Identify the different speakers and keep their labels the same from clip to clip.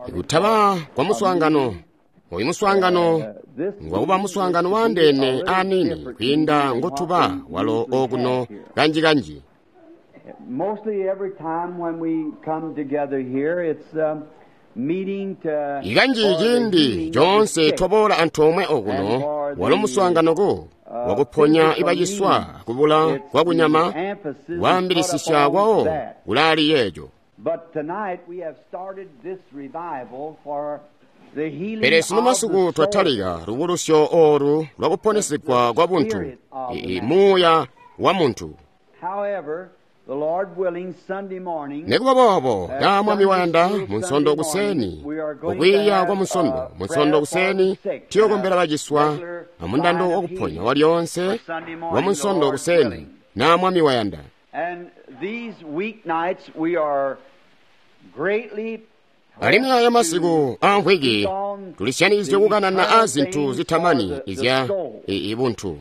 Speaker 1: Kutaba kwa muswaangano oyu muswaangano ngwakuba muswaangano waandeene aniini kwiinda ngotuba walo okuno kanji-kanji. Ikanji ciindi coonse twaboola antoomwe okuno walo muswaanganoko wakuponya ibaciswa kubula kwakunyama waambilisisya kwawo kulaali yeeco. Pele sunu masiku twatalika lubulusyo oolu lwakuponesigwa kwa buntu, muuya wa muntu. Nikuba boobo, naa Mwami wayanda, Munsondo kuseni, kukwiiya kwa Munsondo, Munsondo kuseni tuyokombela baciswa amundando wakuponya walyoonse wa Munsondo kuseni, naa Mwami wayanda. Alimwi aya masiku aamvwiki tulisyanikizye kukanana a zintu zitamani izya ibuntu.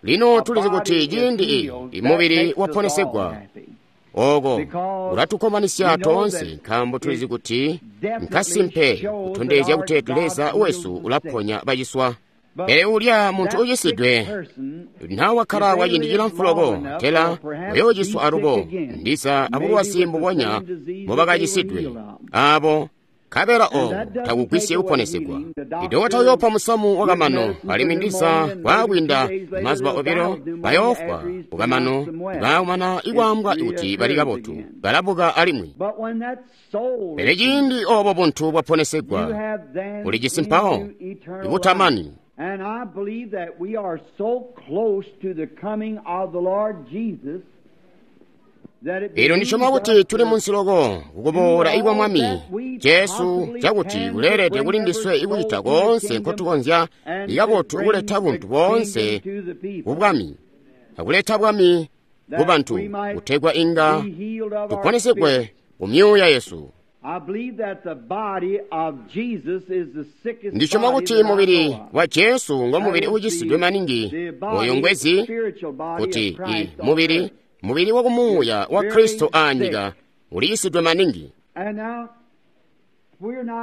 Speaker 1: Lino tulizi kuti ciindi imubili waponesegwa oko ulatukkomanisya toonse, nkaambo tulizi kuti nkasimpe kutondezya kuti Leza wesu ulaponya baciswa. Pele ulya muntu ucisidwe nawakkala kwa ciindi cilamfu loko, tela uyoociswa alubo, ndiza abulwazi mbubonya mbobakacisidwe aabo, nkabela oobo takugwisye kuponesegwa. Idokota uyoopa musamu wakamano, alimwi ndiza kwaakwiinda mazuba obilo bayoofwa kukamano, baakumana ikwaambwa kuti bali kabotu, balabuka alimwi. Pele ciindi oobo buntu bwaponesegwa, ulijisi mpawo ibutamani.
Speaker 2: And I believe that we are so close to the coming of the Lord Jesus
Speaker 1: Elyo ndisyoma kuti tuli munsi loko kukuboola ikwa Mwami Jesu, cakuti kuleelede kuli ndiswe ikucita koonse nkotukonzya ikabotu kuleta buntu boonse ku bwami, akuleta bwami ku bantu, kutegwa inga tuponesegwe ku myuuya yesu. Ndisyoma kuti mubili wa Jesu ngo mubili uucisidwe maningi oyo ngwezi, kuti mubili mubili wa kumuuya wa Kristo aanyika uliyisidwe maningi.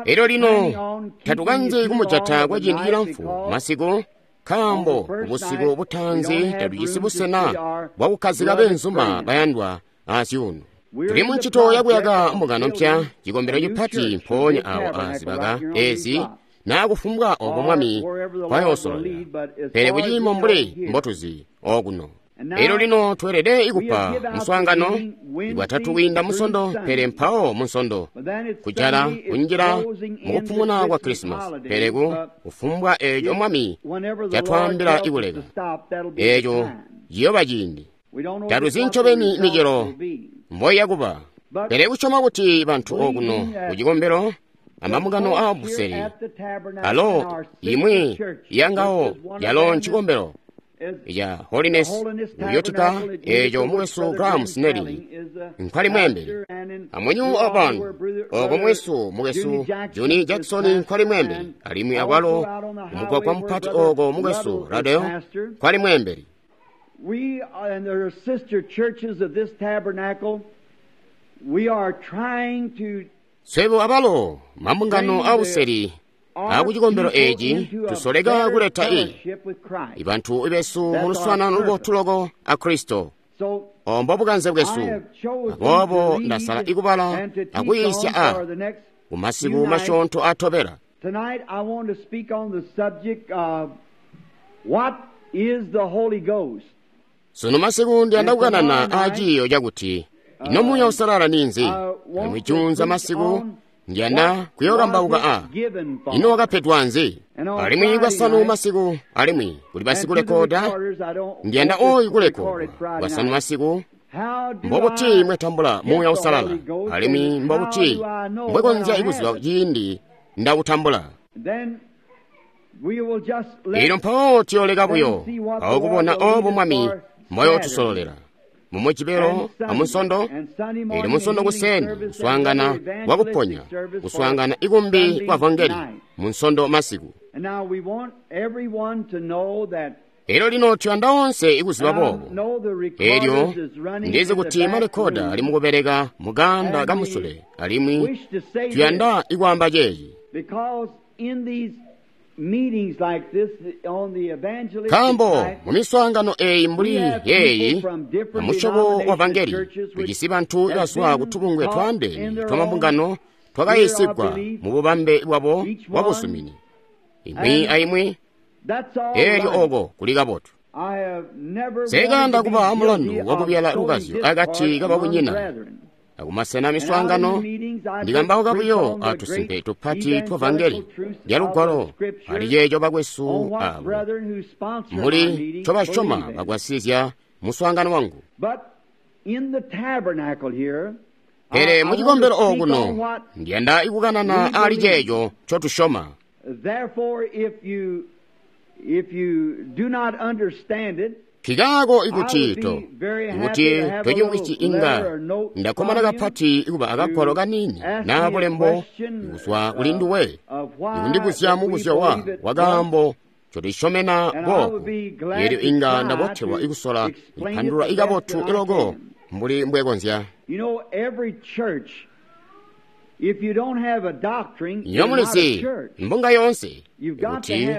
Speaker 1: Elyo lino tatukanzi kumujata kwa ciindi cilamfu masiku, nkaambo busiku butaanzi tatujisi busena bwakukkazika beenzuma bayandwa azyuuno. Tuli mu ncito yakuyaka mbungano mpya, cikombelo cipati mpoonya awo azibaka ezi, naa kufumbwa oko Mwami kwayoosololela, pele kuciimo mbuli mbotuzi okuno. Elyo lino tweelede ikupa muswaangano Bwatatu kwiinda Munsondo, pele mpawo Munsondo kujala kunjila mukupumuna kwa Krisimasi, pele ku kufumbwa eeco Mwami catwaambila ikuleka, eeco ciyooba ciindi. Tatuzi ncobeni micelo mboiyakuba, pele kusyoma kuti bantu okuno kucikombelo amambungano aa buseli alo imwi yangawo yalo ncikombelo ya Holiness Uyotika eeco mukwesu Graham Snelling nkwali mweembeli, amwenyu abantu oko mwesu mukwesu Johnny Jackson nkwali mweembeli, alimwi akwalo kumugwagwa mupati oko mukwesu Radeo nkwali mweembeli.
Speaker 2: We and the sister churches of this tabernacle, we are trying to
Speaker 1: swebo abalo mambungano abuseli akucikombelo eeci tusoleka kuleta ibantu besu mu luswaanano lubotu loko a Kristo. Ombo bukanze bwesu. Aboobo ndasala ikubala akuyiisya a kumasiku masyoonto atobela.
Speaker 2: Tonight I want to speak on the subject of what is the Holy Ghost.
Speaker 1: Sunu masiku ndiyanda kukanana a ciiyo cakuti ino Muuya Uusalala ninzi? Alimwi juunza masiku ndiyanda kuyookambauka a ino wakapedwa nzi? Alimwi Bwasanu masiku, alimwi kuli basikulekoda, ndiyanda oyu kulekodwa Bwasanu masiku. Mbobuti mwetambula Muuya Uusalala, alimwi mbobuti mbwekonzya ikuziba ciindi ndakutambula? Elyo mpawo tuyooleka buyo awo kubona obo Mwami mbwayootusololela mumujibelo amunsondo. Elyo munsondo kuseni kuswaangana kwakuponya, kuswaangana ikumbi kwa vangeli munsondo masiku. Elyo lino tuyanda onse ikuziba boobo. Elyo ndizi kuti marekkoda ali mukubeleka muganda kamusule, alimwi tuyanda ikwaamba ceeci. Nkaambo mumiswaangano eeyi mbuli yeeyi amusyobo wa vangeli, tujisi bantu ibazwa kutubungwe twaandeene twamabungano twakayiisigwa mu bubambe bwabo bwabuzumini, imwi aimwi. Elyo oko kuli kabotu. Nsekayanda kuba amulandu wakubyala lukazyo akati kababunyina. Akumasena miswaangano ndikambauka buyo atusimpe tupati twa vangeli lya lugwalo ali ceeco bakwesu abo muli ncobasyoma bagwasizya muswaangano wangu. Pele mucikombelo okuno ndiyanda ikukanana ali ceeco ncotusyoma. Nkikaako ikuti tocimvwisyi inga ndakkomana kapati ikuba akagwalo kaniini naa bulembo kuzwa kuli nduwe ikundibuzya mubuzyo wakaambo ncotusyomena boobu, eelyo inga ndabotelwa ikusola kupandulula ikabotu iloko mbuli mbwekonzya. Nywebo mulizi, mbunga yoonse, kuti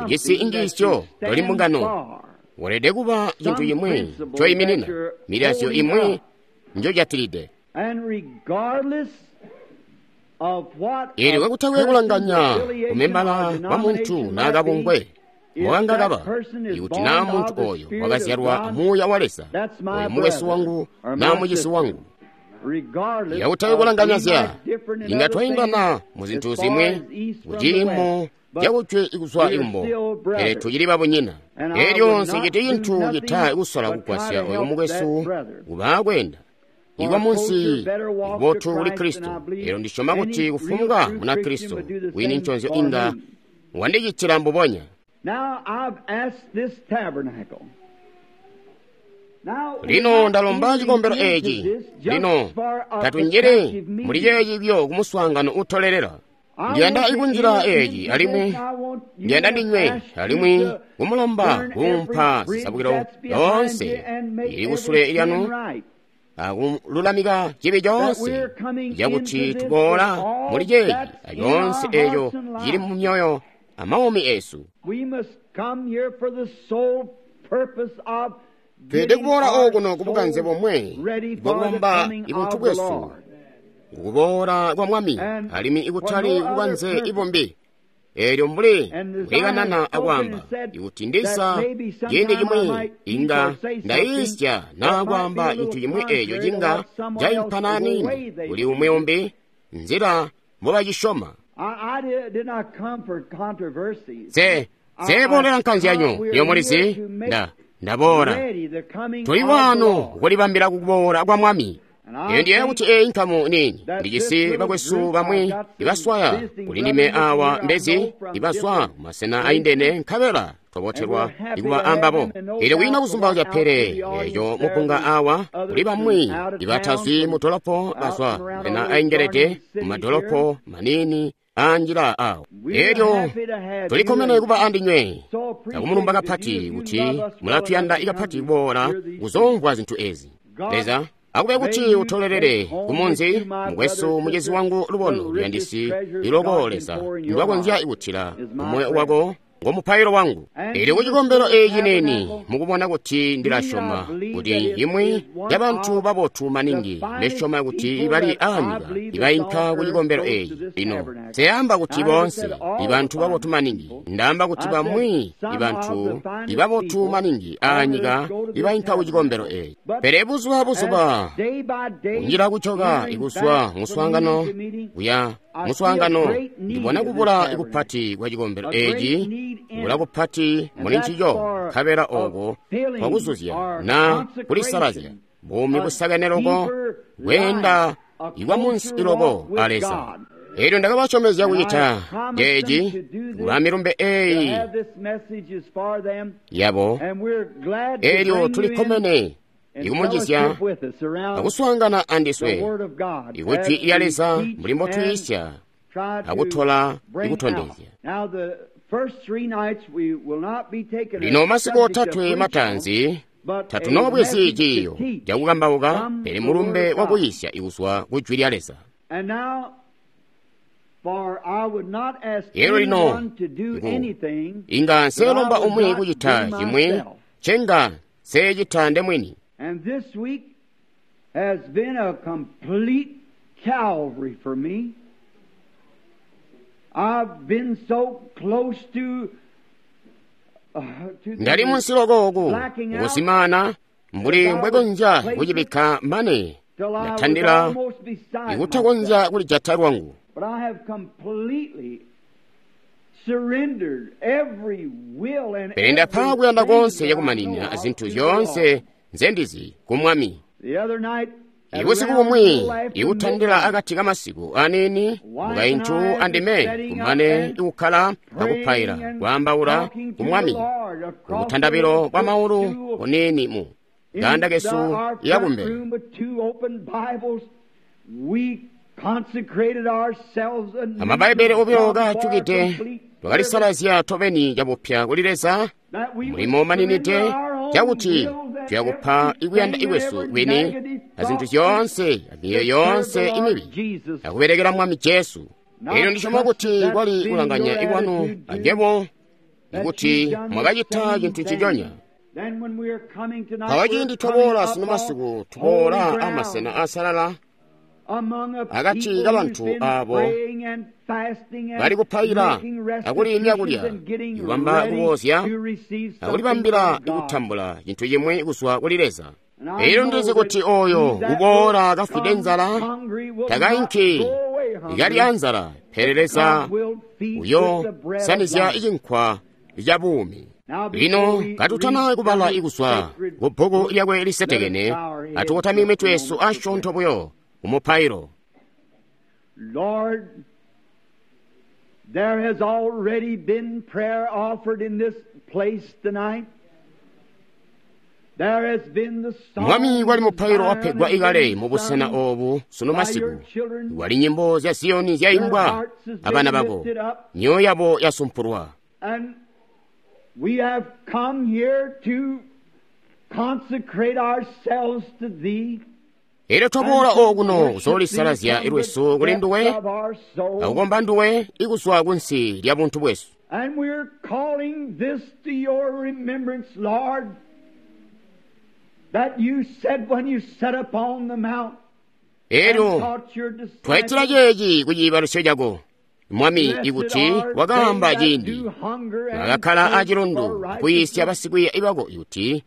Speaker 1: ujisi injiisyo toli mbungano, weelede kuba cintu cimwi ncoyiminina, milazyo imwi njojatilide. Eelyo kakutakwe kulanganya kumembala wa muntu naa kabungwe mbokanga kaba, ikuti naa muntu ooyo wakazyalwa Muuya wa Leza, oyo mukwesu wangu naa mucizi wangu. Kakutakwe kulanganya zya inga twaindana muzintu zimwi kuciimo cakujwe ikuzwa ikumbo, pele tucili babunyina. Elyo nsiciti cintu cita ikusola kugwasya oyo mukwesu kuba kweenda ikwa munsi ibotu kuli Kristo. Elyo ndisyoma kuti kufumbwa muna Kristo wini nconzyo inga wandicitila mbubonya. Lino ndalomba cikombelo eeci. Lino tatunjili muli ceeci buyo kumuswaangano utolelela. Ndiyanda ikunjila eeci alimwi ndiyanda ndinywe alimwi kumulomba kuumpa zisabukilo yoonse ili kusule lyanu akululamika cibi coonse cakuti tuboola muli ceeci acoonse eeco cili mu myoyo amaumi esu. Tweelede kuboola okuno kubukanze bomwe bwakubamba ibuntu bwesu kukuboola kwa Mwami, alimwi ikutali kubukanze ibumbi. Eelyo mbuli kulikanana akwaamba ikuti ndisa ciindi cimwi inga ndayiisya naa kwaamba cintu cimwi eeco cinga caimpana aniini kuli umwi umbi nzila mbobacisyoma. Nseebolela nkanzyanyo, nywebo mulizi, ndaboola. Tuli waano kulibambila kukuboola kwa Mwami. Eyo ndiyeeya kuti eeyi nkamu niini ndijisi bakwesu bamwi ibaswaya kuli ndime awa mbezi ibazwa kumasena aindene, nkabela twabotelwa ikuba ambabo. Eelyo kwiina kuzumbauzya pele eeco mupunga awa kuli bamwi ibatazwi mudolopo bazwa masena aingelede mumadolopo maniini anjila awo. Eelyo tulikkomene kuba andinywe akumulumba kapati kuti mulatuyanda ikapati kuboola kuzoomvwa zintu ezi. Leza akube kuti utolelele kumunzi mukwesu mucizi wangu lubono luyandisi iloko Leza ndwakonzya ikutila mumoyo wako ngo mupailo wangu. Eelyo kucikombelo eeci neni mukubona kuti ndilasyoma kuti imwi yabantu babotu maningi ndisyoma kuti ibali aanyika ibainka kucikombelo eeci. Lino nseamba kuti boonse ibantu babotu maningi, ndaamba kuti bamwi ibantu ibabotu maningi aanyika ibainka kucikombelo eeci. Pele buzuba buzuba kunjila kucoka ikuzwa muswaangano kuya muswaangano, ndibona kubula ikupati kwa cikombelo eeci, kubula kupati muli ncico, nkabela oko kwakuzuzya na kulisalazya buumi busakene loko kweenda ikwa munsi iloko a Leza. Eelyo ndakabasyomezya kucita ceeci kuba milumbe eeyi yabo. Eelyo tulikkomene ikumunjizya akuswaangana andiswe ikujwi lya Leza mbuli mbotwiisya akutola ikutondezya. Lino masiku otatwe mataanzi tatunoobwezi ciiyo cakukambauka, pele mulumbe wakuyisya ikuzwa ku Jwi lya Leza. Elyo lino inga nseelomba umwi kucita cimwi ncenga nseecita ndemwini.
Speaker 2: Has been a complete Calvary for me. I've been so close to
Speaker 1: ndali munsi lokooku kusimana mbuli mbwekonzya kucibikka mane ndatandila ikutakonzya kulijata lwangu. Pele ndapa kuyanda konse cakumaninina azinthu zyoonse nzendizi ku Mwami. Ibusiku bumwi ikutandila akati kamasiku aniini mukaintu andime kumane ikukkala akupaila kwaambaula ku Mwami kubutandabilo bwa maulu buniini mu ganda kesu yakumbele. Amabaibele obilo kaajukide twakalisalazya tobeni cabupya kuli Leza mulimo maninide cakuti tuyakupa ikuyanda ikwesu kwini azinthu zyoonse amiyoyo yoonse imibi akubelekela Mwami Jesu. Elyo ndisyoma kuti kwali kulanganya ikwanu anywebo ikuti mwakacita cintu nciconya. Mpawo ciindi twaboola sino masiku tuboola amasena asalala akati kabantu aabo bali kupaila akuliimya kulya, ikubamba kuboozya akulibambila ikutambula cintu cimwi kuzwa kuli Leza. Elyo ndizi kuti oyo uboola kafwide nzala takainki ikali anzala, pele Leza uyo sanizya icinkwa ca buumi. Lino katutana kubala ikuzwa ku bbuku lyakwe lisetekene, atukotamike mitwe yesu asyoonto buyo kumupailo.
Speaker 2: Lord, there has already been prayer offered in this place tonight. There has been the song.
Speaker 1: Mwami kwali mupailo wapegwa ikale mu busena obu sunu masiku. Kwali nyimbo zya Ziyoni zyaimbwa abana bako, myoyo yabo yasumpulwa.
Speaker 2: And we have come here to consecrate ourselves to thee.
Speaker 1: Elyo twaboola okuno kuzoolisalazya ilwesu kuli nduwe akukomba nduwe ikuzwa kunsi lya buntu bwesu.
Speaker 2: And we're calling this to your remembrance, Lord, that you said when you sat upon the mount.
Speaker 1: Elyo twaitila ceeci ku ciibalusyo cako, Mwami, ikuti wakaamba ciindi mwakakkala acilundu akuyisya basikwiiya bako ikuti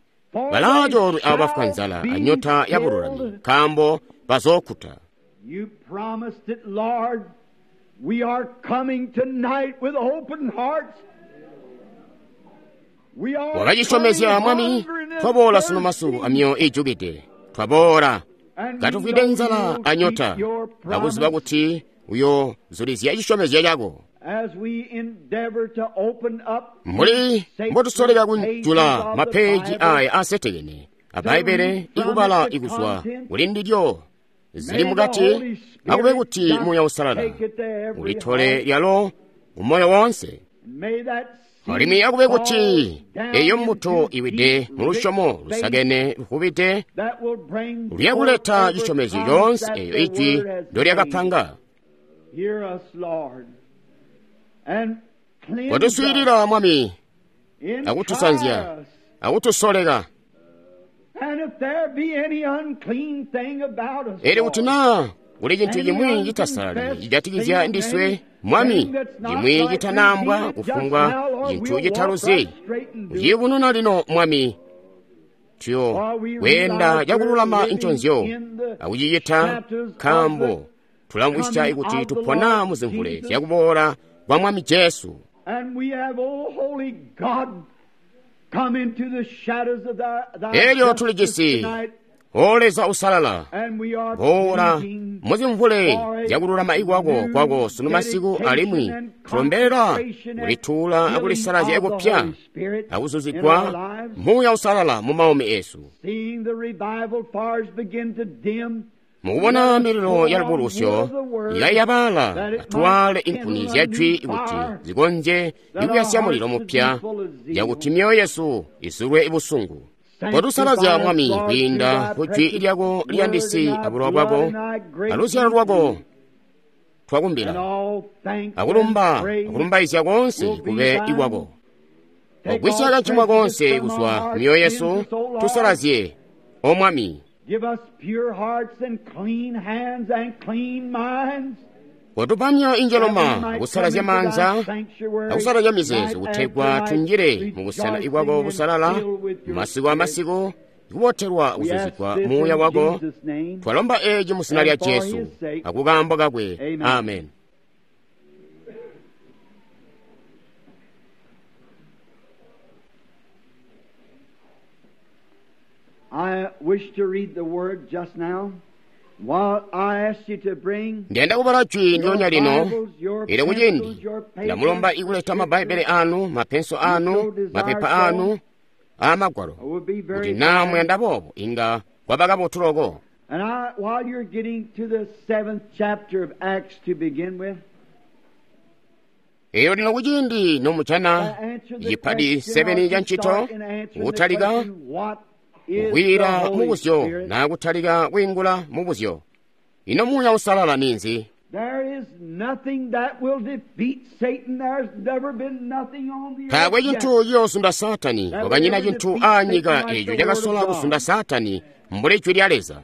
Speaker 1: balaacoolwe abo bafwa nzala anyota ya bululami, nkaambo bazookkuta.
Speaker 2: You promised it, Lord. We are coming tonight with open hearts. We are
Speaker 1: Wakacisyomezya Mwami, twaboola sunu masiku amyoyo ijukide. Twaboola katufwide nzala anyota, akuziba kuti uyozulizya cisyomezyo cako.
Speaker 2: As we endeavor to open up
Speaker 1: Mbuli mbotusoleka kujula mapeji aya asetekene aBbaibele ikubala ikuzwa kuli ndilyo zili mukati, akube kuti Muuya Usalala ulitole lyalo umoyo wonse. Alimwi akube kuti eyo mbuto iwide mu lusyomo lusakene lufubide luyakuleta cisyomezyo coonse eyo ijwi ndolyakapanga. Watuswiilila Mwami, akutusanzya, akutusoleka. Elyo kuti naa kuli cintu cimwi citasalali cijatikizya ndiswe, Mwami, cimwi citanaambwa kufumbwa cintu citaluzi, uciyubununa lino, Mwami. Tuyo kweenda cakululama nconzyo akucicita, nkaambo tulamvwisya kuti tupona muzimvule zyakuboola kwa Mwami Jesu. Elyo tulijisi, O Leza usalala, boola muzimvule zyakululama ikwako kwako sunu masiku, alimwi tulombelela kulituula akulisalazya ikupya akuzuzigwa Muuya Usalala mu maumi esu. Mukubona mililo ya lubulusyo ikayabala, atuwale inkuni zya jwi kuti zikonzye ikuyasya mulilo mupya, yakuti myoyo yesu izulwe busungu. Kotusalazya, Mwami, kwiinda ku jwi lyako liyandisi abulowa bwako aluzyalo lwako twakumbila, akulumba akulumbaizya koonse kube ikwako. Ogwisya kacimwa koonse kuzwa myoyo yesu, tusalazye, O Mwami. Kotupa myoyo injeloma akusalazya maanza akusalazya mizeezo, kutegwa tunjile mubusena ibwako busalala masiku amasiku, kubotelwa kuzuzigwa muuya wako. Twalomba eci mu zina lya Jesu akukaambo kakwe. Amen. Ndiyanda kubala jwi ndyonya lino. Elyo kuciindi ndamulomba ikuleta mabbaibele anu, mapenso anu, mapepa anu aamagwalo, kuti naa muyanda boobo inga kwaba kabotu loko. Elyo lino kuciindi nomujana cipadi 7 ca ncito, kutalika kukwiila mubuzyo naa kutalika kwiingula mubuzyo, ino Muuya Uusalala ninzi? Taakwe cintu ciyoozunda Saatani. Kwakanyina cintu aanyika eeco cakasola kuzunda Saatani mbuli jwi lya Leza.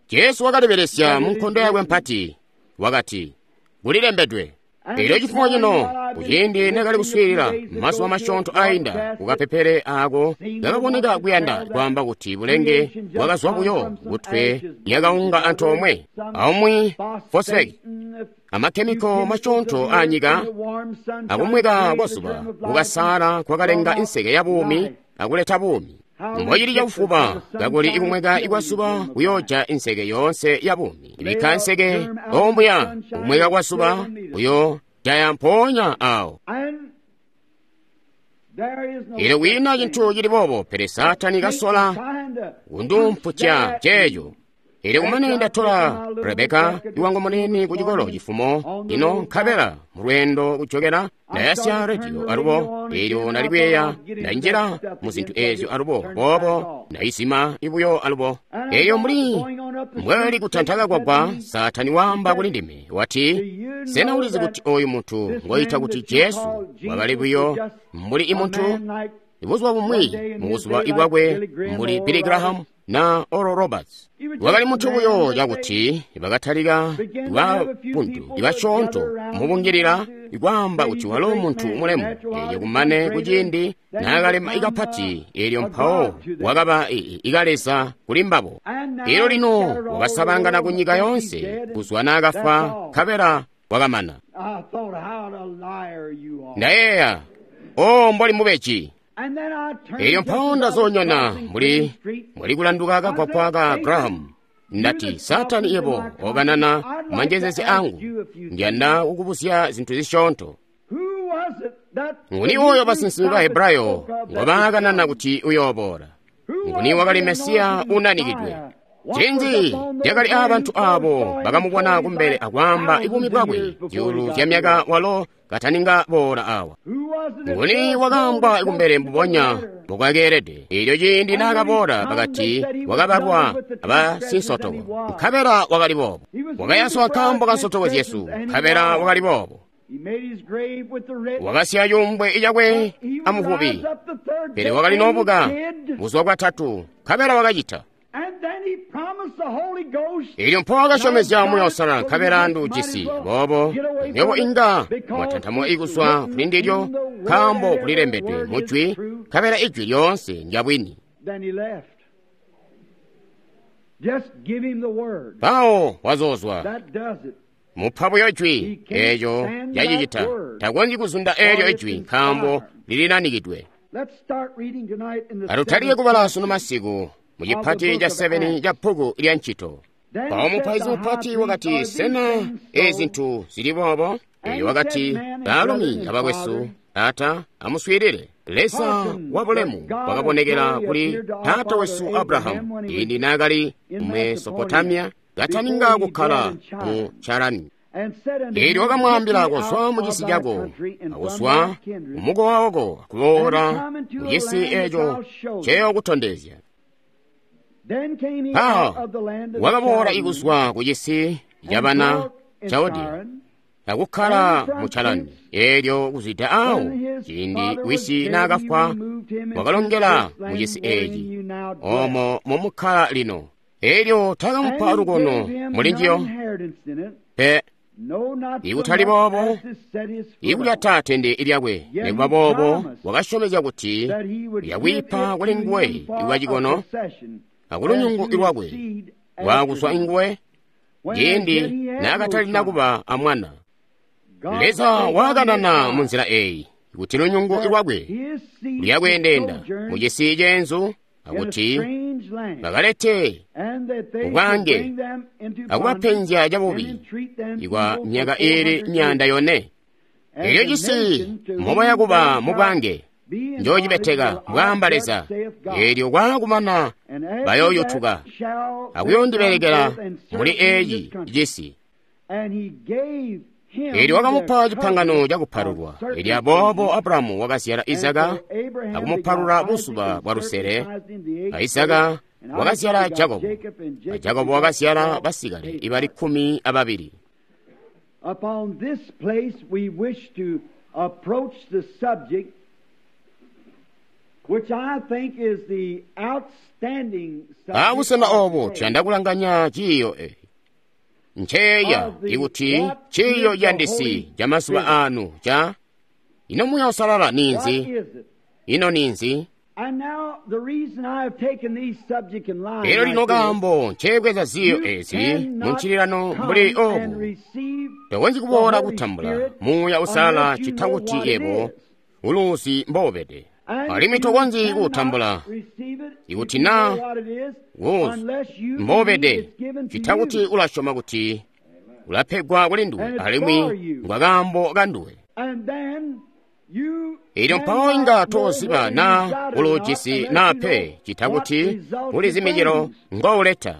Speaker 1: Jesu wakalibelesya mu nkondo yakwe mpati. Wakati, kulilembedwe. Elyo cifumo cino, kuciindi nakali kuswiilila mazuba masyoonto ainda kukapepele aako kakaboneka kuyanda kwaamba kuti bulenge bwakazwa buyo kutwe lyakaunga antoomwe aumwi phosphate amakhemiko masyoonto aanyika akumweka kwa zuba kukasaala kwakalenga inseke ya buumi akuleta buumi. Mbocili cakufuba kakuli ikumweka ikwazuba kuyooja inseke yoonse ya buumi. Ibikka nseke ombuya, kumweka kwa zuba kuyoojaya mpoonya awo. Elyo kwiina cintu cili boobo, pele Saatani kasola kundumputya ceeco. Elyo kumane ndatola Rebeka iwangu munene ku cikolo cifumo ino, nkabela mulweendo kujokela ndayasya rediyo alubo. Elyo ndali kuyeeya ndanjila mu zintu eezyo alubo, boobo ndayizima ibuyo alubo. Eyo mbuli mbwali kutanta kagwagwa, Saatani waamba kuli ndime wati, sena ulizi kuti oyu muntu ngoyita kuti Jesu wakali buyo mbuli imuntu buzuba bumwi mu buzuba ibwakwe mbuli Billy Graham na Oral Roberts? Wakali muntu buyo cakuti bakatalika babuntu ibasyoonto mubungilila ikwaamba kuti walo muntu mulemu. Elyo kumane kuciindi naakalema ikapati, elyo mpawo wakaba ikaleza kuli mbabo. Elyo lino wakasabangana ku nyika yoonse kuzwa naakafwa, nkabela wakamana. Ndayeeya, o mboli mubeji. Elyo mpawo ndazonyona mbuli kulanduka kagwagwa ka Graham. Ndati, Saatani yebo okanana manjezeze angu, ndiyanda kukubuzya zinthu zisyoonto. Nguni oyo basinsimi ba Hebrayo ngobaakanana kuti uyooboola? Nguni wakali Mesiya unanikidwe? Ncinzi lyakali aabantu aabo bakamubona kumbele akwaamba buumi bwakwe zyuulu zya myaka walo kataninga boola awa? Nguni wakaambwa kumbele mbubonya mbokwakeelede? Elyo ciindi naakaboola bakati wakabalwa abasinsotoko, nkabela wakali boobo. Wakayaswa nkaambo ka nsotoko zyesu, nkabela wakali boobo. Wakasiya cuumbwe cakwe amuvubi, pele wakali noobuka buzuba bwatatu, nkabela wakacita. Elyo mpo wakasyomezya Muuya Uusalala, nkabela nduujisi. Boobo nywebo inga mwatantamuka ikuzwa kuli ndilyo, nkaambo kulilembedwe mu jwi, nkabela ijwi lyoonse ndya bwini. Mpawo wazoozwa mupa buyo jwi, eeco cacicita. Takonzyi kuzunda eelyo ijwi, nkaambo lilinanikidwe. Atutalike kubala sunu masiku mu cipati ca 7 ca bbuku lya Ncito. Mpawo mupaizi mupati wakati, sena ezi zintu zili boobo? Elyo wakati, baalumi abakwesu, ata amuswiilile. Leza wa bulemu wakabonekela kuli taata wesu Abrahamu ciindi naakali mu Mesopotamiya kataninga kukkala mu Charani. Eelyo wakamwaambila kuzwa mu cisi cako, akuzwa kumukowa wako akuboola mu cisi eeco nceyookutondezya. Mpawo wakaboola ikuzwa ku cisi cabana Chaldea akukkala mu Charani. Eelyo kuzwida awo ciindi wisi naakafwa wakalongela mu cisi eeci oomo momukkala lino. Eelyo taakamupa lukono mulinjiyo pe, ikutali boobo ikulyata tende lyakwe. Nikuba boobo wakasyomezya kuti uyakwiipa kuli nguwe ikuba cikono akulunyungu lwakwe lwaakuzwa nguwe ciindi naakatalina kuba amwana. Leza waakanana munzila eeyi kuti lunyungu lwakwe luyakwendeenda mu cisi ceenzu akuti bakalete ubwange akubapenzya cabubi ikwa myaka iili 400. Eelyo cisi mobayakuba mubwange njoocibeteka, mbwaamba Leza. Eelyo kwaakumana bayooyutuka akuyoondibelekela muli eeci cisi. Eelyo wakamupa cipangano cakupalulwa. Eelyo aboobo Abrahamu wakazyala Izaka akumupalula buzuba bwa lusele. A Izaka wakazyala Jakobo, a Jakobo wakazyala basikale ibali 12.
Speaker 2: Upon this place we wish to approach the subject which I think is the outstanding subject.
Speaker 1: Abusena oobu tuyanda kulanganya ciiyo eeci. Nceeya ikuti ciiyo ciyandisi ca mazuba aanu ca ino Muuya Uusalala ninzi? Ino ninzi? Elyo lino kaambo nceebweza ziiyo eezi muncililano mbuli oobu, tokonzyi kuboola kutambula Muuya Uusalala ccita kuti yebo uluuzi mboubede. Alimwi tokonzyi kuutambula ikuti naa wuuzi mboubede ccita kuti ulasyoma kuti ulapegwa kuli nduwe alimwi ngwakaambo kanduwe. Eelyo mpawo inga tooziba naa uluujisi naa pe ccita kuti ulizi micelo ngouleta.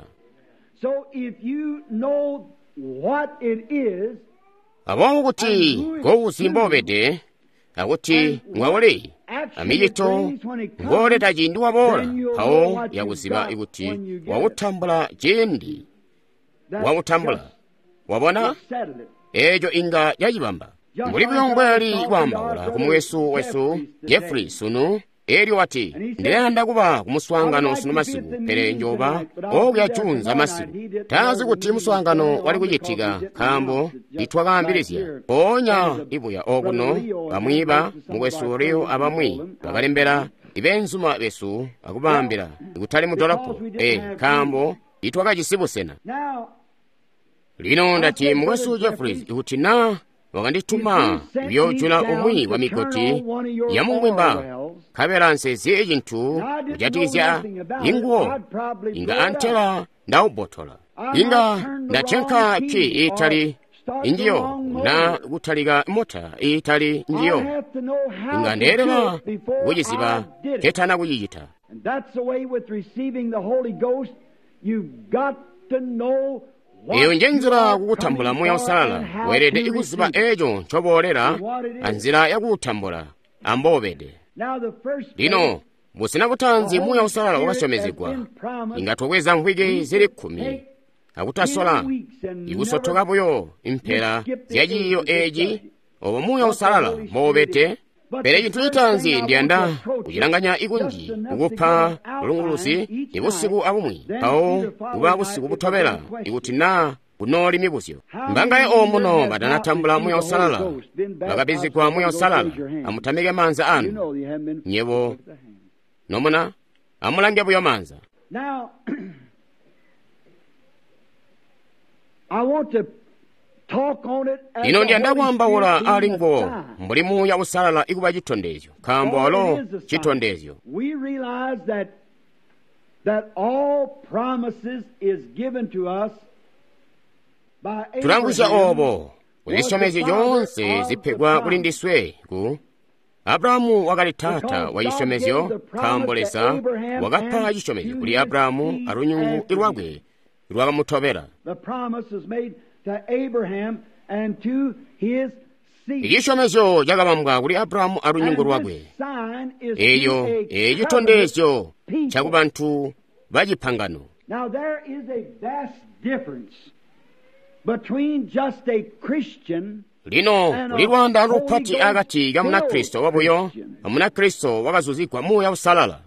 Speaker 1: Aboobo kuti kouzi mboubede akuti ngwauli amicito ngooleta ciindi waboola, mpawo yakuziba kuti wautambula ciindi wautambula. Wabona? Eeco inga cacibamba. Mbuli buyo mbwali kwaambaula kumwesu wesu Jeffrey sunu, eelyo wati, ndiyanda kuba kumuswaangano sunu masiku, pele njoba okuya juunza masiku. Tazi kuti muswaangano wali kucitika nkaambo nitwakaambilizya. Mpoonya ibuya okuno bamwi ba mukwesu Leo abamwi bakalembela ibeenzuma besu akubaambila kutali mudolopo, nkaambo nitwakajisi busena. Lino ndati mukwesu Jeffries ikuti naa wakandituma kuyoojula umwi wa migoti yamungwimba, nkabela nsezi cintu kujatikizya inguwo, inga antela ndawubbotola. Inga ndatyanka kki iitali njiyo na kutalika mota iitali njiyo. Inga ndeelela kuciziba nketana kucicita. Eyo nje nzila kukutambula Muuya Uusalala. Weelede kuziba eeco ncoboolela anzila yakuutambula amboobede. Lino busena butaanzi Muuya Uusalala wakasyomezegwa inga twabweza mvwiki zili 10 akutasola ikusotoka buyo impela zya ciiyo eeci obo Muuya Uusalala mboubede. Pele cintu citaanzi ndiyanda kucilanganya ikunji kukupa bulunguluzi ibusiku abumwi, mpawo kuba busiku butobela ikuti naa kunooli mibuzyo. Mbangaye omuno batanatambula Muuya Uusalala, bakabizigwa Muuya Uusalala, amutamike maanza anu. Nyebo nomuna amulange buyo maanza. Lino ndiyanda kwaambaula ali nguwo mbuli Muuya Uusalala ikuba citondezyo, nkaambo walo citondezyo. Tulamvwisya oobo kuzisyomezyo zyoonse zipegwa kuli ndiswe ku Abrahamu wakali taata wa cisyomezyo, nkaambo Leza wakapa cisyomezyo kuli Abrahamu alunyungu lwakwe lwakamutobela. Icisyomezyo cakabambwa kuli Abrahamu alunyungu lwakwe. Eyo ecitondezyo cakubantu bacipangano.
Speaker 2: Now there is a vast difference between just a Christian.
Speaker 1: Lino kuli lwaanda lupati akati ka Munakristo wabuyo a Munakristo wakazuzigwa Muuya Uusalala.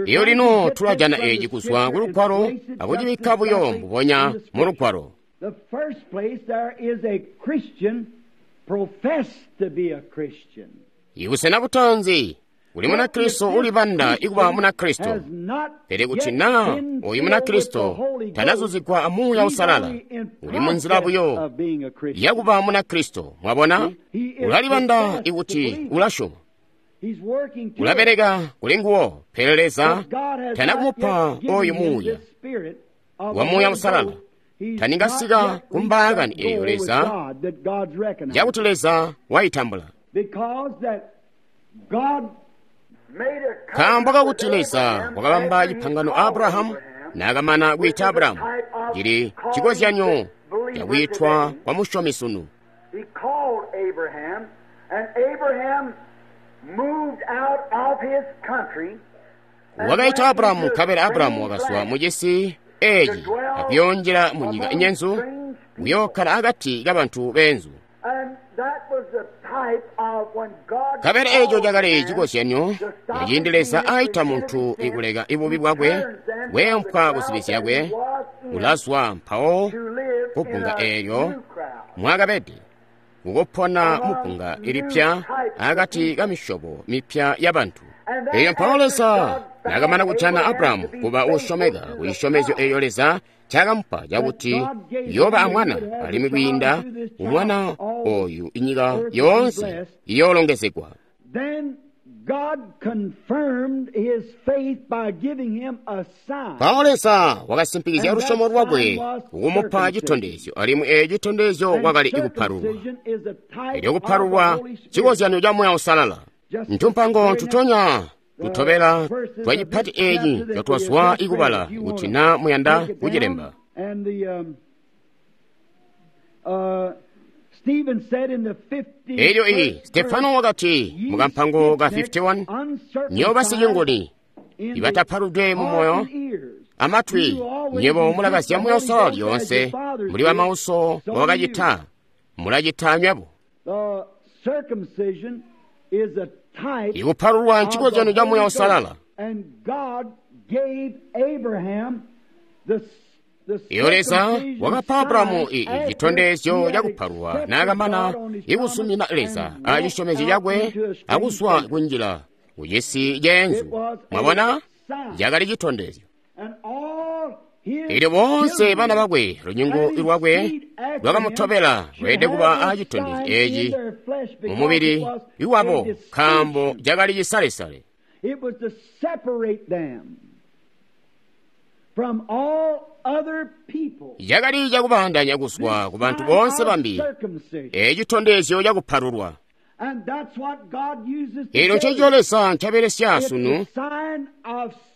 Speaker 1: Iyo lino tulajana eci kuzwa ku Lugwalo akucibikka buyo mbubonya mu Lugwalo.
Speaker 2: The first place there is a Christian professed to be a Christian.
Speaker 1: Ibusena butanzi kuli Munakristo ulibanda ikuba Munakristo, pele kuti naa oyu Munakristo tanazuzigwa a Muuya Uusalala, uli munzila buyo yakuba Munakristo. Mwabona, ulalibanda ikuti ulasyoma, ulabeleka kuli nguwo, pele Leza tanakumupa oyu Muuya wa Muuya Uusalala. Taningasika ku mbaakani eyo Leza yakuti Leza waitambula. Nkaambo kakuti Leza wakabamba cipangano a Abrahamu naakamana kwiita Abrahamu, cili cikozyanyo cakwiitwa kwa musyomi sunu. Wakaita Abrahamu, nkabela Abrahamu wakazwa mucisi eci akuyoonjila munyika inyenzu, kuyookkala akati kabantu beenzu. Nkabela eco cakali cikozyanyo ciindi Leza aita muntu ikuleka ibubi bwakwe, weempwa kuzibi zyakwe, ulazwa mpawo kubbunga eelyo mwakabede, kukupona mubbunga ilipya akati ka misyobo mipya yabantu. Eyo mpawo Leza naakamana kujana Abrahamu kuba uusyomeka ku cisyomezyo eyo Leza cakamupa cakuti yoba amwana, alimwi kwiinda umwana oyu inyika yoonse iyoolongezegwa. Mpawo Leza wakasimpikizya lusyomo lwakwe kukumupa citondezyo, alimwi eco citondezyo kwakali ikupalulwa. Elyo kupalulwa cikozyanyo ca Muuya Uusalala. Ntumpango ntutonya tutobela twa cipati eci catwazwa ikubala kuti naa muyanda kucilemba. Elyo iyi Stefano wakati mukampango ka 51, nyoba basicinguni ibatapaludwe mu moyo amatwi, nywebo mulakazya Muuya Uusalala lyoonse, muli bamauso wakacita, mulacita nywebo. Ikupalulwa ncikozyanyo ca Muuya Uusalala. Iyo Leza wakapa Abrahamu citondezyo cakupalulwa naakamana ikusumina Leza a cisyomezyo cakwe akuzwa kunjila kucisi ceenzu. Mwabona, cakali citondezyo. Elyo boonse bana bakwe, lunyungu lwakwe lwakamutobela, lweelede kuba a citondezyo eci mumubili iwabo, nkaambo cakali cisalesale. Cakali cakubaandanya kuzwa ku bantu boonse bambi, eci citondezyo cakupalulwa. Elyo ncencico Leza ncabelesya sunu,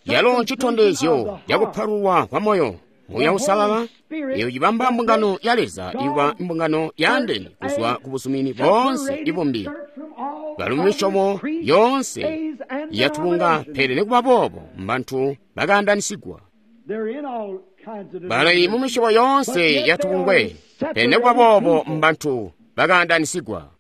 Speaker 1: yalo ncitondezyo cakupalulwa kwa moyo. Muuya Uusalala eyo cibamba mbungano ya Leza iba mbungano yaandene kuzwa ku buzumini boonse ibumbi, bali mu misyobo yoonse yatubunga, pele nikuba boobo mbantu bakaandanisigwa. Bali mu misyobo yoonse yatubungwe, pele nikuba boobo mbantu bakaandanisigwa.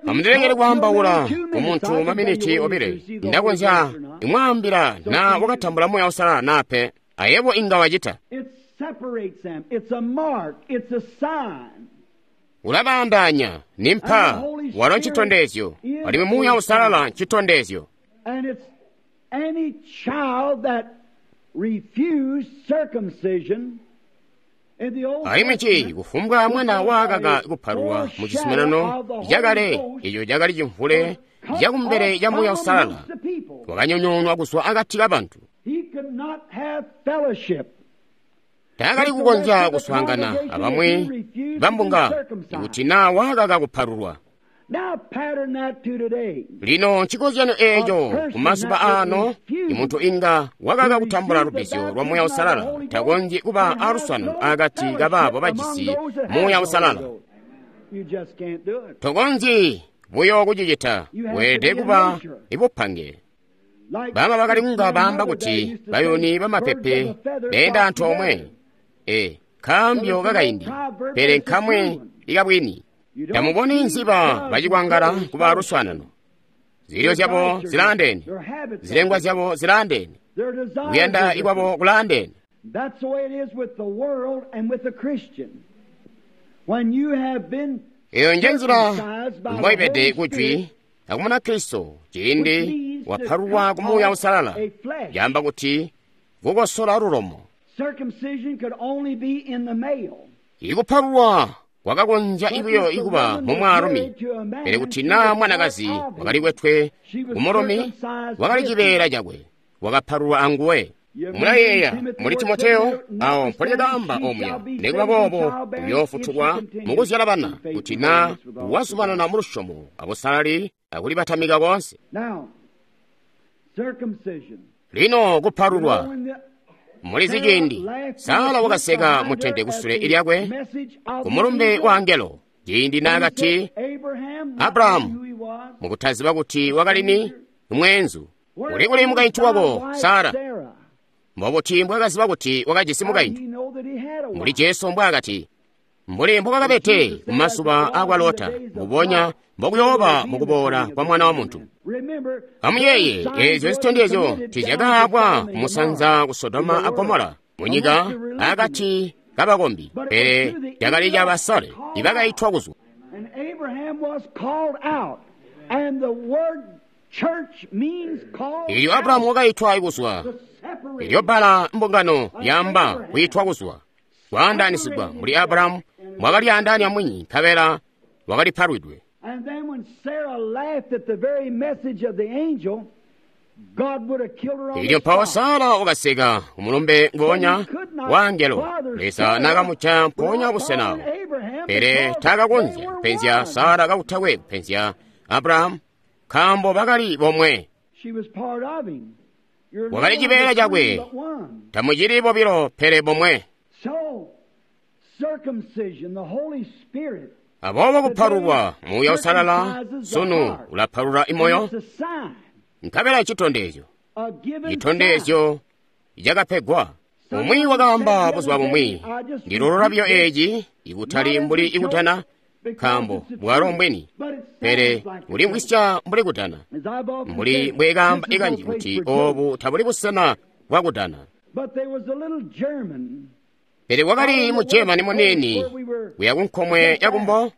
Speaker 1: Amundilekele kwaambaula ku muntu maminiti obile, ndakonzya imwaambila naa wakatambula Muuya Uusalala naa pe. Ayebo inga wacita. Ulabaandaanya nimpa, walo ncitondezyo, alimwi Muuya Uusalala ncitondezyo. Alimwi ci kufumbwa mwana waakaka kupalulwa mu cizuminano cakale, eco cakali cimvule cakumbele ca Muuya Uusalala, wakanyonyoonwa kuzwa akati kabantu. Taakali kukonzya kuswaangana abamwi bambunga ikuti naa waakaka kupalulwa. Lino ncikozyanyo eeco kumazuba aano, imuntu inga wakaka kutambula lubbizyo lwa Muuya Uusalala takonzyi kuba aluswaanano akati kabaabo bajisi Muuya Uusalala. Tokonzyi buyo kucicita, weelede kuba ibupange. Bama bakali kunga baamba kuti bayuni bamapepe beenda antoomwe. E, nkaambyo kakaindi, pele nkamwe ikabwini. Tamuboni nziba bacikwangala kuba aluswaanano. Zilyo zyabo zilaandeene, zilengwa zyabo zilaandeene, kuyanda ikwabo kulaandeene. Eyo nje nzila mboibede kujwi akumuna Kristo ciindi wapalulwa ku Muuya Uusalala, yaamba kuti kukosola lulomo. Ikupalulwa kwakakonzya buyo ikuba mu mwaalumi, pele kuti naa mwanakazi wakali kwetwe kumulumi, wakali cibeela cakwe, wakapalulwa anguwe. Mulayeeya muli Timoteyo awo mpolyakaamba omuya, nikuba boobo uyoofutulwa mukuzyala bana kuti naa wazumanana mu lusyomo abusalali akulibatamika koonse. Lino kupalulwa. Mulizi ciindi Sara wakaseka mutende kusule lyakwe ku mulumbe wa angelo ciindi naakati Abrahamu mukutaziba kuti wakali ni mweenzu. Uli kuli mukaintu wako Sara? Mbobuti mbwakaziba kuti wakajisi mukaintu? Mbuli Jesu mbwaakati, mbuli mbwakabede kumazuba akwa Lota, mbubonya mbokuyooba mukuboola kwa Mwana wa Muntu. Amuyeeye eezyo zitondezyo tizyakaabwa kumusanza ku Sodoma a Gomora munyika akati kabakombi, pele cakali ca basale ibakaitwa kuzwa. Ilyo Abrahamu wakaitwa kuzwa, ilyo bbala mbungano lyaamba kwiitwa kuzwa, kwaandaanisigwa. Mbuli Abrahamu mwakalyaandaanya mwini, nkabela wakalipalwidwe. Ilyo mpawo Sara wakaseka umulumbe ngoonya wa angelo, Leza naakamuca mpoonya busenawo. Pele taakakonzya kupenzya Sara kakutakwe kupenzya Abrahamu, nkaambo bakali bomwe. Wakali cibeela cakwe, tamucili bobilo pele bomwe. Aboobo kupalulwa Muuya Uusalala sunu ulapalula imoyo, nkabela citondezyo, citondezyo cakapegwa. Umwi wakaamba buzuba bumwi, ndilolola buyo eeci ikutali mbuli ikutana, nkaambo bwalo mbwini, pele bulimvwisya mbuli kutana, mbuli mbwekaamba ikanji kuti oobu tabuli busena bwakutana. Pele wakali mu Germany muniini kuya kunkomwe yakumbo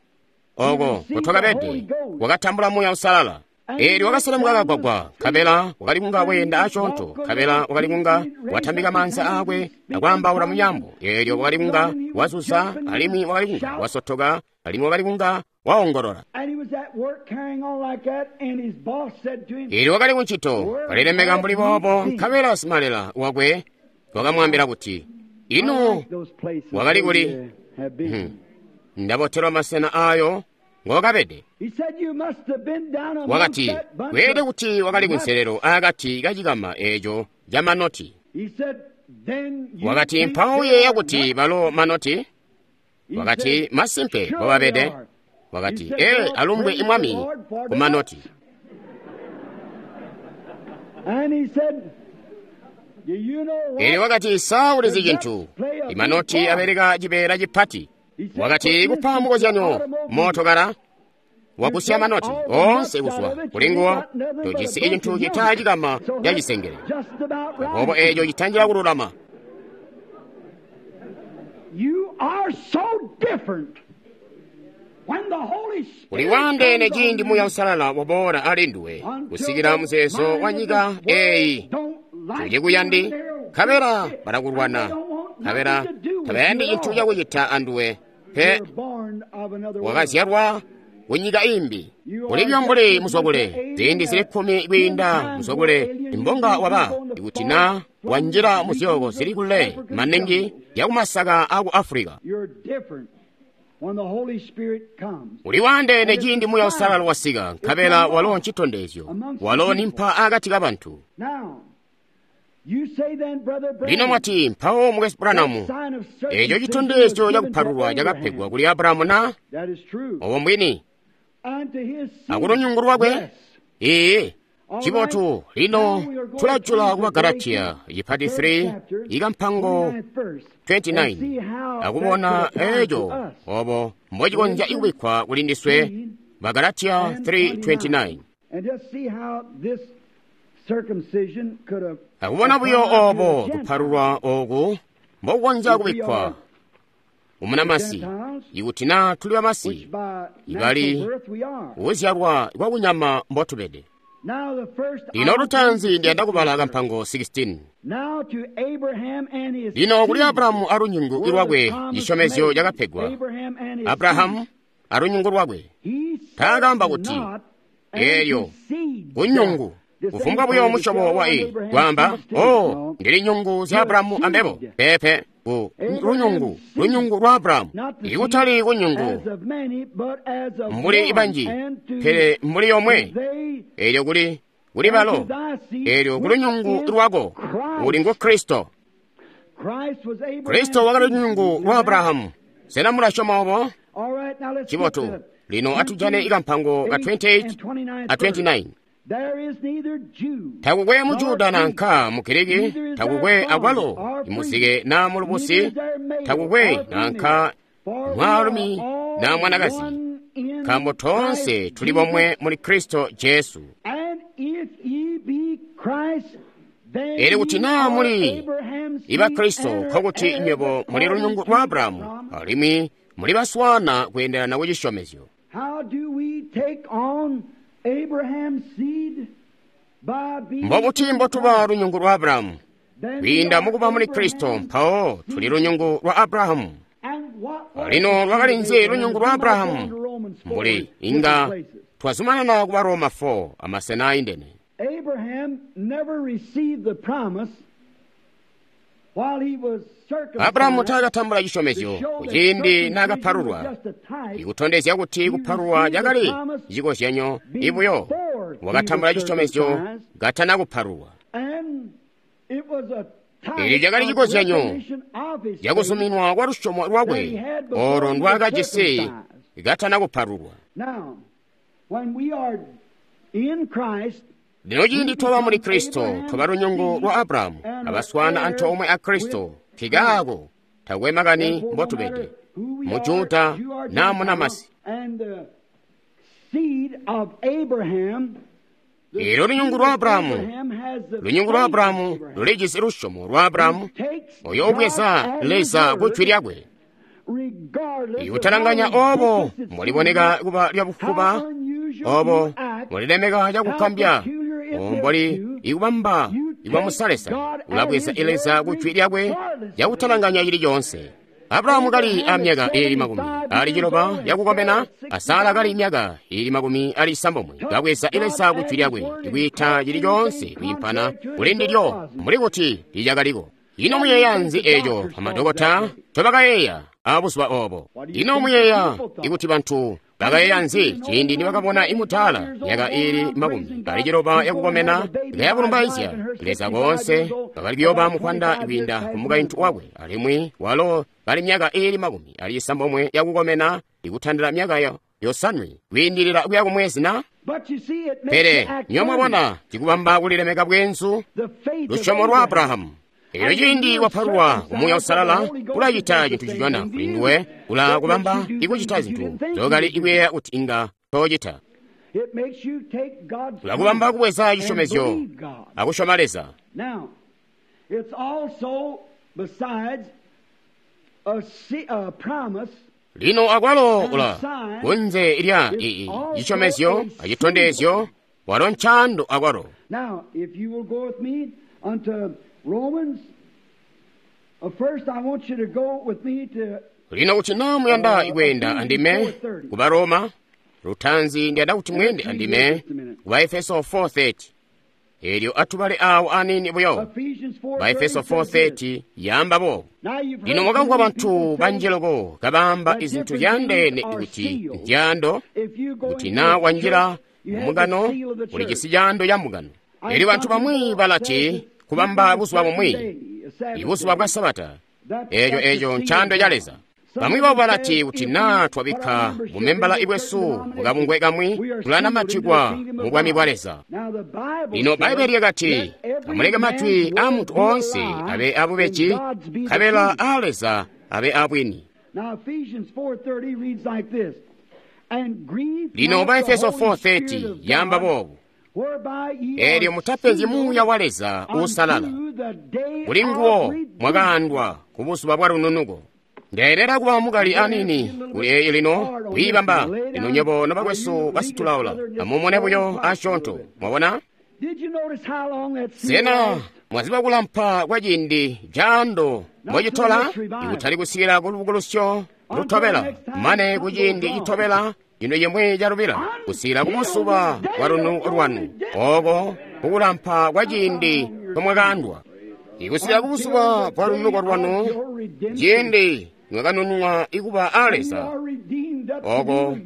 Speaker 1: oko kutwakabede, wakatambula Muuya Uusalala. Eelyo wakaselemuka kagwagwa, nkabela wakali kunga weenda asyoonto, nkabela wakali kunga watambika maanza aakwe akwaambaula munyambo. Eelyo wakali kunga wazuza, alimwi wakali kunga wasotoka, alimwi wakali kunga waongolola. Eelyo wakali kuncito kalilemeka mbuli boobo, nkabela simalela wakwe wakamwaambila kuti, ino wakali kuli? Ndabotelwa masena aayo ngokabede. Wakati, kweelede kuti wakali kunselelo akati kacikama eeco camanoti. Wakati, mpawo uyeeya kuti balo manoti? Wakati, masimpe mbobabede. Wakati, ee, alumbwe imwami kumanoti. Eelyo wakati, sa ulizi cintu, imanoti abeleka cibeela cipati. Wakati, kupa mukozyanyo mootokala wagusya manoti oonse kuzwa kulinguwo, tojisi cintu cita cikama ca cisengele. Aboobo eeco citanjila kululama. Uli waandeene ciindi Muuya Uusalala waboola ali nduwe kusikila muzeezo wa nyika eeyi tucikuyandi, nkabela balakulwana, nkabela tabayandi cintu cakucita anduwe pe. Wakazyalwa kunyika imbi, kulibyo mbuli muzwakule ziindi zili 10 kwiinda muzwakule imbonga waba ikuti na wanjila muzyooko zili kule maningi yakumasaka aku Afulika. Uli waandeene ciindi Muuya Uusalala wasika, nkabela walo ncitondezyo, walo ni mpa akati ka bantu. Lino mwati, mpawo Mukwesu Branham, eco citondezyo cakupalulwa cakapegwa kuli Abrahamu na? Obo mbwini. Akulunyungu lwakwe? Ee. Cibotu, lino tulajula kuba Galatiya ipati 3 ikampango 29 akubona eco obo mbocikonzya ikubikkwa kuli ndiswe. Bagalatiya 3:29 akubona buyo obo kupalulwa oku mbokukonzya kubikkwa umunamasi, ikuti na tuli bamasi ibali kuzyalwa kwa kunyama mbotubede. Lino lutaanzi ndiyanda kubala kampango 16. Lino kuli Abrahamu alunyungu lwakwe cisyomezyo cakapegwa. Abrahamu alunyungu lwakwe taakamba kuti eelyo kunyungu kufumbwa buyo musyobo wa i kwaamba o ndili nyungu zya Abrahamu ambebo pepe ku lunyungu lunyungu lwa Abrahamu ikutali kunyungu mbuli ibanji pele mbuli yomwe eelyo kuli kuli balo eelyo kulunyungu lwako uli ngu Kristo. Kristo wakali lunyungu lwa Abrahamu. Sena mulasyoma obo? Cibotu. Lino atujane ikampango ka 28 a 29. Takukwe muJuda nanka Mugiriki, takukwe akwalo imuzike na mulubusi, takukwe nanka mwaalumi na mwanakazi, nkaambo toonse tuli bomwe muli Kristo Jesu. Elyo kuti naa muli iba Kristo, nkokuti nywebo muli lunyungu lwa Abrahamu, alimwi muli baswana kweendelana ku cisyomezyo. Mbobuti mbotuba lunyungu lwa Abrahamu? Kwiinda mukuba muli Kristo, mpawo tuli lunyungu lwa Abrahamu. Lino lwakali nzi lunyungu lwa Abrahamu? Mbuli inga twazumanana kuba Roma 4 amasena aindene. Abrahamu taakatambula cisyomezyo kuciindi naakapalulwa, ikutondezya kuti kupalulwa cakali cikozyanyo ibuyo. Wakatambula cisyomezyo katana kupalulwa. Eelyo cakali cikozyanyo cakuzuminwa kwa lusyomo lwakwe olo ndwaakajisi katana kupalulwa. Lino ciindi twaba muli Kristo, twaba lunyungu lwa Abrahamu, abaswana antoomwe a Kristo, nkikaako takwe makani mbotubede, muJuda na munamasi. Eelyo lunyungu lwa Abrahamu, lunyungu lwa Abrahamu lulijisi lusyomo lwa Abrahamu, oyo ubweza Leza ku jwi lyakwe. Ikutalanganya obo muliboneka kuba lyabufuba, obo mulilemeka cakukambya, omboli ikubamba ikwamusalesa, ulabweza Leza ku jwi lyakwe cakutalanganya cili coonse. Abrahamu kali amyaka iili 90 yakukomena, a Sara kali myaka iili 96, kabweza Leza ku jwi lyakwe, ikwiita cili coonse kwiimpana kuli ndilyo mbuli kuti licakaliko. Ino muyeeya nzi eco amadokota ncobakayeeya abuzuba obo? Ino muyeeya ikuti bantu bakayeeya nzi ciindi nibakabona imutaala myaka iili 90 yakukomena kayabulumbaizya Leza koonse bakali kuyoba mukwanda kwiinda ku mukaintu wakwe, alimwi walo kali myaka iili 90 yakukomena ikutandila myaka 7 kwiindilila kuya kumwezi na? Pele nyo mwabona cikubamba kulilemeka bwenzu lusyomo lwa Abrahamu. Elyo ciindi wapalulwa ku Muuya Uusalala, ulacita cintu cicona kuli nduwe, ula kubamba ikucita zintu zokali ikuyeeya kuti inga toocita. Ulakubamba kubweza cisyomezyo akusyoma Leza. Lino akwalo ula kunze lya ii cisyomezyo acitondezyo, walo ncaando akwalo. Lino kuti naa muyanda kweenda andime kuba Roma, lutaanzi ndiyanda kuti mweende andime kuba Efeso 4:30. Elyo atubale awo aniini buyo. Baefeso 4:30 yaamba boobu. Lino mwakamvwa bantu banji loko kabaamba izintu zyandeene kuti ndyando, kuti naa wanjila mumugano ulijisi caando ca mugano. Elyo bantu bamwi balati kubamba buzuba bumwi, ibuzuba bwa Sabata, eeco ncaando ca Leza. Bamwi babo balati kuti naa twabikka bumembala bwesu mukabungwe kamwi, tulanamatikwa mu bwami bwa Leza. Lino Bbaibele lyakati, amuleke majwi aa muntu oonse abe abubeji, nkabela aa Leza abe abwini. Lino Baefeso 4:30 yaamba boobu. Eelyo mutapenzyi Muuya wa Leza uusalala, kuli nguwo mwakaandwa ku buzuba bwa lununuko. Ndeelera kuba mukali aniini kuli eeyi lino kwiibamba. Lino nywebo nobakwesu basitulaula, amumone buyo asyoonto. Mwabona? Sena mwaziba kulampa kwa ciindi caando mbocitola ikutali kusikila ku lubukulusyo lutobela, mane ku ciindi citobela cino cimwi calubila, kusikila ku buzuba bwa lununuko lwanu, ooko kukulampa kwa ciindi nkomwakaandwa. Ikusikila ku buzuba bwa lununuko lwanu, ciindi mwakanununwa ikuba a Leza, oko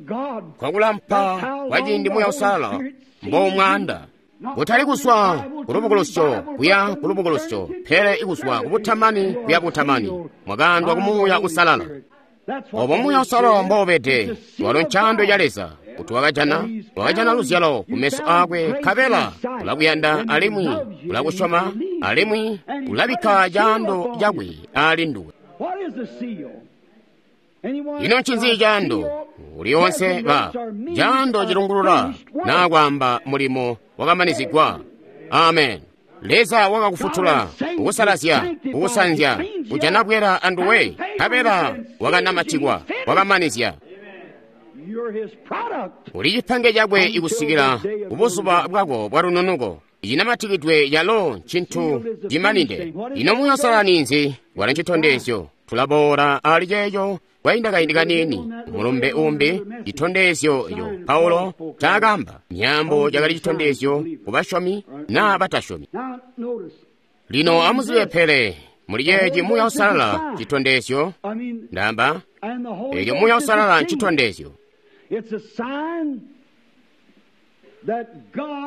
Speaker 1: kwakulampa kwa ciindi Muuya Uusalala mbomwaanda, kutali kuzwa ku lubukulusyo kuya ku lubukulusyo, pele ikuzwa ku butamani kuya butamani, mwakaandwa ku Muuya Uusalala. Obo Muuya Uusalala mboubede, walo ncaando ca Leza, kuti wakajana luzyalo ku meso aakwe, nkabela ulakuyanda alimwi ulakusyoma alimwi ulabikka caando cakwe ali nduwe. Ino ncinzi caando? Uliwonse ba caando cilungulula naa kwaamba mulimo wakamanizigwa. Amen. Leza wakakufutula, kukusalazya, kukusanzya, kujana bwera anduwe, nkabela wakanamatikwa, wakamanizya. Uli cipange cakwe ikusikila kubuzuba bwako bwa lununuko. Icinamatikidwe yalo ncintu cimanide. Ino Muuya Uusalala ninzi? Walo ncitondezyo. Tulaboola ali ceeco kwainda kaindi kaniini. Mulumbe umbi, citondezyo eco Paulo ncaakaamba. Myaambo cakali citondezyo ku basyomi naa batasyomi. Lino amuzibe pele muli ceeci Muuya Uusalala citondezyo. Ndaamba, eelyo Muuya Uusalala ncitondezyo.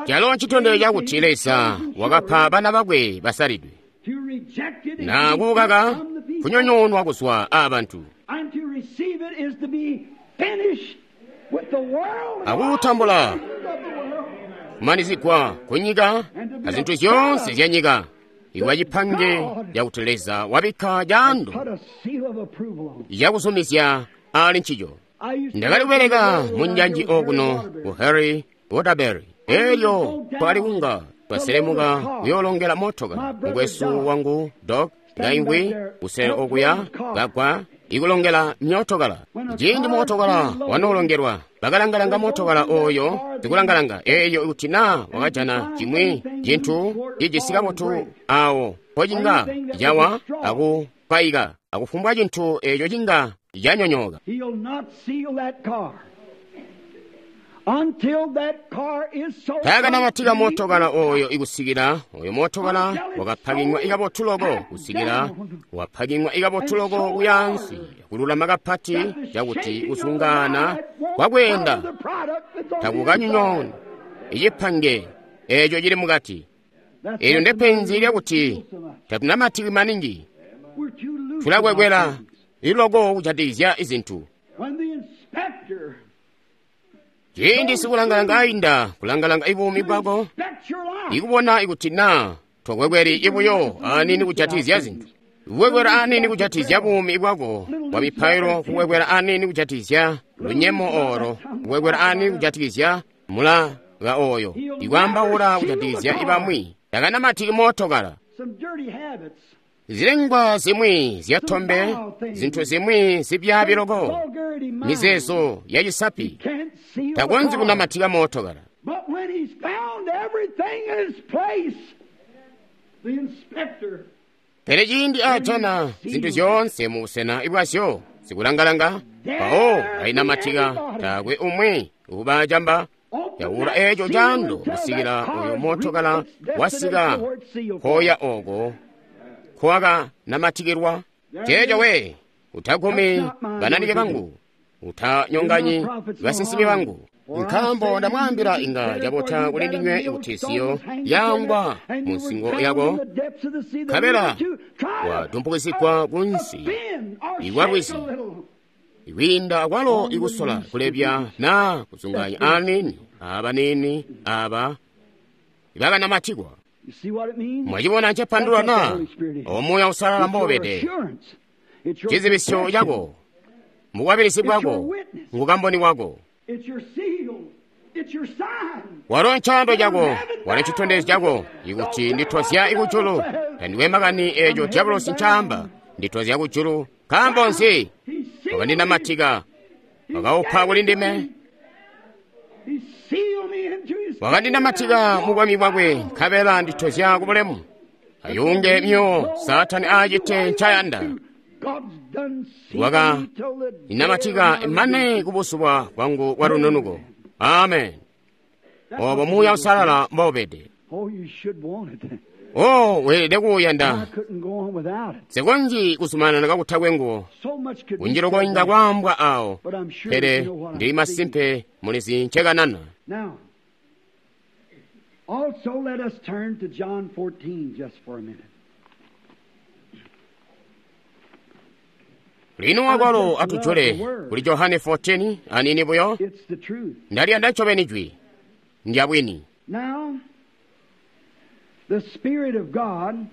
Speaker 1: Calo ncitondezyo cakuti Leza wakapa bana bakwe basalidwe. Na kukaka kunyonyoonwa kuzwa aabantu. Akutambula kumanizigwa kunyika azintu zyoonse zyanyika, ikuba cipange cakuti Leza wabikka caando cakuzumizya ali ncico. Ndakali kubeleka munjanji okuno ku Harry Waterbury. Elyo twali kunga twaselemuka kuyoolongela motoka. Mukwesu wangu Doc ngaingwi kusele okuya kagwa ikulongela myootokala. Ciindi mootokala wanoolongelwa, bakalangalanga mootokala oyo zikulangalanga eyo kuti naa wakajana cimwi cintu cijisi kabotu awo mpocinga cawa akupayika akufumbwa cintu eco cinga canyonyooka. Taakanamatika mootokala oyo ikusikila oyo mootokala wakapakinywa ikabotu loko kusikila wapakinywa ikabotu loko kuyansi kululama kapati cakuti kusungana kwakweenda takukanyonyooni icipange eco cili mukati. Eelyo ndepenzi lyakuti tatunamatiki maningi, tulakwekwela iloko kujatikizya izintu. Ciindi sikulangalanga ainda kulangalanga ibuumi bwako, ikubona ikuti naa tokwekweli ibuyo anini kujatikizya zintu, kukwekwela anini kujatikizya buumi bwako bwa mipailo, kukwekwela anini kujatikizya lunyemo oro, kukwekwela anini kujatikizya mulaka oyo, ikwaambaula kujatikizya ibamwi, takanamatiki mootokala. Zilengwa zimwi zyatombe, zintu zimwi zibyaabi loko, mizeezo ya cisapi, takonzyi kunamatika mootokala. Pele ciindi aajana zintu zyoonse mu busena bwazyo zikulangalanga, mpawo ainamatika taakwe umwi ubacamba. Yaula eeco caando kusikila oyo mootokala wasika koya oko kwaka namatikilwa. Ceeco we, utagumi bananike bangu, utanyonganyi basinsimi bangu. Nkaambo ndamwaambila inga cabota kuli ndinywe kuti siyo yaangwa mu nsingo yako, nkabela wadumpukizigwa kunsi ikwa lwizi, ikwiinda akwalo ikusola kulebya naa kuzunganya aniini abanini aba ibakanamatikwa. Mwacibona ncepandulula na? O Muuya Uusalala mboubede, cizibisyo cako, mukwabilizi bwako, ngukamboni wako. Walo ncaando cako, walo ncitondezyo cako, ikuti nditozya ikujulu. Tandiwe makani eeco diabolosi ncaamba, nditozya kujulu. Nkaambo nzi? Wakandinamatika, wakaupa kuli ndime, wakandinamatika mu bwami bwakwe, nkabela nditozya ku bulemu. Ayunge myo Saatani aacite ncayanda. Wakandinamatika mane kubusuba bwangu bwa lununuko. Amen. Obo Muuya Uusalala mboubede. O, weelede kuuyanda. Nsikonzyi kuzumanana kakutakwe nguwo. Kunji loko inga kwaambwa awo, pele ndili masimpe mulizi ncekanana.
Speaker 2: Also, let us turn to John 14 just for a minute.
Speaker 1: Lino akwalo atujule kuli Johane 14 anini buyo.
Speaker 2: It's the truth.
Speaker 1: Ndaliyanda ncobeni jwi ndyabwini.
Speaker 2: Now, the Spirit of God,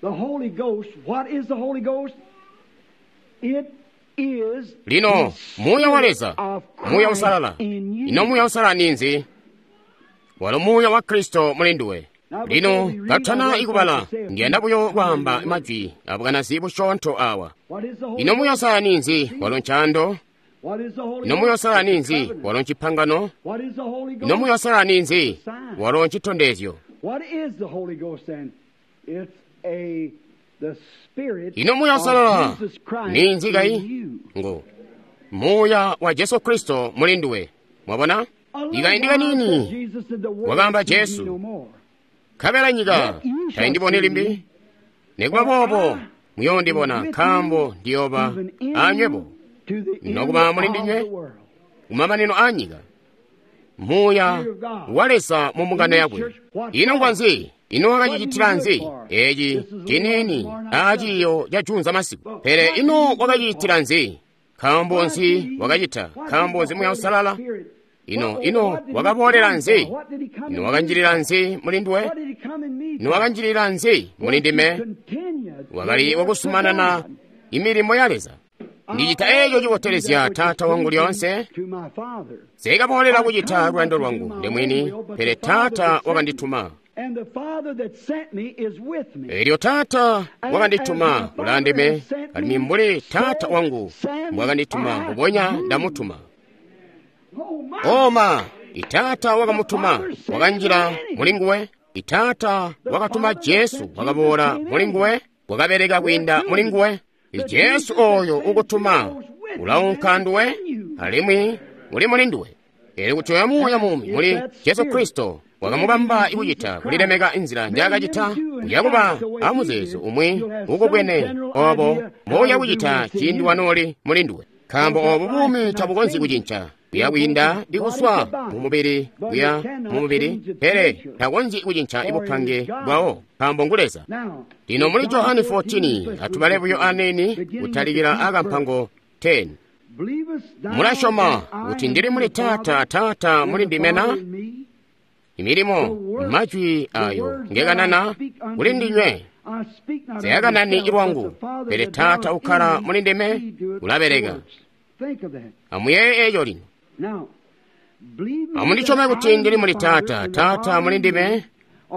Speaker 2: the Holy Ghost, what is the Holy Ghost? It is
Speaker 1: Lino
Speaker 2: the
Speaker 1: Muuya wa
Speaker 2: Spirit
Speaker 1: Leza,
Speaker 2: of
Speaker 1: Muuya
Speaker 2: Christ
Speaker 1: Uusalala.
Speaker 2: in you.
Speaker 1: Ino Muuya Uusalala ninzi? Walo Muuya wa Kristo muli nduwe. Lino katana ikubala, ndiyanda buyo kwaamba majwi abukanazi busyoonto awa.
Speaker 2: What is the Holy
Speaker 1: Ino Muuya
Speaker 2: Ghost?
Speaker 1: Uusalala ninzi? Walo ncaando.
Speaker 2: What is the Holy
Speaker 1: Ino Muuya
Speaker 2: Ghost?
Speaker 1: Uusalala
Speaker 2: It's the
Speaker 1: ninzi?
Speaker 2: covenant.
Speaker 1: Walo ncipangano.
Speaker 2: What is the Holy
Speaker 1: Ino
Speaker 2: Ghost?
Speaker 1: Muuya Uusalala ninzi? Walo ncitondezyo.
Speaker 2: What is the Holy Ghost then? It's a the Spirit
Speaker 1: Ino Muuya
Speaker 2: of
Speaker 1: Uusalala
Speaker 2: Jesus Christ
Speaker 1: ninzi
Speaker 2: in
Speaker 1: kai?
Speaker 2: you.
Speaker 1: Ngo Muuya wa Jesu Kristo muli nduwe. Mwabona?
Speaker 2: A little
Speaker 1: Ikaindi
Speaker 2: while,
Speaker 1: kanini
Speaker 2: said Jesus, and the world
Speaker 1: Wakaamba
Speaker 2: sees me
Speaker 1: Jesu.
Speaker 2: no more.
Speaker 1: Nkabela nyika
Speaker 2: Yet you shall
Speaker 1: tayindiboni
Speaker 2: see
Speaker 1: limbi.
Speaker 2: me,
Speaker 1: Nikuba boobo muyoondibona,
Speaker 2: with
Speaker 1: nkaambo
Speaker 2: you,
Speaker 1: ndiyooba
Speaker 2: even in
Speaker 1: anywebo
Speaker 2: to the end
Speaker 1: nokuba muli
Speaker 2: of
Speaker 1: ndinywe
Speaker 2: the world.
Speaker 1: kumamanino a nyika. Muuya wa Leza mu mbungano yakwe. Ino ngwanzi? Ino wakacicitila nzi? Eci ciniini aciiyo ca junza masiku. Pele ino wakacicitila nzi? Nkaambo nzi wakacita? Nkaambo nzi Muuya Uusalala? Ino wakaboolela nzi? Ino wakanjilila nzi muli nduwe? Ino wakanjilila nzi muli ndime? Wakali wakusumanana imilimo ya Leza. Ndicita eeco cibotelezya Taata wangu lyoonse. Nsikaboolela kucita luyando lwangu ndemwini, pele Taata wakandituma. Eelyo Taata wakandituma ulaandime, alimwi mbuli Taata wangu mbwakandituma, mbubonya ndamutuma. Oma, Itaata wakamutuma, wakanjila muli nguwe. Itaata wakatuma Jesu, wakaboola muli nguwe, wakabeleka kwiinda muli nguwe. Jesu oyo ukutuma ulaunka nduwe, alimwi uli muli nduwe. Eelyo kuti oyo Muuya muumi muli Jesu Kristo wakamubamba ikucita kulilemeka inzila njaakacita, uyakuba amuzeezo umwi ukubwene obo mboya kucita ciindi wanooli muli nduwe. Nkaambo obo buumi tabukonzyi kucinca, buya kwiinda ikuswa mumubili kuya mumubili, pele takonzyi kucinca ibupange bwawo, nkaambo ngu Leza. Lino muli Johane 14 atubale buyo aniini kutalikila akampango 10. Mulasyoma kuti ndili muli Taata, Taata muli ndime na? Imilimo majwi ayo ngekanana kuli ndinywe nseyakanani ilwangu, pele Taata ukkala muli ndime ulabeleka. Amuyeeye eeco lino. Amundisyome kuti ndili muli Taata, Taata muli ndime,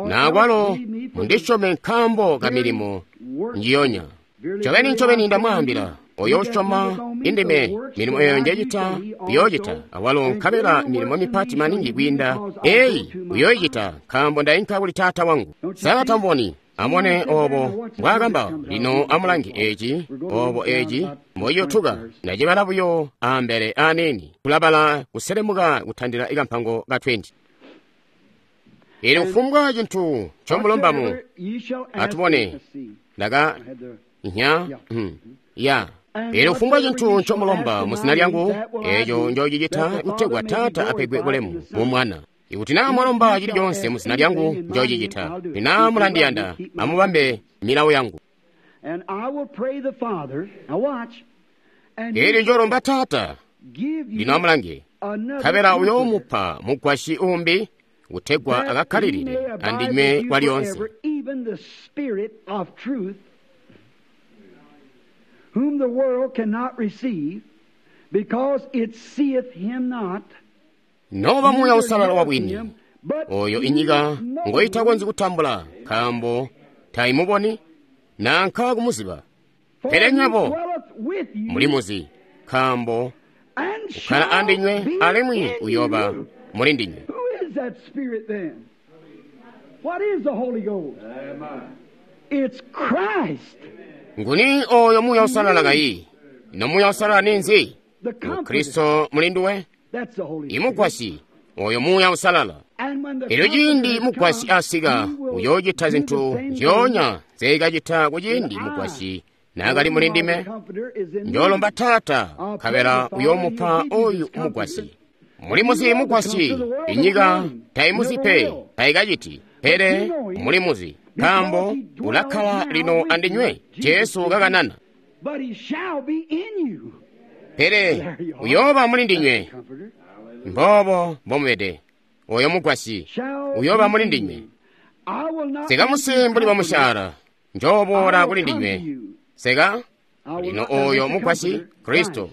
Speaker 1: nakwalo mundisyome nkaambo ka milimo njiyonya. Ncobeni ncobeni ndamwaambila, oyo usyoma indime, milimo eyo njecita uyoocita, awalo nkabela milimo mipati maningi kwiinda eyi uyooyicita, nkaambo ndainka kuli Taata wangu. Sa tamboni Amone obo mbwaakamba. Lino amulange eci, obo eci mboiyotuka. Ndacibala buyo ambele aniini. Tulabala kuselemuka kutandila ikampango ka 20. Ili kufumbwa cintu ncomulombamu. Atubone. Ndaka nya ya. Elyo kufumbwa cintu ncomulomba mu zina lyangu, eco njoocicita kutegwa Taata apegwe bulemu mu Mwana. Ikuti naa mwalomba cili coonse mu zina lyangu, njoocicita. Kuti naa mulandiyanda, amubambe milawo yangu. Elyo njoolomba Taata, lino amulange, nkabela uyoomupa mugwasyi uumbi kutegwa akakkalilile andinywe kwalyoonse.
Speaker 2: Whom the world cannot receive, because it seeth him not.
Speaker 1: Noba Muuya Uusalala wa bwini, oyo inyika ngoitakonzyi kutambula, nkaambo taimuboni nanka kumuziba. Pele nywebo mulimuzi, nkaambo ukkala andinywe alimwi uyooba muli ndinywe.
Speaker 2: Who is that Spirit then? What is the Holy Ghost? It's Christ.
Speaker 1: Nguni oyo Muuya Uusalala kayi? Ino Muuya Uusalala ninzi? Ngu Kristo muli nduwe? Imugwasyi oyo Muuya Uusalala. Elyo ciindi mugwasyi asika, uyoocita zintu nzyoonya nzeekacita kuciindi mugwasyi naakali muli ndime. Njoolomba Taata, nkabela uyoomupa oyu mugwasyi. Mulimuzi mugwasyi, inyika taimuzi pe, taikaciti, pele mulimuzi, nkaambo ulakkala lino andinywe. Jesu kakanana. Pele uyooba muli ndinywe. Mboobo mbomubede. Oyo mugwasyi uyooba muli ndinywe. Sikamusi mbuli bamusyaala, njooboola kuli ndinywe. Seka lino oyo mugwasyi Kristo.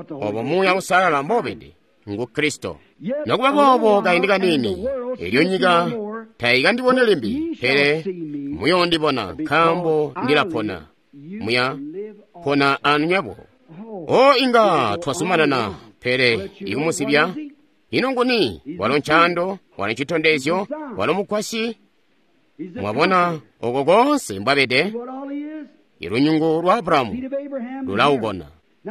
Speaker 1: Obo Muuya Uusalala mbobede ngu Kristo. Nokuba boobo kaindi kaniini, elyo nyika taikandiboni limbi, pele muyoondibona, nkaambo ndilapona. Muya pona anu nywebo. O inga twazumanana, pele ikumuzibya. Ino nguni? Walo ncando, walo ncitondezyo, walo mugwasyi. Mwabona oko konse mbwabede? Ilunyungu lwa Abrahamu lulaubona.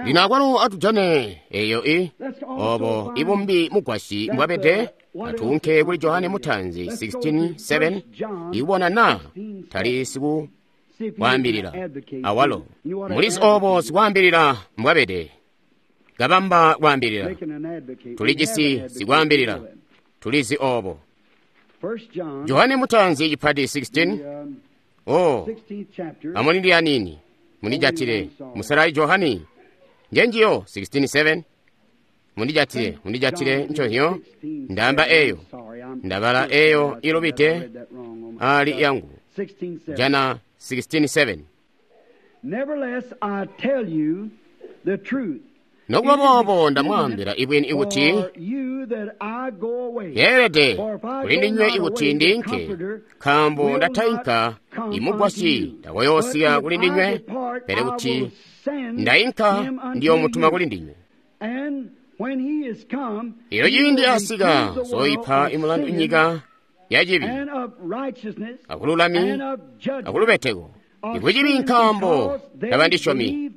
Speaker 1: Lino akwalo atujane eyo i obo ibumbi mugwasyi mbwabede. Atuunke kuli Johane Mutanzi 16:7 ibona na tali siku kwaambilila awalo mulizi obo sikwaambilila mbwabede. Kabamba kwaambilila, tulijisi sikwaambilila, tulizi obo. Johane Mutanzi cipati 16. O amulindi anini mundijatile musalali Johani njenjiyo 16:7. Mundijatile, mundijatile nconhyo ndamba eyo ndabala eyo ilubite ali yangu jana 16:7. Nokuba boobo ndamwaambila ibwini ikuti yeelede kulindinywe ikuti ndinke, nkaambo ndatainka imugwasyi takoyoosika kulindinywe, pele kuti ndainka ndiyoomutuma kulindinywe. Elyo ciindi asika zoipa imulandu inyika yacibi akululami akulubeteko. Ikucibi nkaambo tabandisyomi,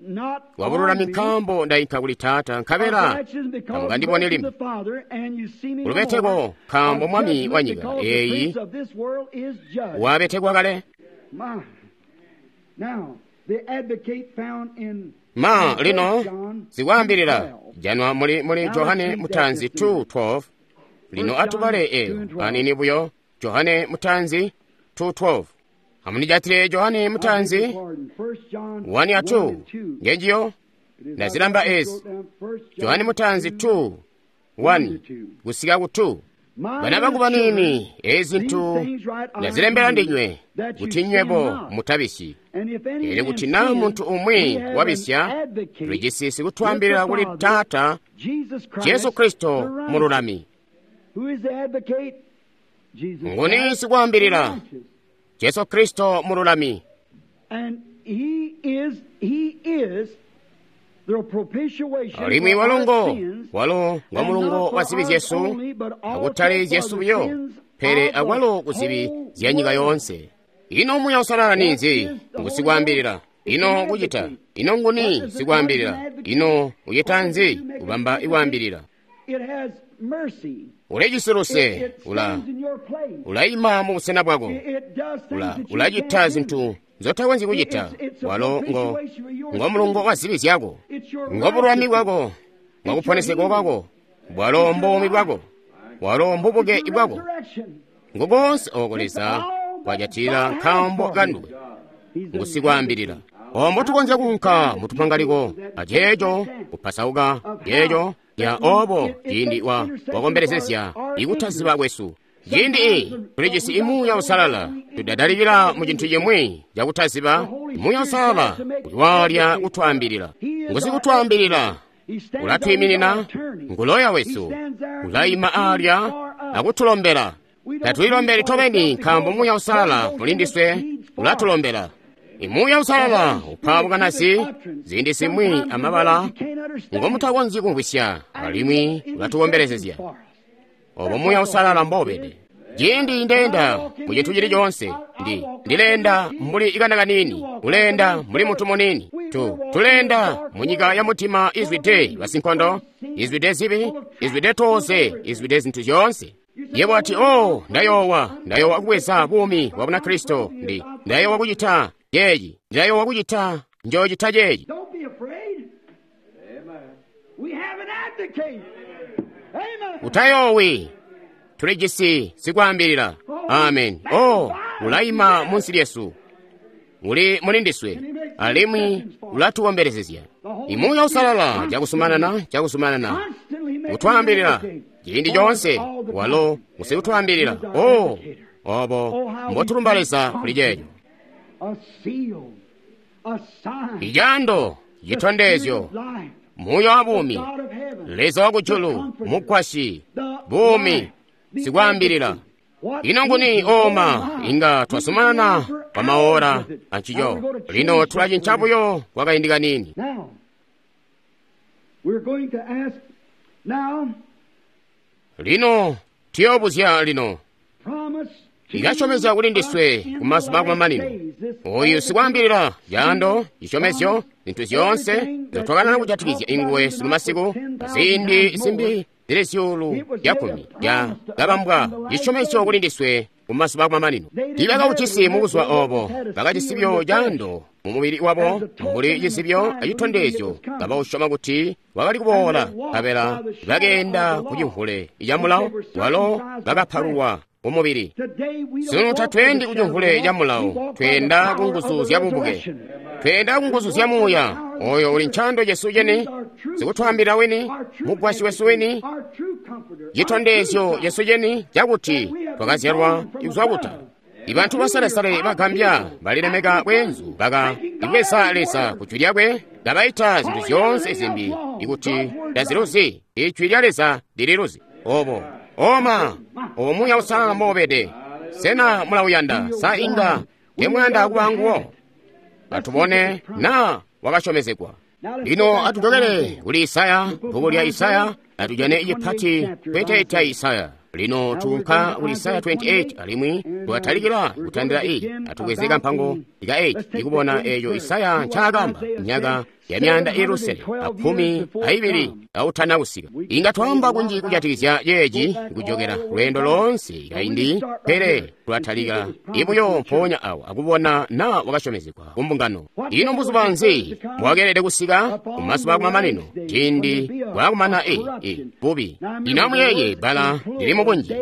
Speaker 1: wabululami nkaambo ndainka kuli Taata nkabela tamukandiboni limbi. Kulubeteko nkaambo mwami wa nyika eyi wabetekwa kale. Ma lino zikwaambilila janwa muli Johane Mutanzi 2:12. Lino atubale eyo anini buyo. Johane Mutanzi 2:12. Amunijatile Johane Mutanzi 1 a 2 ngenjiyo ndazilamba ezi. Johane Mutanzi 2:1 kusika ku 2. Bana bangu banini, ezi zintu ndazilembela ndinywe kuti nywebo mutabisyi. Pele kuti naa muntu umwi wabisya, tulijisi sikutwaambilila kuli Taata, Jesu Kristo mululami. Nguni sikwaambilila? Jesu Kristo mululami. Alimwi walongo walo ngwa mulungo wa zibi zyesu, akutali zyesu buyo, pele akwalo ku zibi zya nyika yoonse. Ino Muuya Uusalala ninzi? Ngu sikwaambilila. Ino kucita? Ino nguni sikwaambilila? Ino ucita nzi? Kubamba ikwaambilila. Ulijisi luse, ulaima mu busena bwako, ulacita zintu nzotakonzyi kucita. Walo ngo mulungo wa zibi zyako, ngo bululami bwako, ngo kuponesegwa kwako, bwalo mbuumi bwako, walo mbubuke bwako. Ngo konse oko Leza kwajatila nkaambo kanduwe, ngu sikwaambilila. Ombo tukonzya kuunka mutupangaliko aceeco kupasauka ceeco ya obo ciindi wakombelezezya ikutaziba kwesu. Ciindi tulijisi Muuya Uusalala, tudadalikila mu cintu cimwi cakutaziba. Muuya Uusalala uliwaalya kutwaambilila, ngu sikutwaambilila, ulatwiiminina, nguloya wesu, ulaima aalya akutulombela. Tatulilombeli tobeni nkaambo Muuya Uusalala mulindiswe ulatulombela. Muuya Uusalala upa bukanazi ziindi zimwi amabala ngomutakonzyi kumvwisya, alimwi ulatukombelezezya. Obo Muuya Uusalala mbobede. Ciindi ndeenda mu cintu cili coonse, ndileenda mbuli ikana kanini, uleenda mbuli mutu munini. Tuleenda mu nyika ya mutima izwide basinkondo, izwide zibi, izwide tooze, izwide zintu zyoonse. Yebo ati, oh, ndayoowa kubweza buumi bwa Bunakristo, ndayoowa kucita ceeci, ndayoowa kucita njoocita ceeci. Utayoowi, tulijisi sikwaambilila. Amen. Oh, ulaima munsi lyesu, uli mulindiswe, alimwi ulatukombelezezya. Muuya Uusalala cakusumanana utwaambilila ciindi coonse, walo ngusikutwaambilila. Oh, obo mbotulumba Leza kuli ceeco. Icando, citondezyo, Muuya wa buumi, Leza wa kujulu, mugwasyi, buumi, sikwaambilila. Ino nguni oma inga twasumanana kwa maora ancico. Lino tulacinca buyo kwa kaindi kanini. Lino tuyoobuzya lino. Ikasyomezya kuli ndiswe ku mazuba akumamanino. Oyu sikwaambilila, caando, cisyomezyo, zintu zyoonse nzotwakanana kujatikizya inguwe sunu masiku, ziindi zimbi zili zyuulu zya kkumi ya kabambwa cisyomezyo kuli ndiswe ku mazuba akumamanino. Tiibakaucisi mu buzuba obo, bakajisi caando mu mubili wabo mbuli cizibyo acitondezyo, kabausyoma kuti wakali kuboola, nkabela bakeenda ku cimvule ca mulawo walo bakapalulwa ku mubili. Sunu tatweendi ku cimvule ca mulawo, tweenda ku nguzu zya bubuke, tweenda ku nguzu zya Muuya. Oyo uli ncaando cesu ceni, sikutwaambila wini, mugwasyi wesu wini, citondezyo cesu ceni cakuti twakazyalwa kuzwa kutala. Ibantu basalesale bagambya balilemeka bweenzu baka ibweza Leza ku jwi lyakwe, kabaita zintu zyoonse zimbi ikuti taziluzi. Ijwi lya Leza lililuzi. Obo oma obo Muuya Uusalala mbobede. Sena mulauyanda? Sa inga temuyanda kuba nguwo? Atubone na wakasyomezegwa. Lino atujokele kuli Isaya, bbuku lya Isaya, atujane icipati 28 ya Isaya. Lino tuunka kuli Isaya 28 alimwi twatalikila kutandila atubweze kampango ka 8 ikubona eeco Isaya ncaakamba myaka ya 612 autana kusika. Inga twaamba kunji kujatikizya ceeci kujokela lweendo loonse kaindi, pele tulatalika ibuyo mpoonya awo akubona na wakasyomezegwa ku mbungano. Ino mbuzuba nzi mbwakeelede kusika? Ku mazuba akumamanino, ciindi bwaakumana bubi. Lino amuyeeye bbala lili mubunji,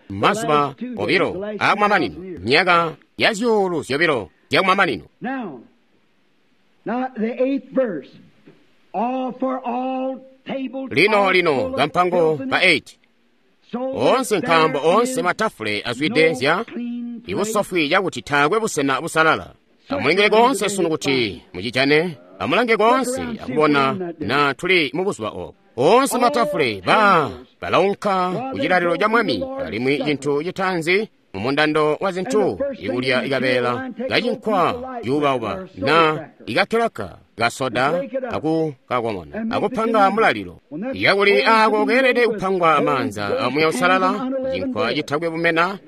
Speaker 1: mazuba obilo akumamanino, myaka ya 2,000 zyakumamanino.
Speaker 2: Now, the 8th verse. All for all tables.
Speaker 1: Lino kampango ka 8. Onse nkaambo onse matafule azwide zya ibusofwi cakuti taakwe busena busalala. Amulingile konse sunu kuti mucijane, amulange konse akubona na tuli mu buzuba obo. Onse matafule balaunka ku cilalilo ca Mwami, alimwi cintu citaanzi mumundando wa zintu ikulya ikabeela kacinkwa cuubauba na ikakelaka kasoda akukakomona akupanga mulalilo. Yakuli aako keelede kupangwa amaanza a Muuya Uusalala, cinkwa citakwe bumena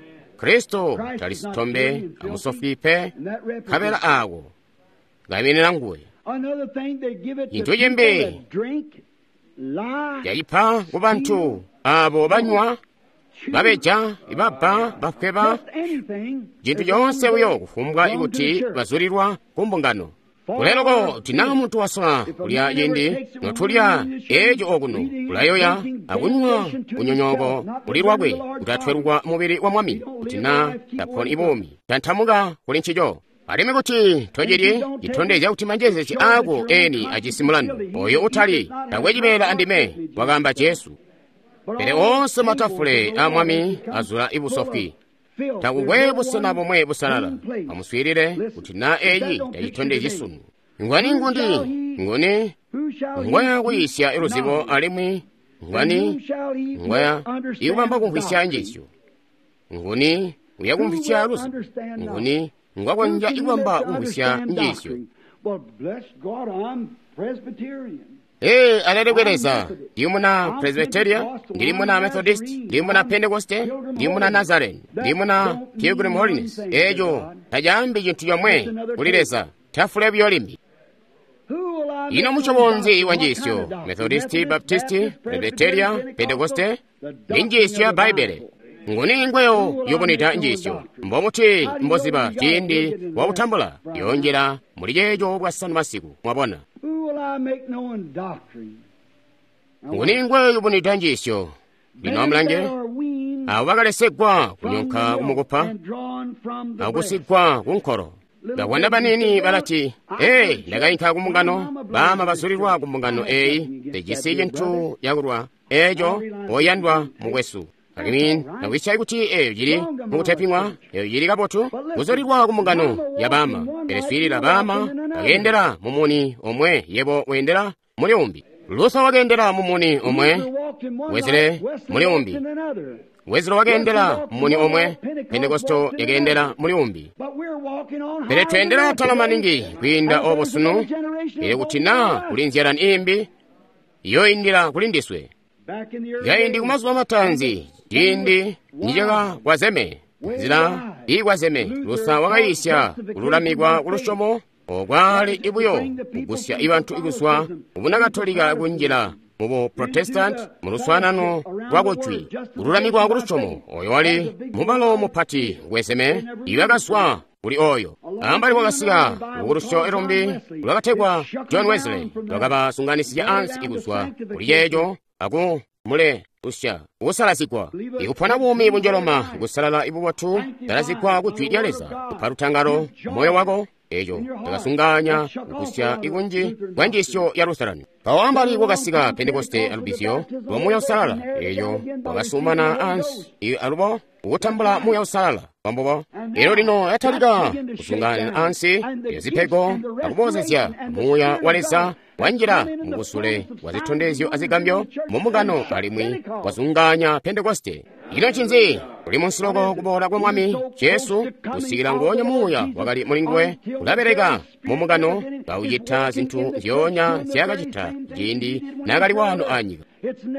Speaker 1: Kristo tali sitombe amusofwi pe, nkabela aako kaiminina nguwe. Cintu cimbi cacipa ku bantu abo banywa, babeja, ibabba, bafweba, cintu coonse buyo kufumbwa ikuti bazulilwa ku mbungano. Kuleloko kuti naa muntu wasola kulya ciindi notulya eeco okuno, ulayoya akunywa kunyonyooko kuli lwakwe kuti atwelukwa mubili wa Mwami, kuti naa taponi buumi, tantamuka kuli ncico. Alimwi kuti tocilyi, citondezya kuti manjezeezi aako eni ajisi mulandu. Oyo utali takwe cibeela andime, wakaamba Jesu. Pele oonse matafule aa Mwami azula ibusofwi. Takukwe busena bomwe busalala. Amuswiilile kuti naa eyi tacitondezyi sunu. Ngwani ngundi? Nguni ngwaya kuyisya luzibo alimwi ngwani ngwaya ikubamba kumvwisya njiisyo? Nguni uya kumvwisya luzibo? Nguni ngwakonzya ikubamba kumvwisya njiisyo? Ee, alelekwe Leza, ndili muna Presbyteria, ndili muna Methodist, ndili muna Pentecoste, ndili muna Nazarene, ndili muna Pilgrim Holiness. Eeco tacaambi cintu comwe kuli Leza, tafule buyo limbi. Ino musyobo nzi wa njiisyo? Methodisti, Baptisti, Presbyteria, Pentecoste? Ni njiisyo ya Bbaibbele. Nguni ngweyo yoboneta njiisyo? Mbobuti mboziba ciindi wakutambula? Yonjela muli ceeco bwasanu masiku, mwabona. Nguni ngweyo yoboneta njiisyo? Lino amulange, abo bakalesegwa kunyonka kumukupa akusigwa kunkolo. Bakwanda banini balati, ee, ndakainka kumbungano, baama bazulilwa kumbungano eyi, tejisi cintu cakulwa eeco oyandwa mukwesu. Alimwi nakwisya kuti eyo cili mukuteping'wa, eyo cili kabotu, kuzulilwa kumbungano ya baama. Pele swiilila baama bakeendela mumuni omwe, yebo weendela muli umbi. Luther wakeendela mumuni omwe, Wesley muli umbi. Wesley wakeendela mumuni omwe, Pentekosto yakeendela muli umbi. Pele tweendela atala maningi kwiinda obo sunu, pele kuti naa kuli nzyalani imbi, yoindila kuli ndiswe. Kaindi kumazuba mataanzi, ciindi nicakakwazeme, nzila iikwazeme, Luther wakayisya kululamikwa kulusyomo okwali ibuyo kugusya ibantu ikuzwa mu Bunakatolika kunjila mu Buprotestanti mu luswaanano lwa kujwi. Kululamikwa kulusyomo oyo wali mubalo mupati wezeme ibakazwa kuli oyo. Ambali kwakasika lubukulusyo lumbi lwakategwa John Wesley, lwakabasunganisizya ansi ikuzwa kuli ceeco aku mule usya kusalazigwa, ikupona buumi bunjoloma, kusalala ibubotu, salazigwa ku jwi lya Leza, kupa lutangalo moyo wako. Eco cakasunganya kukusya ikunji kwa njiisyo ya Lutheran. Mpawo ambali kwakasika Pentekoste alubizyo lwa Muuya Uusalala, eyo wakasumana ansi alubo kutambula Muuya Uusalala kwambubo. Elo lino yatalika kusungana ansi yazipego akubozezya Muuya wa Leza wanjila mubusule bwa zitondezyo azigambyo mumbungano alimwi wazunganya Pentekoste. Ino ncinzi? Kuli munsiloko kuboola kwa Mwami Jesu kusikila ngoonya Muuya wakali muli nguwe ulabeleka mumbungano kaucita zintu nzyoonya nzyaakacita ciindi naakali waano anyika.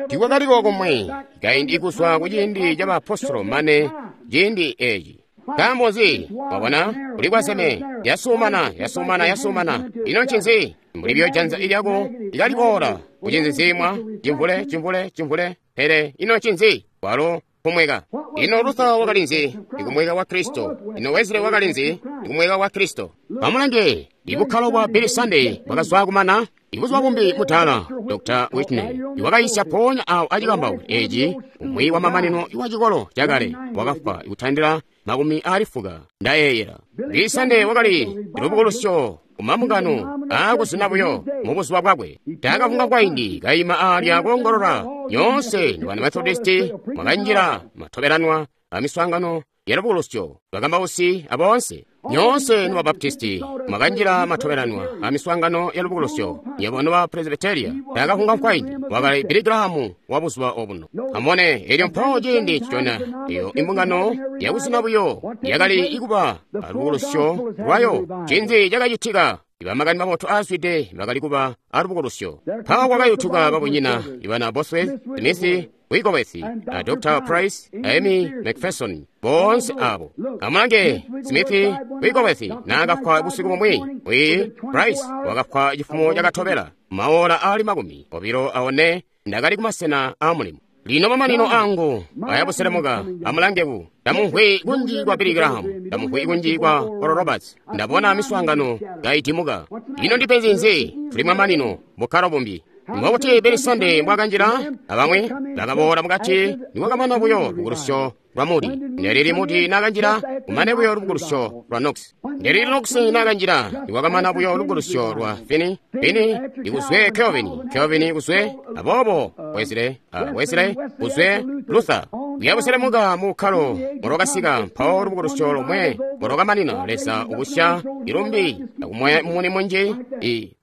Speaker 1: Tikwakaliko komwe kaindi kuzwa kuciindi ca baapostolo mane ciindi eeci. Nkaambo nzi? Wabona, kuli kwazeme, yasumana, yasumana, yasumana. Ino ncinzi? Mbuli buyo janza lyako likaliboola kucinzizimwa, cimvule, cimvule, cimvule. Pele ino ncinzi? Walo kumweka. Ino Luther wakali nzi? Ikumweka kwa Kristo. Ino Wesley wakali nzi? Ikumweka kwa Kristo. Amulange, ibukkalo bwa Billy Sunday bwakazwa kumana. Ibuzuba bumbi mutala, Dr. Whitney iwakayisya ponya awo acikambauko eeci umwi wamamanino wa cikolo cakale wakafwa ikutandila 80 ndayeeyela. Billy Sunday wakali lubukulusyo kumambungano aakuzina buyo mubuzuba bwakwe. Taakavunga kwaindi kaima aalya koongolola nyoonse nobana Methodisti mwakanjila matobelanwa amiswaangano ya lubukulusyo bakambausi aboonse. Nyoonse noba Baptisti mwakanjila matobelanwa amiswaangano ya lubukulusyo, nyebo noba Presbyteria. Taakavunga kwaindi wakali Billy Graham wa buzuba obuno. Amubone elyo mpawo ciindi ncicona eyo imbungano yakuzina buyo yakali ikuba alubukulusyo lwayo. Ncinzi cakacitika? Ibamakani mabotu aazwide bakali kuba alubukulusyo. Mpawo kwakayutuka babunyina ibana Bosworth, Smith, Wigglesworth, a Dr. Price, Amy McPherson, boonse abo. Amulange Smith Wigglesworth naakafwa busiku bumwi, wi Price wakafwa chifumo chakatobela maola ali 24 ndakali kumasena a mulimo. Lino mamanino angu ayabuselemuka. Amulangeku, ndamumvwi kunji kwa Billy Graham, ndamumvwi kunji kwa Oral Roberts, ndabona miswaangano kaitimuka. Ino ndipenzi nzi? Tuli mamanino bukkalo bumbi. Mbokuti Billy Sunday mbwakanjila, abamwi bakaboola mukati niwakamana buyo lubukulusyo lwa Moody. Ndelili Moody nakanjila, kumane buyo lubukulusyo lwa Knox. Ndelili Knox nakanjila, niwakamana buyo lubukulusyo lwa Finney. Finney ikuzwe Calvin, Calvin ikuzwe aboobo Wesley, Wesley kuzwe Luther. Uyabuselemuka mu bukkalo molwakasika mpawo lubukulusyo lomwe molwakamanina. Leza ukusya ilumbi akumwaya mumuni munji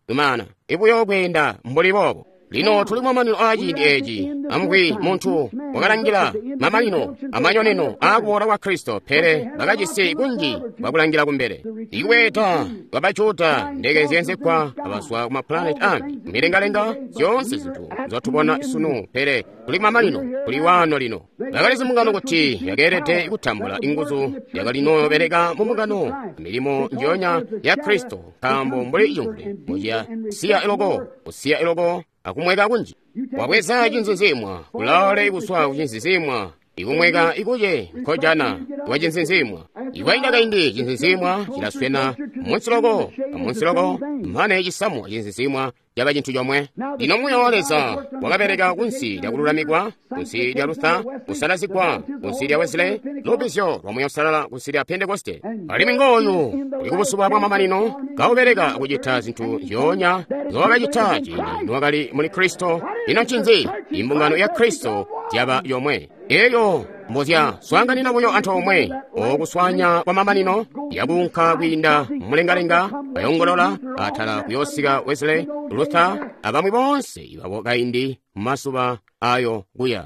Speaker 1: lumana ibuyo kweenda mbuli boobo. Lino tuli mamanino a ciindi eeci. Amvwi muntu wakalangila mamanino amanyoneno aakuboola kwa Kristo, pele bakajisi kunji kwakulangila kumbele. Ikweeta kwa Bajuda, ndeke zyeenzegwa abazwa ku mapulaneti ambi, milengalenga, zyoonse zintu nzotubona sunu, pele tuli mamanino, tuli wano lino. Bakalizi mbungano kuti yakeelede kutambula inguzu yakalinoobeleka mu mbungano milimo njoonya ya Kristo, nkaambo mbuli cimvule muciya siya iloko, kusiya iloko akumweka kunji. Wabweza cinzinzimwa kulaole kuswa kucinzinzimwa ikumweka ikuye nkojana wa cinzinzimwa. Ikwainda kaindi cinzinzimwa cilaswena munsiloko amunsiloko mane cisamu cinzinzimwa caba cintu comwe. Lino Muuya wa Leza wakabeleka kunsi lya kululamikwa, kunsi lya Luther, kusalazigwa, kunsi lya Wesley, lubbizyo lwa Muuya Uusalala kunsi lya Pentekoste. Alimwi ngooyu uli kubuzuba bwa mamanino kaubeleka kucita zintu nzyoonya nzowakacita ciindi niwakali muli Kristo. Ino ncinzi? Imbungano ya Kristo zyaba yomwe. Elyo mbozya swaanganina buyo antoomwe okuswanya kwa mamanino yakuunka kwiinda mulengalenga bayongolola atala kuyoosika Wesley, Luther abamwi boonse babo kaindi mumazuba ayo kuya.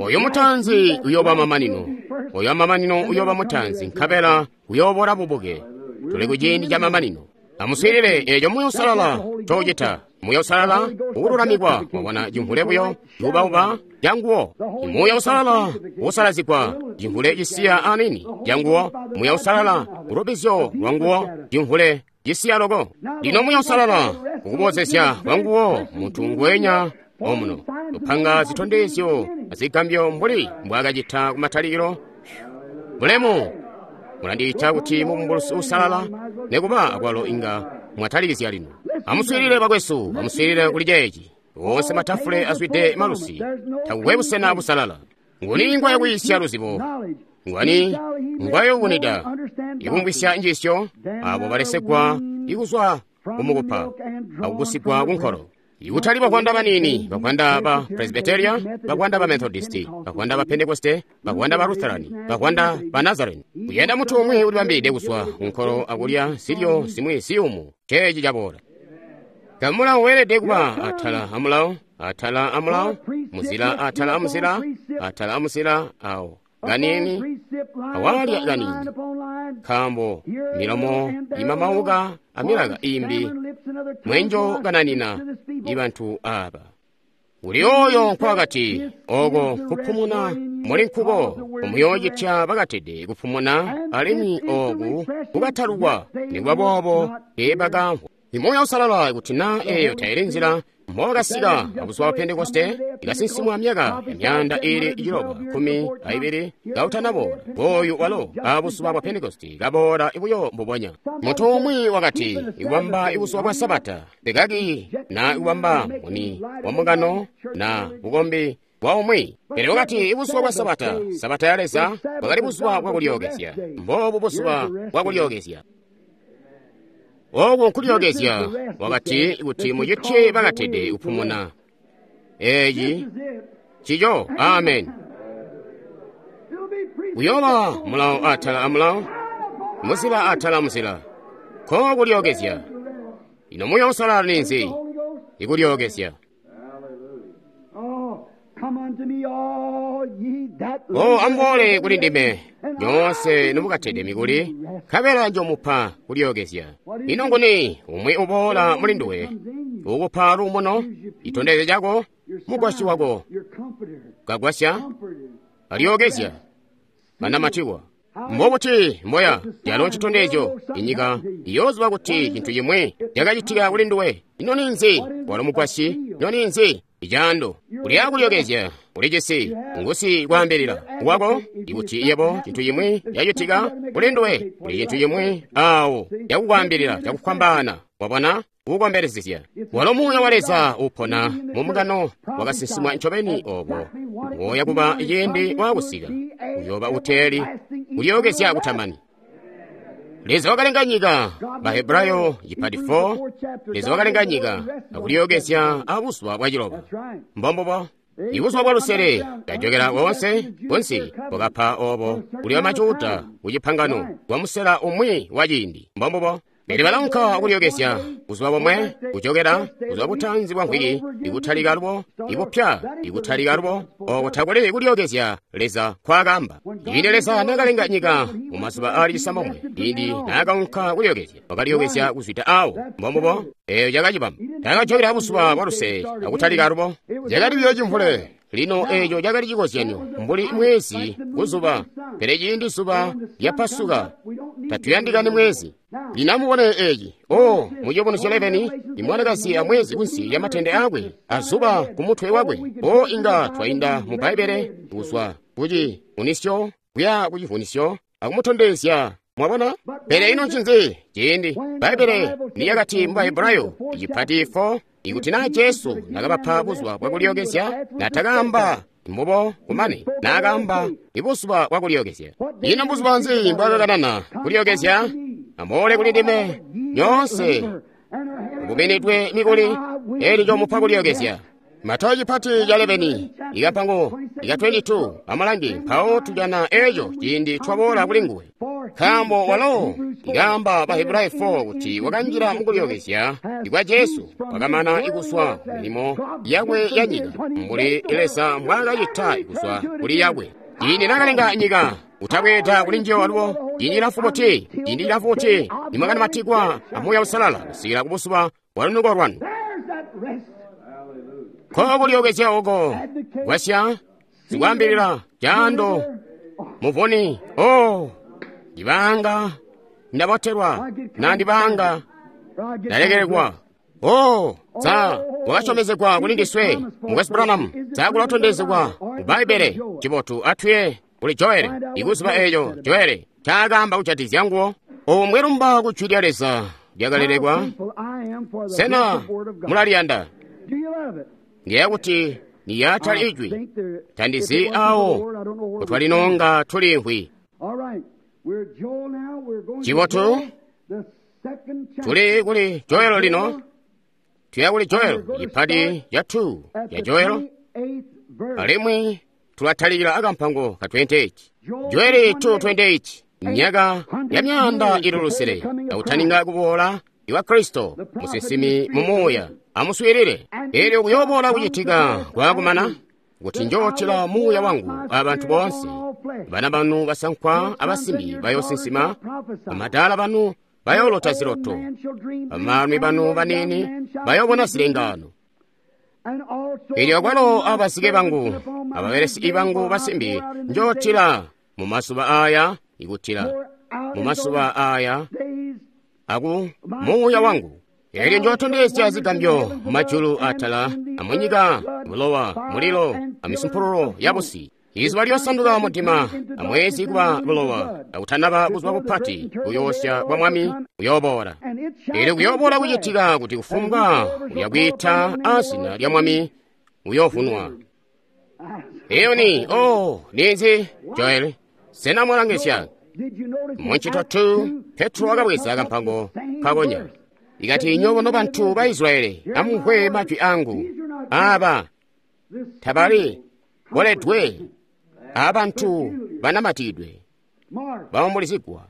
Speaker 1: Oyo mutaanzi uyooba mamanino, oyo mamanino uyooba mutaanzi, nkabela uyoobola bubuke. Tuli ku ciindi ca mamanino. Amuswiilile eeco Muuya Uusalala ncoucita. Muuya Uusalala ukululamikwa, wabona cimvule buyo cuubauba canguwo. Muuya Uusalala usalazigwa, cimvule cisiya anini canguwo. Muuya Uusalala ulubbizyo lwanguwo, cimvule cisiya loko. Lino Muuya Uusalala ukubozezya kwanguwo muntu ngwenya omuno upanga zitondezyo azigambyo mbuli mbwaakacita kumatalikilo. Bulemu! Mulandiita kuti mubumbulusi uusalala, nekuba akwalo inga mwatalikizya lino. Amuswiilile bakwesu, amuswiilile kuli ceeci. Woonse matafule azwide malusi, takukwe busena busalala. Nguni ngwayakwiisya luzibo? Ngwani ngwayobunida ikumvwisya njiisyo? Abo balesegwa ikuzwa kumukupa akugusigwa kunkolo. Ikutali bakwanda banini, bakwanda ba Presbyteria, bakwanda ba Methodisti, bakwanda ba Pentekoste, bakwanda ba Lutherani, bakwanda ba Nazarene. Kuyenda mutu umwi ulibambide kuzwa kunkolo akulya zilyo zimwi ziyumu. Ceeci caboola. Kamulawo weelede kuba atala amulawo, atala amulawo, muzila atala amuzila, atala amuzila awo. Kanini, awalya kanini. Nkaambo milomo imamauka amilaka imbi mwenjo kananina ibantu aba. Uli oyo nkwakati oko kupumuna muli nkuko umuyoocitya bakatede kupumuna alimwi oku kukatalukwa nikuba boobo teebakamvwa. Muuya Uusalala kuti na eeyo taili nzila mbowakasika abuzuba bwa Pentekoste ikasinsimwa myaka ya 912 kautanaboola. Ngooyu walo abuzuba bwa Pentekoste kaboola buyo mbubonya. Muntu umwi wakati ikubamba ibuzuba bwa Sabata tekaki na ikubamba muni wa mbungano na bukombi bwa umwi. Pele wakati ibuzuba bwa Sabata, Sabata ya Leza, bwakali buzuba bwakulyookezya. Mboobu buzuba bwakulyookezya. Oku nkulyookezya, wakati kuti mucitye bakatede kupumuna. Eeci cico, amen. Uyooba mulawo atala amulawo, muzila atala amuzila. Ko kulyookezya. Ino Muuya Uusalala ninzi? Ikulyookezya. O amuboole kuli ndime nyoonse nomukatede mikuli, nkabela njomupa kulyookezya. Ino nguni umwi uboola muli nduwe ukupa luumuno, citondezyo cako Mugwasyi wako. Kagwasya, alyookezya, kanamatikwa. Mbobuti mboya calo ncitondezyo inyika iyooziba kuti cintu cimwi cakacitika kuli nduwe. Ino ninzi? Walo mugwasyi. Ino ninzi? Icaando. Uli akulyokezya, ulijisi ngusi kwaambilila wako ikuti yebo cintu cimwi cacitika kuli nduwe, kuli cintu cimwi awo cakukwaambilila cakufwambaana. Wabona? Kukombelezezya. Walo Muuya wa Leza upona mu mungano wakasinsimwa ncobeni obo woya kuba ciindi waakusika uyooba uteeli kulyookezya kutamani. Leza wakalenga nyika, Bahebrayo cipati 4. Leza wakalenga nyika akulyookezya abuzuba bwaciloba. Mbombubo. Ibuzuba bwa lusele kajokela woonse kunsi bwakapa obo kuli bamajuda kucipangano kwa musela umwi wa ciindi. Mbombubo. Pele balaunka kulyookezya buzuba bomwe kujokela buzuba butanzi bwa mvwiki ikutalika lubo ikupya ikutalika lubo oko takuli kulyookezya Leza kwaakamba. Ciindi Leza naakalenga nyika mu mazuba aali cisambomwe, ciindi naakaunka kulyookezya, wakalyookezya kuzwida awo. Mbombubo, eeyo cakacibamba. Taakajokela buzuba bwa lusele akutalika lubo. Cakali buyo cimvule. Lino eeco cakali cikozyanyo mbuli mwezi kuzuba, pele ciindi zuba lyapasuka tatuyandikani mwezi. Lino amubone eeci. O, mu Ciyubunuzyo 11, imwanakazi amwezi kunsi lya matende akwe, azuba ku mutwe wakwe. O, inga twainda mu Bbaibbele kuzwa kucivunisyo kuya kucivunisyo akumutondezya. Mwabona? Pele ino ncinzi ciindi Bbaibbele niyakati mu Bahebrayo icipati 4 ikuti naa Jesu nakabapa buzuba bwakulyookezya, natakaamba mbubo kumane naakaamba ibuzuba bwakulyookezya. Ino buzuba nzi mbwaakakanana kulyookezya? Amuboole kuli ndime nyoonse mukumenedwe mikuli, elyo njomupa kulyookezya. Matayo cipati ca 11 ikapango ika 22 amulange mpawo tujana eco ciindi twaboola kuli nguwe. Nkaambo walo ikaamba Bahebrayo 4 kuti wakanjila mukulyookezya ikwa Jesu wakamana ikuswa milimo yakwe ya nyika mbuli Leza mbwaakacita ikuswa kuli yakwe. Ciindi naakalenga nyika utabweeda kuli njiyo alubo ciindi cilamfu buti, ciindi cilamfu buti nimwakanamatikwa a Muuya Uusalala kusikila kubuzuba bwa lunuko lwanu. Kokulyookezya oko gwasya sikwaambilila caando muvuni. O, ndibanga ndabotelwa na ndibanga ndalekelekwa. O, sa wakasyomezegwa kuli ndiswe Mukwesu Branham, sa kulatondezegwa mu Bbaibbele. Cibotu atwiye kuli Joeli ikuziba eeco Joeli ncaakaamba kujatikizya nguwo. Omwe lumba ku Jwi lya Leza lyakalelekwa. Sena mulaliyanda? Ndiyeeya kuti niyatali ijwi tandizi awo kutwalinonga tulimvwi. Cibotu tuli kuli Joelo lino, tuya kuli Joelo cipati ca 2 ya Joelo, alimwi tulatalikila akampango ka 28. Joeli 2:28, myaka ya myaanda ili lusele akutaninga kuboola iwa Kristo musinsimi mu Muuya. Amuswiilile. Elyo kuyooboola kucitika kwakumana kuti njootila Muuya wangu abantu boonse. Bana banu basankwa abasimbi bayoosinsima, bamadaala banu bayoolota ziloto, bamaalumi banu baniini bayoobona zilengaano. Elyo akwalo abazike bangu ababelesi bangu basimbi njootila mu mazuba aya ikutila mu mazuba aya aku Muuya wangu. Elyo njootondezya zigambyo mumajulu atala amunyika, bulowa, mulilo, amisumpululo yabusi. Izuba lyosanduka mudima, amwezi kuba bulowa, akutanaba buzuba bupati buyoosya bwa Mwami buyooboola. Elyo kuyooboola kucitika kuti kufumbwa uyakwiita azina lya Mwami uyoovunwa. Eyo ni, oh, ninzi, Joel, sena mwalangisya? Muncito 2, Petro wakabweza kampango kakonya. Ikati nyobo nobantu ba Israeli, amumvwe majwi angu. Aba tabali boledwe, abantu banamatidwe, baumbulizigwa,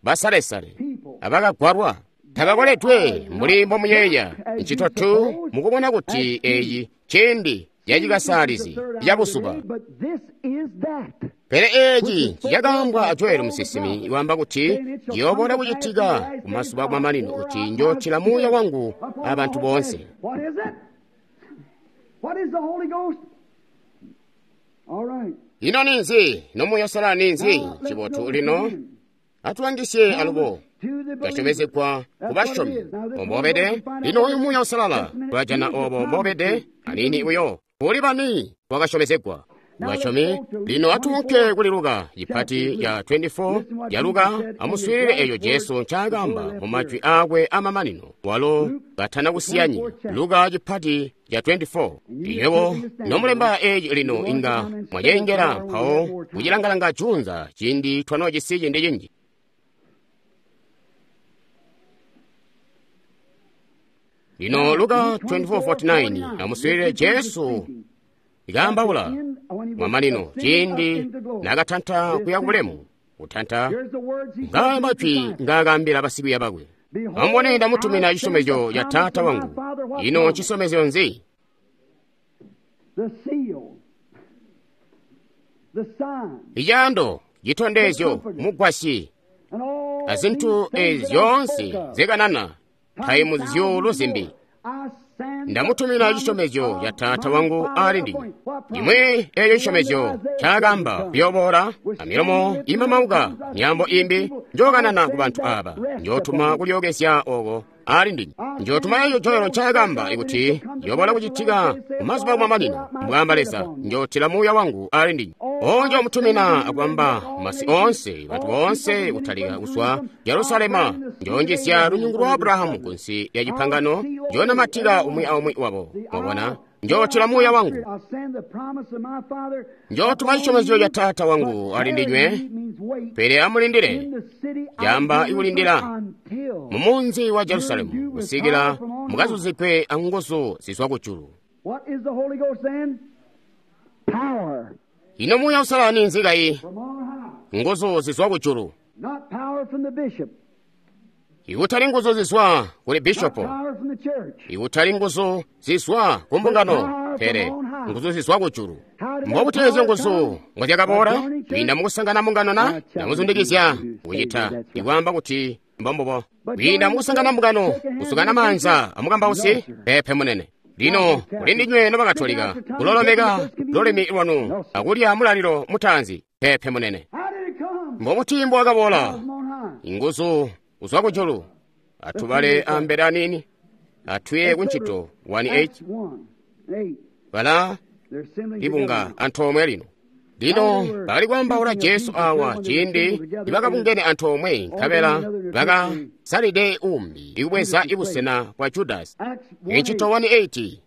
Speaker 1: basalesale, abakagwalwa. Tabakoledwe mbuli mbomuyeeya. Ncito 2 mukubona kuti eyi ciindi yacikasalizi yabuzuba. Pele eeci cakaambwa a Joeli musinsimi iwaamba kuti ciyooboola kucitika kumazuba kumamanino kuti njootila Muuya wangu abantu boonse.
Speaker 2: What is the Holy Ghost? All right.
Speaker 1: Ino ninzi? Ino Muuya Uusalala ninzi? Cibotu lino atulangisye alubo kasyomezegwa ku basyomi ombobede. Lino oyu Muuya Uusalala tulajana obo mbobede aniini buyo kuli bani wakasyomezegwa basyomi. Lino atuunke kuli Luka cipati ca 24 ya Luka. Amuswiilile eeco Jesu ncaakaamba mu majwi aakwe amamanino walo katana kusiya nyika. Luka cipati ca 24. Inywebo nomulemba eeci lino inga mwaceengela mpawo kucilangalanga juunza ciindi twanoojisi ciindi cinji. Lino Luka 24:49 amuswiilile Jesu ikaambaula mamanino ciindi naakatanta kuya kubulemu. Kutanta ngaaya majwi ngaakaambila basikwiiya bakwe: amubone, ndamutumina cisyomezyo ca Taata wangu. Ino ncisyomezyo nzi? Icaando, citondezyo, mugwasyi, azintu ezi zyoonse zikanana taimu zyuulu zimbi. Ndamutumina cisyomezyo ca Taata wangu ali ndinywe. Imwe eeyo cisyomezyo ncaakaamba kuyooboola amilomo imamauka myaambo imbi njookanana ku bantu aaba. Njootuma kulyookezya ooko ali ndinywe. Njootuma eeco Joelo ncaakaamba ikuti yooboola kucitika kumazuba akumamanino, mbwaamba Leza, njootila Muuya wangu ali ndinywe. O njoomutumina akubamba masi oonse, bantu boonse kutalika kuzwa Jerusalema. Njoonjizya lunyungu lwa Abrahamu kunsi lya cipangano, njoonamatika umwi aumwi wabo. Mwabona, njootila Muuya wangu. Njootuma cisyomezyo ca Taata wangu ali ndinywe, pele amulindile, caamba ikulindila mu munzi wa Jerusalemu kusikila mukazuzikwe anguzu zizwa kujulu. Ino Muuya Uusalala ninzi kayi? Nguzu zizwa kujulu. Ikutali nguzu zizwa kuli bishopo, ikutali nguzu zizwa ku mbungano, pele nguzu zizwa kujulu. Mbobuti ezyo nguzu ngozyakaboola? Kwiinda mukusangana mbungano na namuzundikizya kucita ikwaamba kuti mbombubo. Kwiinda mukusangana mbungano, kusukana maanza amukambausi, pepe munene. Lino kuli ndinywe nobakatolika kulolomeka lulimi lwanu akulya mulalilo mutaanzi, pepe munene. Mbobuti mbwakaboola? Inguzu kuzwa kujulu. Atubale ambele aniini, atuye kuncito 1:8. Bala libunga antoomwe lino. Lino bakali kwaambaula Jesu awa ciindi nibakabungene antoomwe, nkabela bakasalide umbi ikubweza ibusena bwa Judasi. Incito 1:8.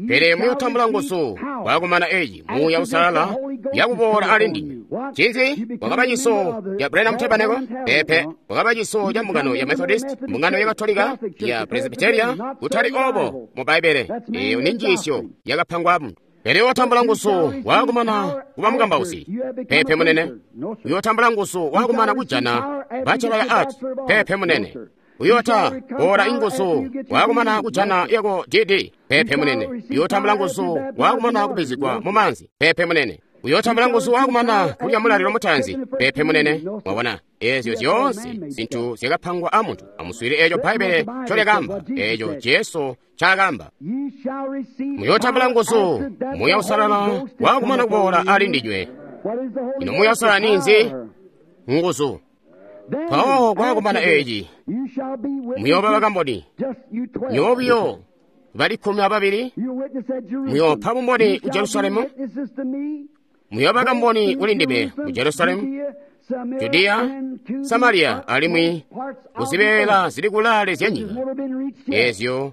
Speaker 1: Pele muyotambula nguzu bwakumana eeci Muuya Uusalala yakuboola ali ndinywe. Cinzi? Wakaba ciso ca Branham Tabernacle? Pepe. Wakaba ciso ca mbungano ya Methodist, mbungano ya Katolika, ya Presbyteria? Kutali obo mu Bbaibbele. Eyo ni njiisyo yakapangwa muntu. Pele uyotambula nguzu wakumana kuba mukambausi. Pepe munene. Uyotambula nguzu wakumana kujana Bachelor ya Art. Pepe munene. Uyota bora inguzu wakumana kujana yako DD. Pepe munene. Uyotambula nguzu wakumana kubizigwa mu manzi. Pepe munene. Uyotambula nguzu wakumana kulya mulalilo mutaanzi. Pepe munene. Mwabona, ezyo zyoonse zinthu zyakapangwa a munthu. Amuswire eeco Bhaibele ncolyakamba, eeco Jesu ncaakamba. Muyotambula nguzu Muuya Uusalala wakumana kuboola ali ndinywe. Ino Muuya Uusalala ninzi? Nguzu. Mpawo kwakumana eeci muyooba bakamboni. Nywebo buyo bali 12 muyoopa bumboni ku Jerusalemu, muyooba kamboni kuli ndime ku Jerusalemu, Judiya, Samariya, alimwi kuzibeela zili kulaale zya nyika. Ezyo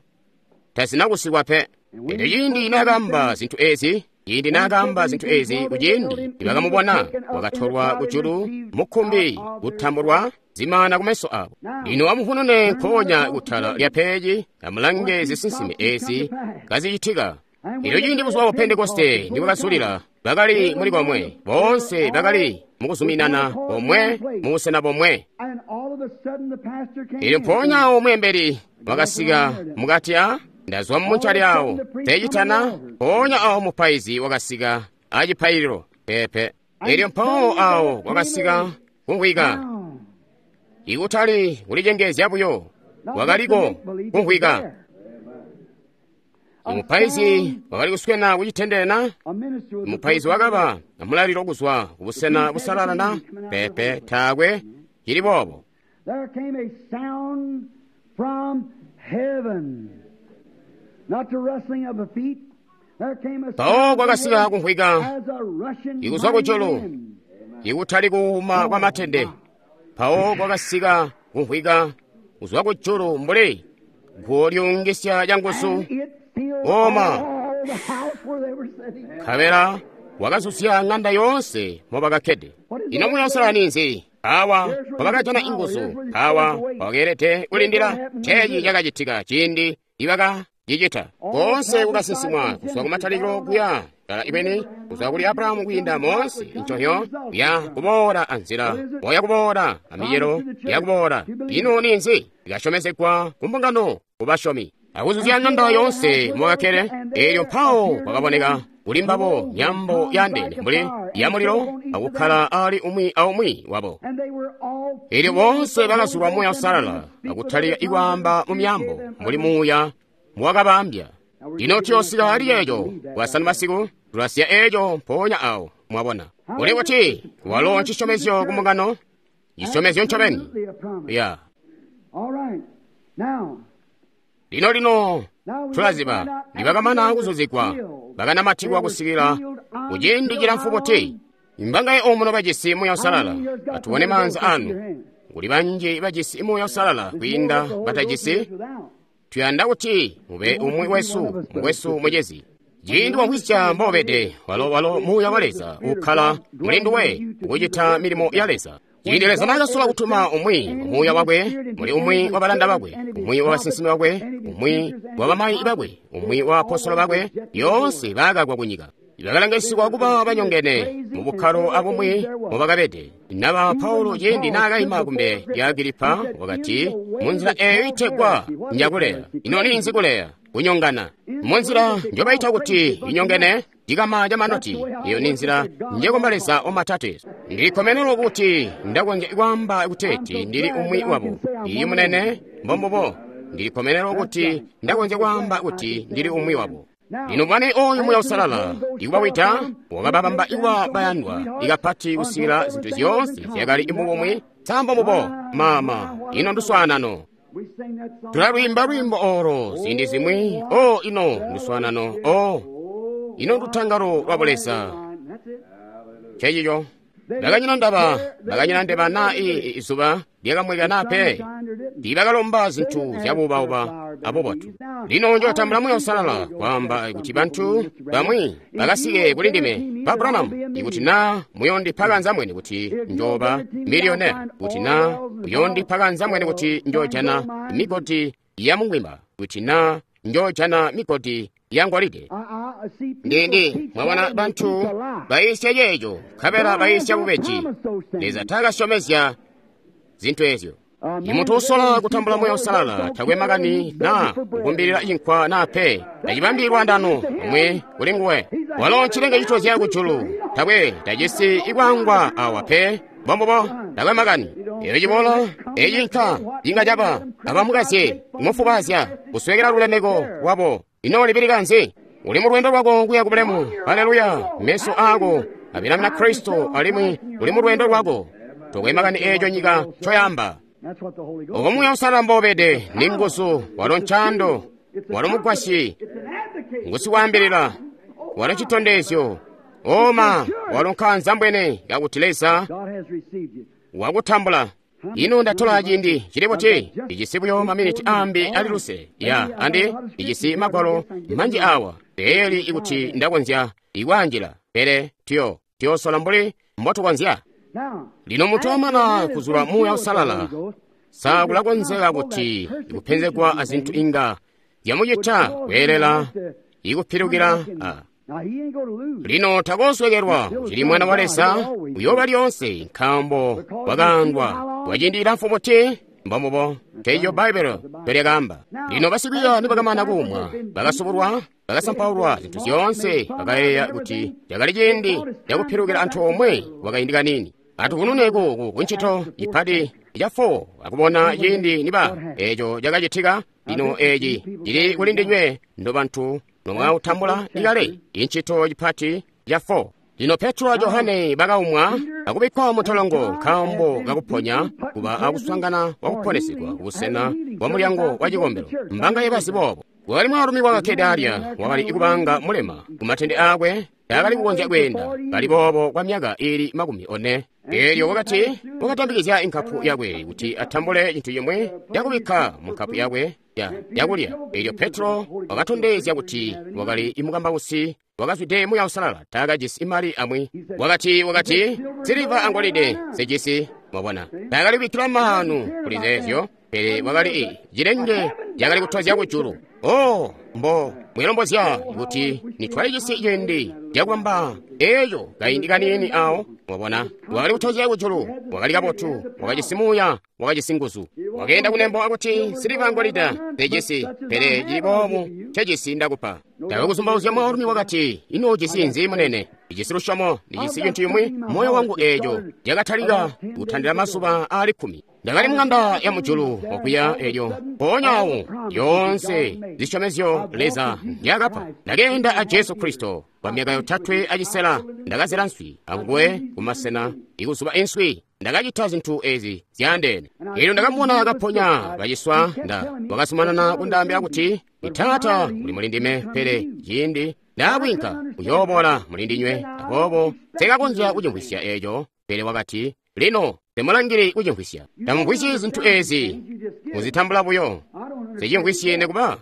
Speaker 1: tazinakusikwa pe. Elyo ciindi naakaamba zintu ezi, ciindi naakaamba zintu ezi kuciindi nibakamubona, wakatolwa kujulu mukkumbi kutambulwa zimana kumeso abo. Lino amuvunune nkoonya kutala lya peji, amulange zisinsime ezi kazicitika. Elyo ciindi buzuba bwa Pentekoste nibwakazulila, bakali muli komwe, boonse bakali mukuzuminana komwe mubusena bomwe. Elyo mpoonya awo mweembeli wakasika mukati a ndazwa mumuncali awo teecitana, mpoonya awo mupaizi wakasika acipaililo pepe. Elyo mpawo awo kwakasika kumvwika, ikutali kulicengezya buyo, kwakaliko kumvwika. Mupaizi wakali kuswena kucitendele na? Mupaizi wakaba amulalilo kuzwa kubusena busalala na? Peepe, taakwe cili boobo.
Speaker 2: There came a sound from heaven, not the rustling of the feet. There came a
Speaker 1: Mpawo kwakasika kumvwika
Speaker 2: as a rushing
Speaker 1: ikuzwa
Speaker 2: mighty
Speaker 1: kujulu
Speaker 2: wind.
Speaker 1: ikutali kuwuma kwa matende. Mpawo kwakasika kumvwika kuzwa kujulu mbuli guwo lyuungisya canguzu.
Speaker 2: And it filled
Speaker 1: Oma.
Speaker 2: all the house where they were sitting.
Speaker 1: Nkabela wakazuzya ng'anda yoonse mobakakkede. Ino Muuya Uusalala ninzi? Awa wabakajana inguzu, awa wakeelede kulindila. Nceeci cakacitika ciindi ibakacicita. Koonse kukasinsimwa kuzwa kumatalikilo kuya kala ibeni, kuzwa kuli Abrahamu kwiinda moonse nconyo ya kuboola anzila, oya kuboola amicelo ya kuboola. Ino ninzi? Ikasyomezegwa ku mbungano kubasyomi. Akuzuzya ng'anda yoonse mobakakkede, eelyo mpawo kwakaboneka kuli mbabo nyambo yandeene mbuli ya mulilo akukkala ali umwi aumwi wabo.
Speaker 2: And they were all
Speaker 1: Eelyo boonse bakazulwa Muuya Uusalala akutalika ikwaamba mu myambo mbuli Muuya muwakabaambya. Lino tuyoosika ali eeco Bwasanu masiku, tulasiya eeco mpoonya awo, mwabona. Uli kuti walo ncisyomezyo ku mbungano, cisyomezyo ncobeni.
Speaker 2: absolutely a promise.
Speaker 1: Ya.
Speaker 2: All right. Now,
Speaker 1: Lino lino
Speaker 2: now we
Speaker 1: tulaziba
Speaker 2: find out
Speaker 1: nibakamana kuzuzigwa bakanamatikwa kusikila kuciindi cilamfu buti. Mbangaye omuno bajisi Muuya Uusalala, atubone maanza anu. Kuli banji bajisi Muuya Uusalala kwiinda batajisi. Tuyanda kuti mube umwi wesu, mukwesu mucezi. Ciindi wamvwisya mbobede, walo Muuya wa Leza ukkala muli nduwe ukucita milimo ya Leza. Ciindi Leza naakasola kutuma umwi Muuya wakwe muli umwi wa balanda bakwe, umwi wa basinsimi bakwe, umwi wa bamayi bakwe, umwi wa apostolo bakwe, yoonse baakakwa kunyika. Bakalangisigwa kuba banyongene mu bukkalo abumwi mubakabede. Naba Paulo ciindi naakayima kumbele lya Agilipa wakati, munzila eeyo itegwa njakuleya. Ino ninzi kuleya? Kunyongana. Munzila njobayita kuti inyongene, ndikama ca manoti. Iyo ni nzila njekomba Leza wamatate. Ndilikkomenelo kuti ndakonzya kwaamba kuteeti ndili umwi wabo. Iyi munene, mbombubo. Ndilikkomenelo kuti ndakonzya kwaamba kuti ndili umwi wabo. Lino bwane oyu Muuya Uusalala ikubawita wakababamba ikuba bayandwa ikapati kusikila zintu zyoonse zyakali mubumwi sambo mubo mama ino nduswaanano.
Speaker 2: We sing that song.
Speaker 1: Tulalwiimba lwiimbo olo ziindi zimwi. O ino nduswaanano. O ino ndutangalo lwa Buleza.
Speaker 2: That's it.
Speaker 1: Cecico bakanyina ndaba, bakanyina ndeba na izuba lyakamweka na pe. Tiibakalomba zintu zyabuubauba abubotu. Lino njootambula Muuya Uusalala kwaamba kuti bantu bamwi bakasike kuli ndime. Ba Branham, ikuti naa muyondipa kanzamwene kuti njooba miliyoneri, kuti naa muyondipa kanzamwene kuti njoojana migodi ya mungwimba, kuti naa njoojana migodi ya ngolide.
Speaker 2: I see people
Speaker 1: Ndindi
Speaker 2: teach
Speaker 1: mwabona
Speaker 2: that and
Speaker 1: bantu
Speaker 2: teach a lie.
Speaker 1: bayisya ceeco, nkabela bayisya bubeji. Leza taakasyomezya zintu ezyo. Imuntu usola kutambula Muuya Uusalala takwe makani naa kukumbilila cinkwa naa pe, tacibambi lwaandano omwe kuli nguwe. Walo ncilenge citozya kujulu, takwe tajisi ikwaangwa awa pe, mbombubo takwe makani. Eyo ciboola ecinka inga caba abamukazye, kumufubazya, kuswekela lulemeko lwabo. Ino libilika nzi? Uli mu lwendo lwako kuya ku bulemu. Haleluya! Meso aako abilamina Kristo alimwi uli mu lwendo lwako. Tokwe makani eeco nyika ncoyamba.
Speaker 2: That's what the Holy Ghost.
Speaker 1: Obo Muuya Uusalala mbobede ni nguzu, walo ncando, walo mugwasyi,
Speaker 2: It's an advocate.
Speaker 1: ngusikwaambilila, walo citondezyo, oma walo nkaanzambwene kakuti Leza
Speaker 2: God has received you.
Speaker 1: wakutambula. Ino ndatola ciindi cili buti? Ijisi buyo maminiti ambi ali luse ya andi ijisi magwalo manji awa teeli ikuti ndakonzya ikwaanjila, pele tuyosola mbuli mbotukonzya.
Speaker 2: Now,
Speaker 1: Lino munthu wamana kuzula Muuya Uusalala, sakulakonzeka kuti ikupenzegwa azinthu inga zyamucita kuyelela ikupilukila a.
Speaker 2: Now he ain't going to lose.
Speaker 1: Lino takoswekelwa cili mwana wa Leza uyooba lyonse nkaambo wakaandwa kwaciindi cilamfu buti mbombubo teeco Bbaibbele ncolyakaamba. Lino basikwiiya nibakamana kuumwa, bakasubulwa, bakasampaulwa zintu zyoonse, bakayeeya kuti cakali ciindi cakupilukila antoomwe kwakaindi kaniini. Atukunune ku kuncito ipati ca 4 akubona ciindi niba eeco cakacitika. Lino eeci cili kuli ndinywe ndo bantu Nomwautambula ikale incito cipati ya 4. Lino Petro a Johane bakaumwa akubikkwa muntolongo nkaambo kakuponya kuba akuswaangana kwakuponesegwa kubusena bwa mulyango wa cikombelo. Mbanga yebazi boobo. Wakali mwaalumi wakakkede alya, wakali kubanga mulema kumatende aakwe, taakali kukonzya kweenda, kali boobo kwa myaka iili 40. Eelyo wakati wakatambikizya inkapu yakwe kuti atambule cintu cimwe cakubikka mu nkapu yakwe yakulya. Eelyo Petro wakatondezya kuti wakali mukambausi wakazwide Muuya Uusalala, taakajisi mali amwi. Wakati, siliva angolide sijisi. Mwabona, taakali kubikkila maanu kuli zeezyo, pele wakali cilenge cakali kutozya kujulu. Oh, mbo mwilombozya kuti nitwalijisi ciindi cakubamba eeco kaindi kaniini awo. Mwabona, wakali kutozya kujulu, wakali kabotu, wakajisi muuya, wakajisi nguzu. Wakeenda kunembo akuti siliva angolida sijisi, pele cili boobu ncejisi ndakupa. Tawe kuzumbauzya mwaalumi wakati, ino ujisi nzi munene? Ndijisi lusyomo, ndijisi cintu cimwi moyo wangu eeco cakatalika kutandila mazuba aali 10. Ndakali mung'anda ya mujulu okuya elyo mpoonya awo yoonse zisyomezyo Leza nzyakapa. Ndakeenda a Jesu Kristo kwa myaka 3 6, ndakazela nswi anguwe kumasena ikuzuba inswi. Ndakacita zintu ezi zyaandeene. Elyo ndakamubona kaponya baciswa, wakazumanana kundaambila kuti, Taata uli muli ndime, pele ciindi ndaabwinka uyooboola muli ndinywe. Aboobo nsekakonzya kucimvwisya eeco, pele wakati, lino temulangili kucimvwisya. Tamumvwisyi zintu ezi, muzitambula buyo. Sicimvwisyi nikuba.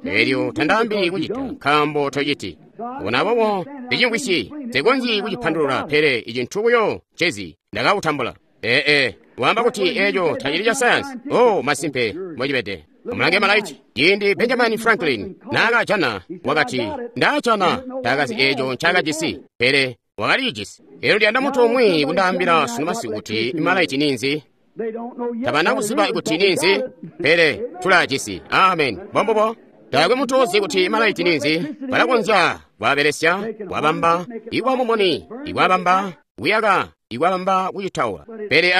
Speaker 1: Elyo tandaambili kucita, nkaambo tociti. Bona aboobo ndicimvwisyi, nsikonzyi kucipandulula, pele icintu buyo ncezi ndakakutambula. Ee, waamba kuti eeco tacili ca sayansi. Oh, masimpe mbocibede. Amulange malaiti. Ciindi Benjamin Franklin naakajana, wakati, ndaajana, taakazi eeco ncaakajisi, pele wakaliijisi. Elyo ndiyanda muntu umwi kundaambila sunu masiku kuti malaiti ninzi. Tabana kuziba kuti ninzi, pele tulaajisi. Amen. Mbombubo. Taakwe muntu uzi kuti malaiti ninzi. Balakonzya kwaabelesya, kwabamba, ikwamumuni, ikwabamba, kuyaka, ikwabamba kucitaula. Pele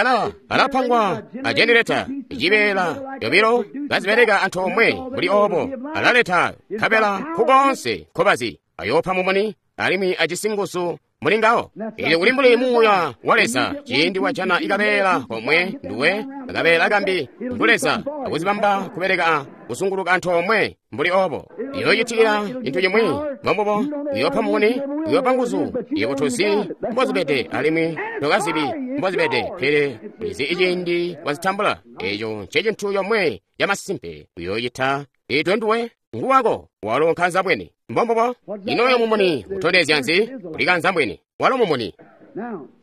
Speaker 1: alapangwa a jenereta, icibeela yobilo kazibeleka antoomwe mbuli oobo. Alaleta nkabela nkukoonse nkobazi. Ayoopa mumuni alimwi ajisi nguzu muli ngawo. Elyo kuli mbuli muuya wa Leza, ciindi wajana ikabeela komwe nduwe, akabeela kambi ngu Leza, akuzibamba kubeleka kuzunguluka antoomwe mbuli oobo. Iyoocitikila cintu cimwi, mbombubo, uyoopa mumuni, uyoopa nguzu, yebo tozi mbozibede alimwi tokazibi mbozibede, pele ulizi iciindi wazitambula. Eeco ncecintu comwe camasimpe uyoocita itwe nduwe nguwako, walo nkanzabwene. Mbombubo. Ino mumuni utondezya nzi? Uli kanzambwene, walo mumuni.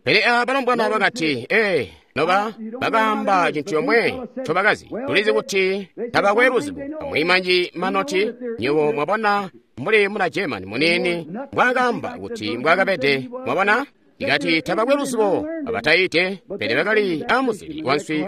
Speaker 1: Pele aba balombwana bakati, ee, noba bakaamba cintu comwe ncobakazi. Tulizi kuti tabakwe luzibo. Amwi manji manoti, nywebo mwabona mbuli muna German muniini mbwaakaamba kuti mbwaakabede, mwabona? Ikati tabakwe luzibo abatayite, pele bakali amuzili wanswi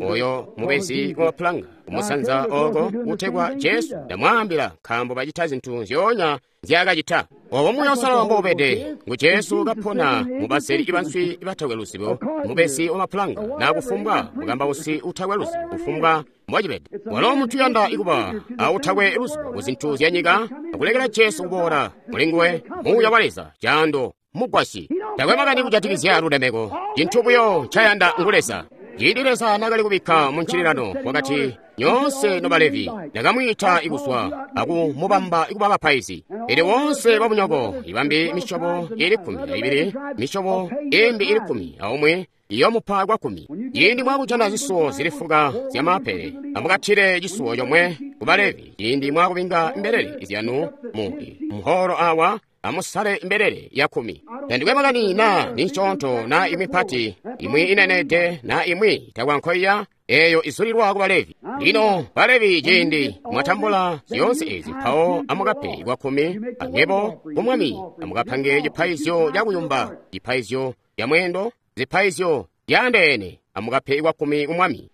Speaker 1: oyo mubezi wa pulanga kumusanza oko kutegwa Jesu. Ndamwaambila, nkaambo bacita zintu nzyoonya nzyaakacita. Obo Muuya Uusalala mboubede, ngu Jesu kapona mubazeli banswi batakwe luzibo, mubezi wa mapulanga, na kufumbwa mukambausi utakwe luzibo, kufumbwa mbwacibede. Walo muntu uyanda ikuba autakwe luzibo ku zintu zya nyika, akulekela Jesu kuboola muli nguwe, Muuya wa Leza, caando mugwasyi. Takwe makani kujatikizya lulemeko, cintu buyo ncayanda ngu Leza. Ciindi Leza naakali kubikka mu ncililano, wakati, nyoonse nobalevi ndakamwiita ikuzwa akumubamba ikuba bapaizi. Elyo wonse babunyoko ibambi misyobo iili 12, misyobo imbi iili 11 iyoomupa kwa 10. Ciindi mwakujana zisuwo zili fuka zyamaapele, amukathile cisuwo comwe ku Balevi. Ciindi mwakubinga mbelele zyanu mu muholo awa, amusale mbelele ya 10. Tandikwe makani na ninsyoonto na imwi pati, imwi inenede na imwi itakwankoiya, eyo izulilwa ku Balevi. Lino Balevi ciindi mwatambula zyoonse ezi, mpawo amukape kwa 10 anywebo ku Mwami, amukapange cipaizyo cakuyumba, cipaizyo ca mwendo, zipaizyo zyaandeene, amukape kwa 10 ku Mwami.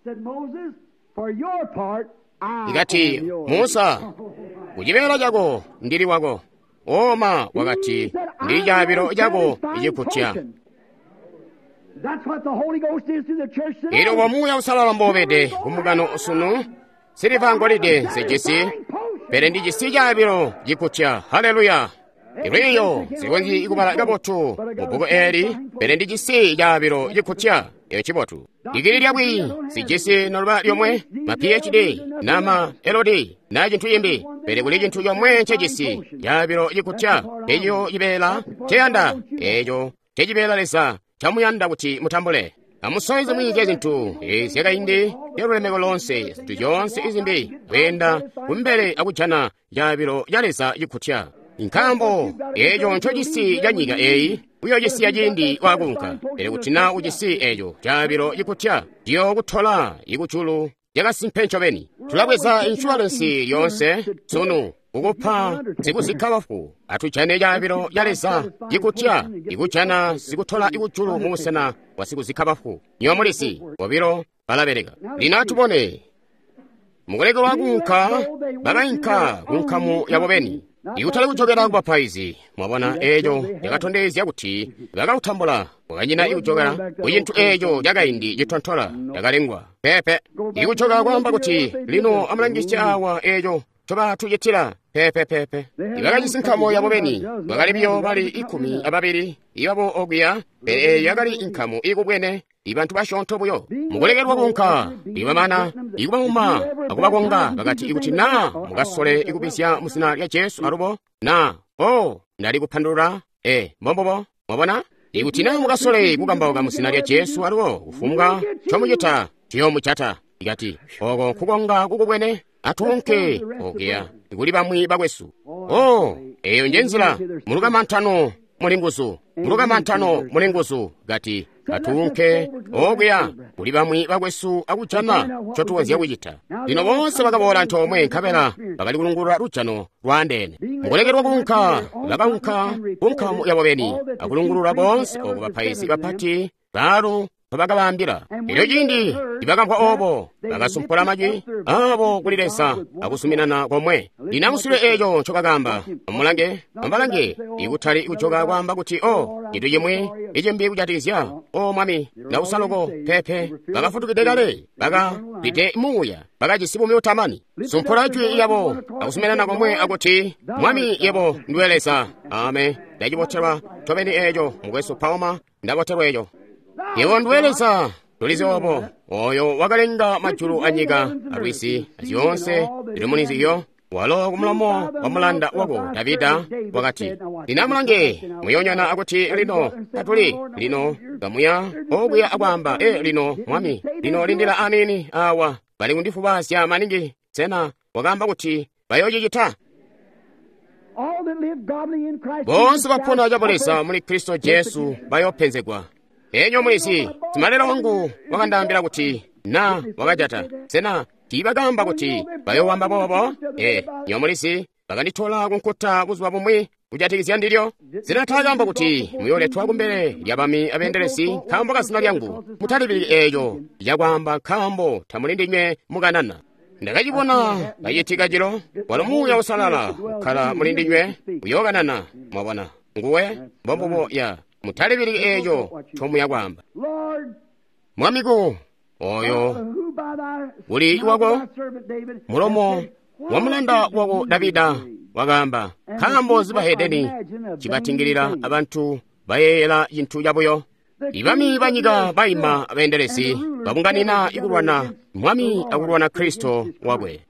Speaker 1: Ikati, Musa, kucibeela cako ndili wako. Oma wakati, ndi chaabilo chako ichikutya. Elyo wa Muuya Uusalala mboubede kumbungano sunu, siliva ngolide nzejisi, Pele ndijisi caabilo cikutya. Haleluya! Lwiiyo sikonzyi kubala kabotu mu bbuku eeli, pele ndijisi caabilo cikutya. Eco cibotu. Digili lyabwi sijisi noluba lyomwe, ma PhD na ma LD na cintu cimbi, pele kuli cintu comwe ncejisi, caabilo cikutya. Eco cibeela nceyanda, eco ncecibeela Leza ncamuyanda kuti mutambule. Amusowe zimwi zya zintu zyakaindi lyalulemeko lonse, zintu zyoonse izimbi, kweenda kumbele akujana caabilo ca Leza cikutya. Nkaambo eco ncojisi ca nyika eyi uyocisiya ciindi wakunka, pele kuti na ujisi eco caabilo cikutya, ciyokutola ikujulu lyakasimpe ncobeni. Tulabweza inshuwalensi lyoonse sunu kukupa sikuzikka bafu, atujane caabilo ca Leza cikutya, ikujana sikutola ikujulu mu busena bwa sikuzikka bafu. Nywebo mulizi, bobilo balabeleka. Lino atubone. Mukulekelwa kuunka, bakainka kunkamu yabo beni, ikutali kujokela ku bapaizi. Mwabona, eco cakatondezya kuti bakautambula. Kwakanyina ikujokela ku cintu eco cakaindi citontola cakalengwa. Peepe. Ikujoka kwaamba kuti, lino amulangisye awa eco ncobatucitila. Peepe, peepe. Ibakajisi nkamu yabo beni, bakali biyo bali 12 ibabo okuya, pele eyo yakali inkamu ikubwene, ibantu basyoonto buyo. Mukulekelwa kuunka, ibamana ikubauma akubakonga, bakati ikuti na mukasole ikubisya mu zina lya Jesu alubo, na, oh, ndali kupandulula, mbombubo, mwabona? Ikuti na mukasole kukambauka mu zina lya Jesu alubo, kufumbwa ncomucita, ciyoomujata. Ikati, oko nkukonga kukubwene, atuunke okuya kuli bamwi bakwesu. Oh, eyo nje nzila. Mulukamantano muli nguzu, mulukamantano muli nguzu. Kati, atuunke okuya kuli bamwi bakwesu akujana ncotukonzya kucita. Lino boonse bakaboola antoomwe, nkabela bakali kulungulula lujano lwaandeene. Mukulekelwa kuunka, bakaunka kunkamu yabo beni akulungulula boonse oko bapaizi bapati baalu bakabaambila. Elyo ciindi nibakamvwa obo, bakasumpula majwi abo kuli Leza akuzuminana komwe. Lino amusule eco ncobakaamba. Amulange, amubalange, ikutali kujoka kwaamba kuti, oh, cintu cimwi icimbi kujatikizya, o Mwami, ndausa loko. Peepe, bakafutukide kale, bakazwide muuya, bakajisi buumi butamani. Sumpula jwi lyabo akuzuminana komwe akuti, Mwami, yebo nduwe Leza. Amen. Ndacibotelwa ncobeni eco, mukwesu Palmer, ndabotelwa eco. Yebo nduwe Leza, tulizi obo, oyo wakalenga majulu anyika alwizi azyoonse zili mulinzizyo. Walo kumulomo wa mulanda wako Davida wakati, lino amulange, muyonyana akuti lino tatuli lino kamuya okuya akwaamba, lino Mwami, lino lindila aniini awa, bali kundifubazya maningi. Sena wakaamba kuti bayocicita? Boonse bapona cabuleza muli Kristo Jesu bayopenzegwa. Enyo mulizi, simalelo wangu wakandaambila kuti na wakajata. Sena tiibakaamba kuti bayowamba boobo? Nyo mulizi, bakanditola kunkuta buzuba bumwi kujatikizya ndilyo. Sena taakaamba kuti muyoletwa kumbele lyabami abeendelezi nkaambo ka zina lyangu? Mutalibiliki eeco cakwaamba nkaambo tamuli ndinywe mukanana. Ndakacibona kacitika cilo, walo Muuya Uusalala ukkala muli ndinywe uyookanana. Mwabona, nguwe mbombubo ya. Mutalibiliki eeco ncomuya kwaamba. Mwami ku oyo uli wako mulomo wa mulanda wako Davida wakaamba, nkaambo zibahedeni cibatingilila abantu bayeeyela cintu cabuyo. Ibami banyika baima abeendelezi babunganina ikulwana Mwami akulwana Kristo wakwe.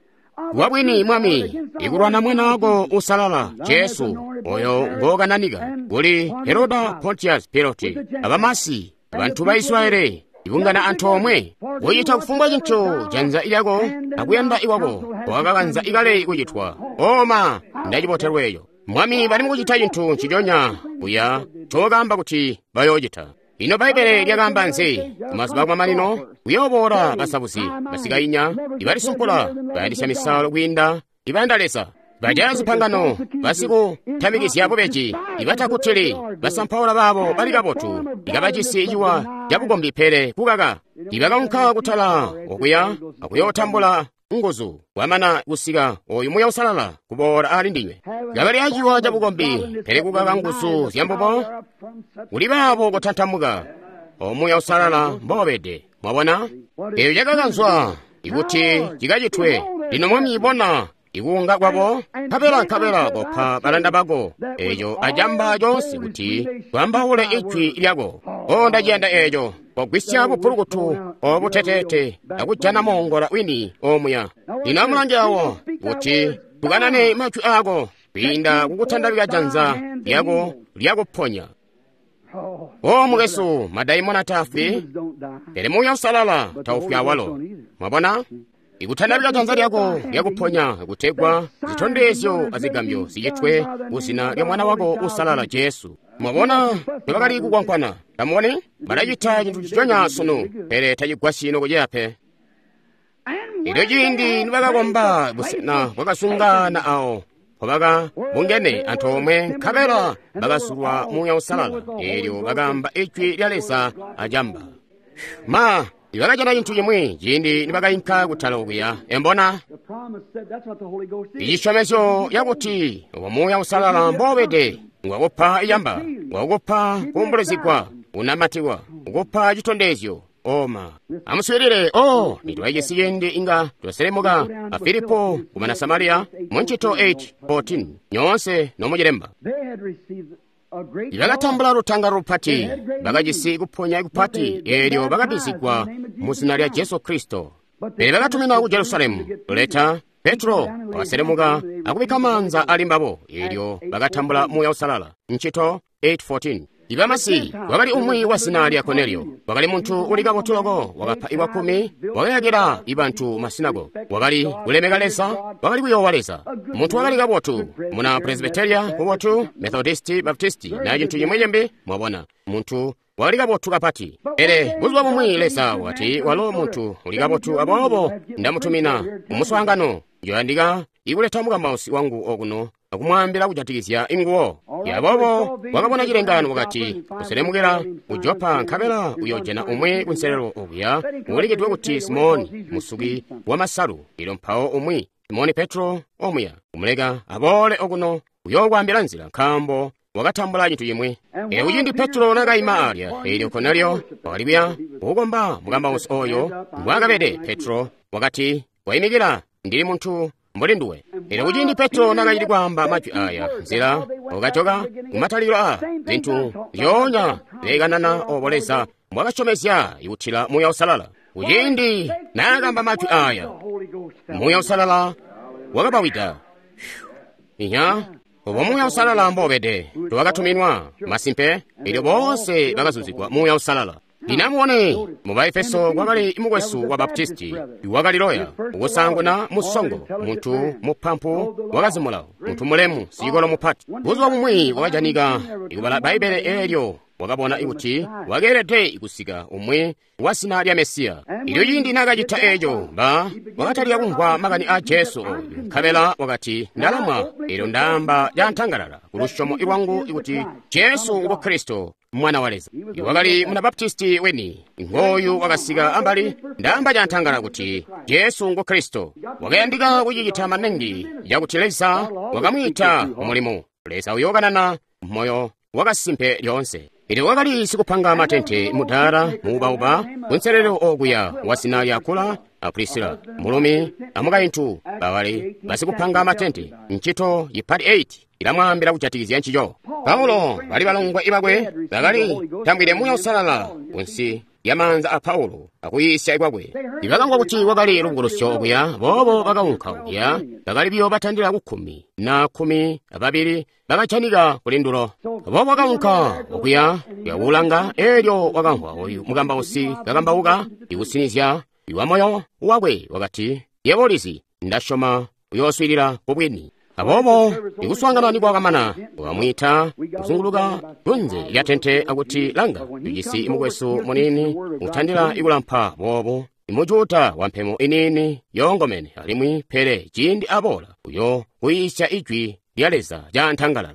Speaker 1: Wabwini Mwami, ikulwana mwana wako usalala Jesu, oyo ngokananika kuli Heroda Pontius Pilate, abamasi, abantu ba Israeli, ibungana antoomwe, kucita kufumbwa cintu janza lyako akuyanda ikwako wakakanza ikale kucitwa. Oma, ndacibotelwa eco. Mwami bali mukucita cintu nciconya kuya ncokaamba kuti bayoocita. Ino Bbaibbele lyakaamba nzi? Kumazuba akumamanino kuyooboola basabuzi, basikainya, ibalisumpula, bayandisya misalo kwiinda ibayanda Leza, bajaya zipangano, basikutamikizya bubeji, ibatakutili, basampaula baabo bali kabotu, ikabajisi ciwa cabukombi pele kukaka, ibakaunka kutala okuya akuyootambula nguzu kwamana kusika oyu Muuya Uusalala kuboola ali ndinywe. Kabali aciwa cabukombi pele kukaka nguzu zyambubo, kuli baabo kutantamuka o Muuya Uusalala mbobede. Mwabona, eyo cakakanzwa ikuti cikacitwe. Lino Mwami, bona, Ikuunga kwabo, nkabela kopa balanda bako eco acamba conse kuti twambaule ijwi lyako. O ndaciyanda eco, kogwisya bupulukutu obuteteete akujana moongola wini omuya. Lino amulange awo kuti tukanane majwi ako kwiinda kukutandabika janza lyako lyakuponya. O mukwesu, madaimona tafwi, pele Muuya Uusalala taufwi awalo. Mwabona? Ikutandabika janza lyako lyakuponya kutegwa zitondezyo azigambyo zicitwe kuzina lya Mwana wako Uusalala Jesu. Mwabona, tebakali kukwankwana. Tamuboni? Balacita cintu nciconya sunu, pele tacigwasyi nokuceya pe. Elyo ciindi nibakakomba busena bwakasungana awo mpobaka bungene antoomwe, nkabela bakasulwa Muuya Uusalala, eelyo bakaamba ijwi lya Leza acamba. Ma, ibakajana cintu cimwi ciindi nibakainka kutala okuya. Embona? Icisyomezyo yakuti obo Muuya Uusalala mbobede ngwakupa icamba, ngwakupa kuumbulizigwa, unamatikwa, ukupa citondezyo. Oma. Amuswiilile, o nitwajisi ciindi inga twaselemuka a Filipo kumana Samariya mu ncito 8:14 nyoonse nomucilemba. Bakatambula lutanga lupati, bakajisi kuponya kupati, eelyo bakabbizigwa mu zina lya Jesu Kristo. Pele bakatumina ku Jerusalemu kuleta Petro wakaselemuka akubikka maanza ali mbabo, eelyo bakatambula Muuya Uusalala. Ncito 8:14. Ibamasi wakali umwi wa zina lya Korneliyo, wakali muntu uli kabotu loko, wakapa iwakumi, wakayakila ibantu masinago, wakali kulemeka Leza, wakali kuyoowa Leza, muntu wakali kabotu, muna Presbyteria mubotu, Methodisti, Baptisti, na cintu cimwi cimbi, mwabona, muntu wakali kabotu kapati. Pele buzuba bumwi Leza wakati, walo muntu uli kabotu, aboobo ndamutumina umuswaangano, njoyandika ikuleta mukambausi wangu okuno akumwaambila kujatikizya inguwo. Aboobo wakabona cilengaano wakati, kuselemukila ku Jopa, nkabela uyojana umwi kunselelo okuya uulikidwe kuti Simoni musuki wamasalu. Ilo mpawo umwi Simoni Petro omuya kumuleka aboole okuno uyookwaambila nzila, nkaambo wakatambula cintu cimwi. Elyo kuciindi Petro nakaima alya, eelyo Korneliyo wakali kuya kukukomba mukambausi oyo mbwaakabede. Petro wakati, waimikila, ndili muntu mbuli nduwe. Elyo kuciindi Petro nakacili kwaamba majwi aya, nzila wakajoka kumatalikilo a zintu zyoonya zilekanana obo Leza mbwakasyomezya ikutila Muuya Uusalala. Kuciindi naakamba majwi aya, Muuya Uusalala wakabawida. Inya, obo Muuya Uusalala mbobede, towakatuminwa masimpe, elyo boonse bakazuzigwa Muuya Uusalala. Lino amubone, mu Baefeso kwakali mukwesu wa Baptisti wakali loya, ukusaanguna musongo, muntu mupampu wakazimulawo, muntu mulemu, sikolo mupati. Buzuba bumwi wakajanika ikubala Bbaibbele, eelyo wakabona kuti wakeelede kusika umwi wa zina lya Mesiya. Ilyo ciindi naakacita eeco, wakatalika kumvwa makani a Jesu oyu, nkabela wakati, ndalamwa, eelyo ndaamba cantangalala ku lusyomo lwangu kuti Jesu ngu Kristo, Mwana wa Leza. Wakali muna Baptisti weni, ngooyu wakasika ambali, ndaamba cantangala kuti Jesu ngu Kristo. Wakayandika kucicita maningi yakuti Leza wakamwiita mu mulimo. Leza uyookanana moyo wakasimpe lyoonse. Elyo wakali sikupanga matente mudaala muubauba kunselelo okuya wa zina lya Akula a Prisila, mulumi amukaintu bawali basikupanga matente. Ncito yipati 8 ilamwaambila kujatikizya ncico. Paulo bali balongwe ibakwe bakali tambwide Muuya Uusalala kunsi lya maanza a Paulo akuyiisya kwakwe. Ibakamvwa kuti wakali lubukulusyo okuya, boobo bakaunka okuya, bakali biyo batandila ku 10 na 12 bakajanika kuli ndulo. Boobo bakaunka okuya kuyakulanga, eelyo wakamvwa oyu mukambausi kakambauka ikusinizya iwa moyo wakwe, wakati, yebo ulizi, ndasyoma uyooswiilila kubwini. Aboobo ikuswaangana nikwakamana, wakamwiita kuzunguluka kunze lya tente akuti, langa, tujisi mukwesu muniini utandila ikulampa boobo, imujuda wampemo iniini yoongomene, alimwi pele ciindi aboola uyo kuyiisya ijwi lya Leza cantangalala.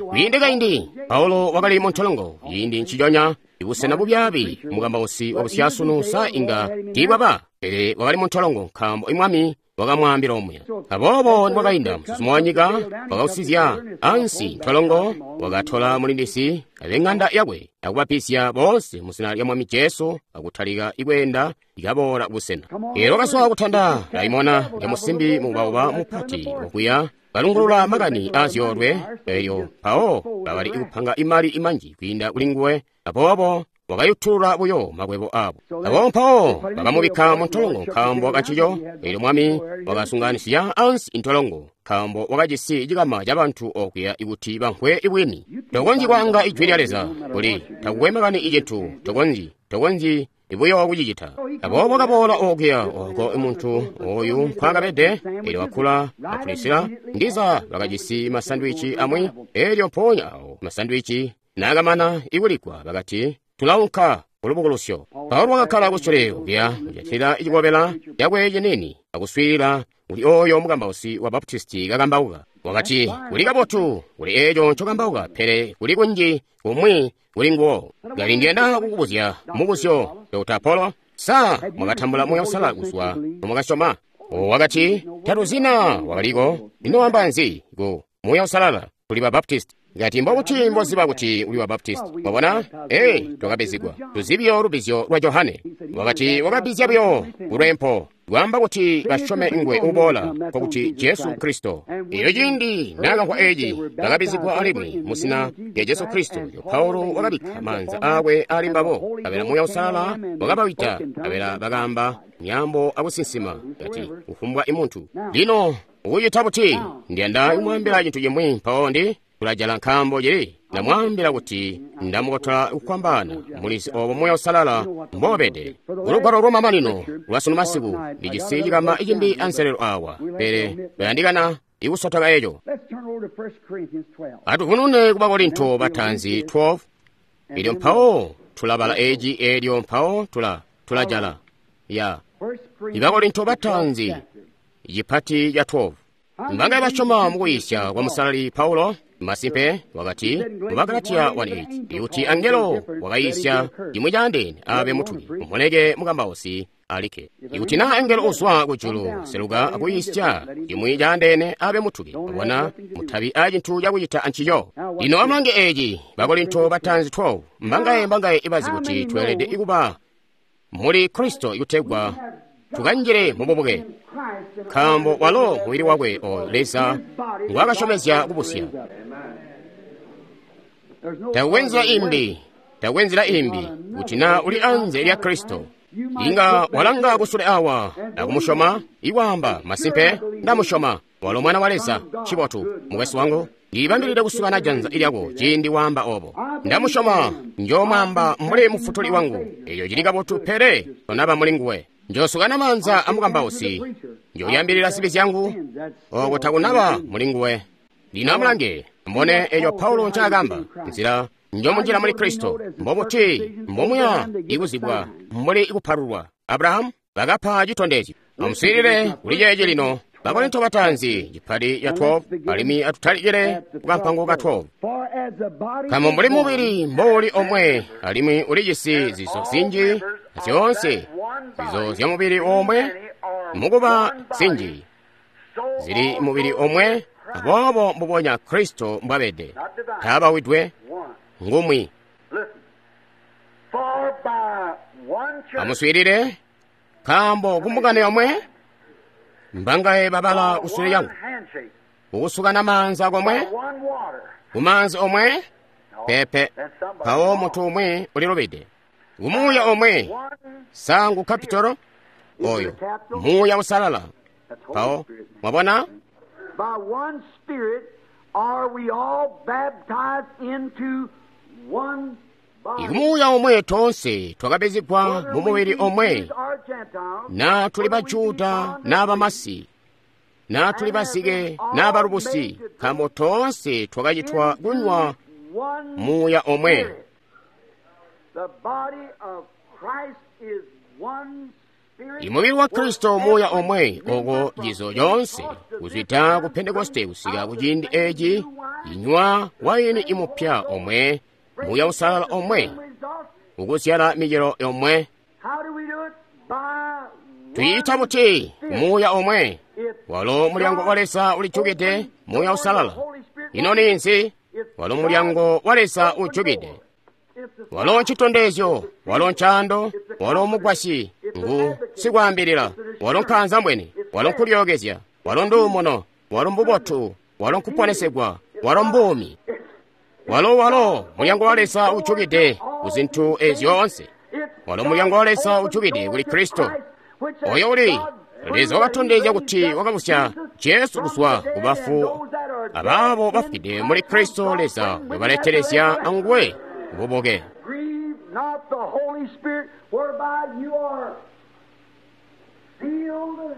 Speaker 1: Kwiinde kaindi Paulo wakali muntolongo ciindi nciconya, ibusena bubyaabi mukambausi wa busyasunu sa inga tiibwaba, pele wakali muntolongo nkaambo imwami wakamwaambila omuya. Aboobo nikwakainda muzuzumo wanyika wakausizya ansi ntolongo, wakatola mulindisi abeng'anda yakwe akubapizya boonse muzina lya Mwami Jesu akutalika ikweenda ikaboola kubusena. Eelyo wakazwa kutanda daimona lya musimbi mubauba mupati okuya kalungulula makani aazyoolwe eyo mpawo bakali kupanga imali imanji kwiinda kuli nguwe, aboobo wakayutulula buyo makwebo abo. Aboobo mpawo bakamubikka mu ntolongo nkaambo kancico. Eelyo Mwami wakasunganisya ansi intolongo nkaambo wakajisi cikama cabantu okuya ikuti bamvwe ibwini. Tokonzyi kwaanga ijwi lya Leza kuli takukwe makani icintu, tokonzyi ibuyo kucicita. Aboobo kaboola okuya oko muntu oyu nkwaakabede, eelyo wakula apulisila ndiza bakajisi masandwici amwi, eelyo mpoonya awo masandwici naakamana ikuligwa bakati, tulaunka kulubukulusyo. Paulo wakakkala kusule okuya kujatilila cikobela cakwe cinini akuswiilila kuli oyo mukambausi wa Baptisti kakambauka. Wakati, kuli kabotu kuli eeco ncokambauka, pele kuli kunji kumwi kuli nguwo. Kali ndiyanda kukubuzya mubuzyo, Dr. Apollo, sa mwakatambula Muuya Uusalala kuzwa nomwakasyoma? Wakati, tatuzina wakaliko. Ino wamba nzi ku Muuya Uusalala? Tuli ba Baptist. Ngati mbobuti mboziba kuti uli wa Baptist? Mwabona? Ee, twakabizigwa. Tuzi buyo lubizyo lwa Johane. Wakati wakabizya buyo kulwempo lwaamba kuti basyome ngwe uboola, nkokuti Jesu Kristo. Iyo ciindi naakamvwa eeci, bakabizigwa alimwi muzina lya Jesu Kristo. Yo Paulo wakabikka maanza aakwe ali mbabo, kabela Muuya Uusalala wakabawida, kabela bakaamba myaambo akusinsima, kati kufumbwa imuntu. Lino ukucita buti? Ndiyanda kumwaambila cintu cimwi mpawo ndi tulajala nkaambo cili ndamwaambila kuti ndamukotola kukwambaana mulizi obo Muuya Uusalala mbobede. Kulugwalo lwamamanino lwasunu masiku ndijisi cikama cimbi anselelo awa, pele bayandikana ikusotoka eco. Atuvunune ku Bakorinto bataanzi 12, elyo mpawo tulabala eci, elyo mpawo tulajala. Ya Ibakorinto bataanzi cipati ca 12. Mbangaye basyoma mukuyisya kwa Musalali Paulo? Masimpe wakati mu Bagalatiya 1:8 kuti angelo wakayisya cimwi caandeene abe mutuki, umuleke mukambausi alike. Ikuti naa angelo uzwa kujulu seluka akuyisya cimwi caandeene abe mutuki, abona mutabi a cintu cakucita ancico. Lino amulange eeci, Bakorinto bataanzi 12, mbangaye ibazi kuti tweelede kuba muli Kristo ikutegwa tukanjile mububuke, nkaambo walo mubili wakwe oyo Leza ngwaakasyomezya kubusya. Takukwe nzila imbi kuti naa uli anze lya Kristo. Inga walanga kusule awa akumusyoma, ikwaamba masimpe ndamusyoma walo mwana wa Leza. Cibotu, mukwesu wangu, ndilibambilide kusukana janza lyako ciindi waamba obo. Ndamusyoma, njoomwaamba mbuli mufutuli wangu. Eyo cili kabotu, pele tonaba muli nguwe. Njoosukana maanza amukambausi, njooyambilila zibi zyangu, oko takunaba muli nguwe. Lino amulange, mbone eyo Paulo ncaakamba, nzila njomunjila muli Kristo, mbobuti mbomuya ikuzibwa mbuli ikupalulwa. Abrahamu bakapa citondezyo. Amuswiilile kuli ceeci lino, Bakorinto bataanzi cipati ca 12, alimwi atutalikile kukampango ka 12. Nkaambo mbuli mubili mbouli omwe, alimwi ulijisi zizo zinji, zyoonse zizo zya mubili omwe, mukuba zinji zili mubili omwe, aboobo mbubonya Kristo mbwabede, taabawidwe ngumwi. Amuswiilile, nkaambo kumbungano yomwe mbangaye babala kusule lyangu, kukusukana maanza komwe, kumaanzi omwe, pepe, mpawo munthu umwe ulilubide. Kumuuya omwe, sangu kapitolo oyo Muuya Usalala. Mpawo mwabona, ikumuuya omwe toonse twakabezegwa mu mubili omwe, naa tuli Bajuda naa Bamasi, naa tuli bazike naa balubusi, nkaambo toonse twakacitwa kunywa Muuya omwe. Imubili wa Kristo Muuya omwe, oko cizo coonse kuzwida ku Pentekoste kusika ku ciindi eci inywa waini imupya omwe, Muuya Usalala omwe, ukuzyala micelo yomwe. Tuyiita buti Muuya omwe? Walo mulyango wa Leza ulijukide, Muuya Uusalala. Ino ninzi? Walo mulyango wa Leza ujukide. Walo ncitondezyo, walo ncaando, walo mugwasyi, ngu sikwaambilila, walo nkaanzambwene, walo nkulyookezya, walo nduumuno, walo mbubotu, walo nkuponesegwa, walo mbuumi. Walo walo mulyango wa Leza ujukide ku zintu ezi zyoonse. Walo mulyango wa Leza ujukide kuli Kristo. Oyo uli Leza wakatondezya kuti wakabusya Jesu kuzwa ku bafu, abaabo bafwide muli Kristo Leza wabaletelezya anguwe kububuke.
Speaker 2: Grieve not the Holy Spirit, whereby you are sealed.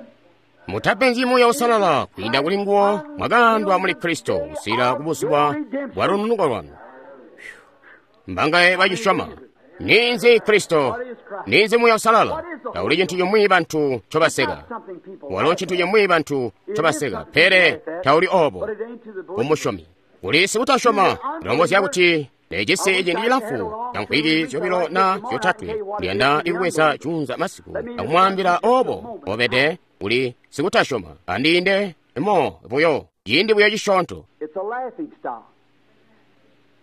Speaker 1: Mutapenzyi Muuya Uusalala kwiinda kuli nguwo mwakaandwa muli Kristo kusikila kubuzuba bwa lununuko lwanu. Mbangaye bacisyoma? Ninzi Kristo? Ninzi Muuya Uusalala? Tauli cintu cimwi bantu ncobaseka.
Speaker 2: Something people
Speaker 1: Walo ncintu cimwi bantu ncobaseka, pele tauli obo
Speaker 2: but it ain't to the believer.
Speaker 1: kumusyomi. Kuli sikutasyoma lombozya kuti necisi ciindi cilamfu ca nkwiki zyobilo na zyotatwe ndiyanda ikubweza junza masiku akumwaambila obo obede uli sikutasyoma andiinde mo buyo ciindi buyo cisyoonto.
Speaker 2: It's a laughing stock.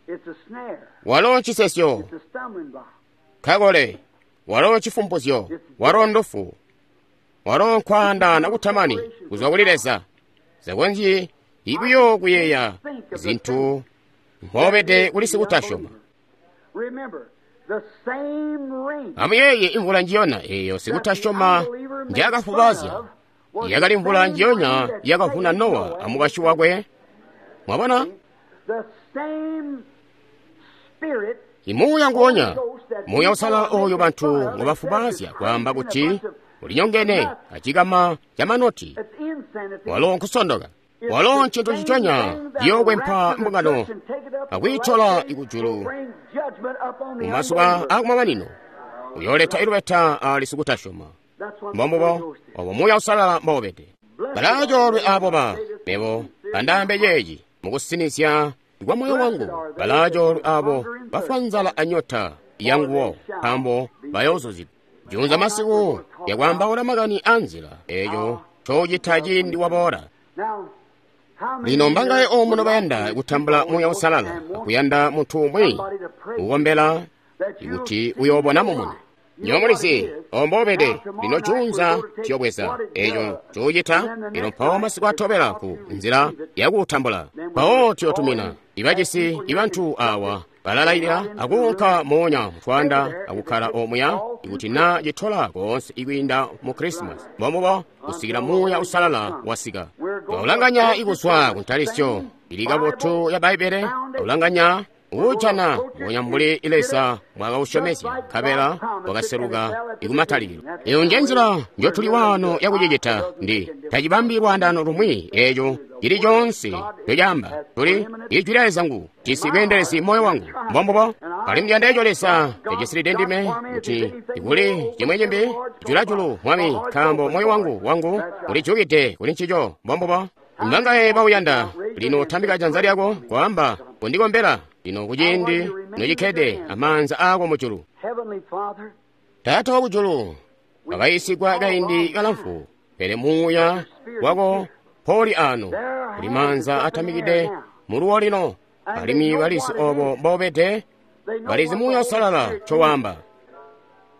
Speaker 2: It's a snare.
Speaker 1: Walo ncisesyo
Speaker 2: It's a stumbling block.
Speaker 1: kakole, walo cifumpuzyo, walo ndufu, walo nkwaandaana kutamani kuzwa kuli Leza. Zakonzyi ibuyo kuyeeya zintu nkobede kuli sikutasyoma.
Speaker 2: Remember, the same rain
Speaker 1: Amuyeeye imvula njiyona eeyo sikutasyoma njaakafubazya yakali mvula njiyonya yakavuna Nowa amukwasyi wakwe. Mwabona,
Speaker 2: the same spirit
Speaker 1: imuuya nguwonya Muuya Uusalala oyo bantu ngobafubazya kwaamba kuti ulinyongene acikama ca manoti.
Speaker 2: it's insanity.
Speaker 1: Walo nkusondoka, walo ncintu ciconya ciyookwempa mbungano akwiitola ikujulu mumazuba akumamanino uyooleta ilubeta ali sikutasyoma. Mbombubo obo Muuya Uusalala mboubede. Balaacoolwe aabo ba mebo bandaambe ceeci mukusinizya kwa moyo wangu. Balaacoolwe aabo bafwa nzala anyota yanguwo, nkaambo bayoozuzigwa. Junza masiku yakwaambaula makani a nzila eeyo ncocita ciindi waboola. Lino mbangaye omuno bayanda kutambula Muuya Uusalala akuyanda munthu umwi kukombela kuti uyoobona mumuni. Nywebo mulizi ombobede lino junza tiyobweza eeco ncoocita lino mpawo masiku atobela ku nzila yakuutambula mpawo tiyotumina ibacisi ibantu awa balalailila akuunka moonya mutwanda akukkala omuya ikuti na citola koonse ikwiinda mu Krisimasi mbombubo kusikila Muuya Uusalala wasika. Twaulanganya ikuzwa ku ntalisyo ili kabotu ya Bbaibbele, twaulanganya uujana mbonya mbuli Leza mwakausyomezya nkabela wakaseluka ikumatalikilo. Eyo nje nzila njotuli waano yakucicita ndi tacibambi lwaandaano lumwi eeco cili coonse ncocaamba tuli Ijwi lya Leza ngu jisi bweendelezi moyo wangu mbombubo alimwi ndiyanda eco Leza cacisilide ndime kuti ikuli cimwi cimbi julajulu Mwami nkaambo moyo wangu ulijukide kuli ncico mbombubo. Mbangaye bauyanda lino tambika janza lyako kwaamba kundikombela lino kuciindi nocikkede amaanza aako mujulu.
Speaker 2: Heavenly Father,
Speaker 1: Taata wakujulu, wakayiisigwa kaindi kalamfu, pele Muuya wako poli ano kuli maanza atamikide muluwo lino, alimwi balizi obo mbobede,
Speaker 2: they know
Speaker 1: balizi
Speaker 2: what
Speaker 1: Muuya
Speaker 2: the
Speaker 1: Uusalala
Speaker 2: Holy Spirit
Speaker 1: ncowaamba.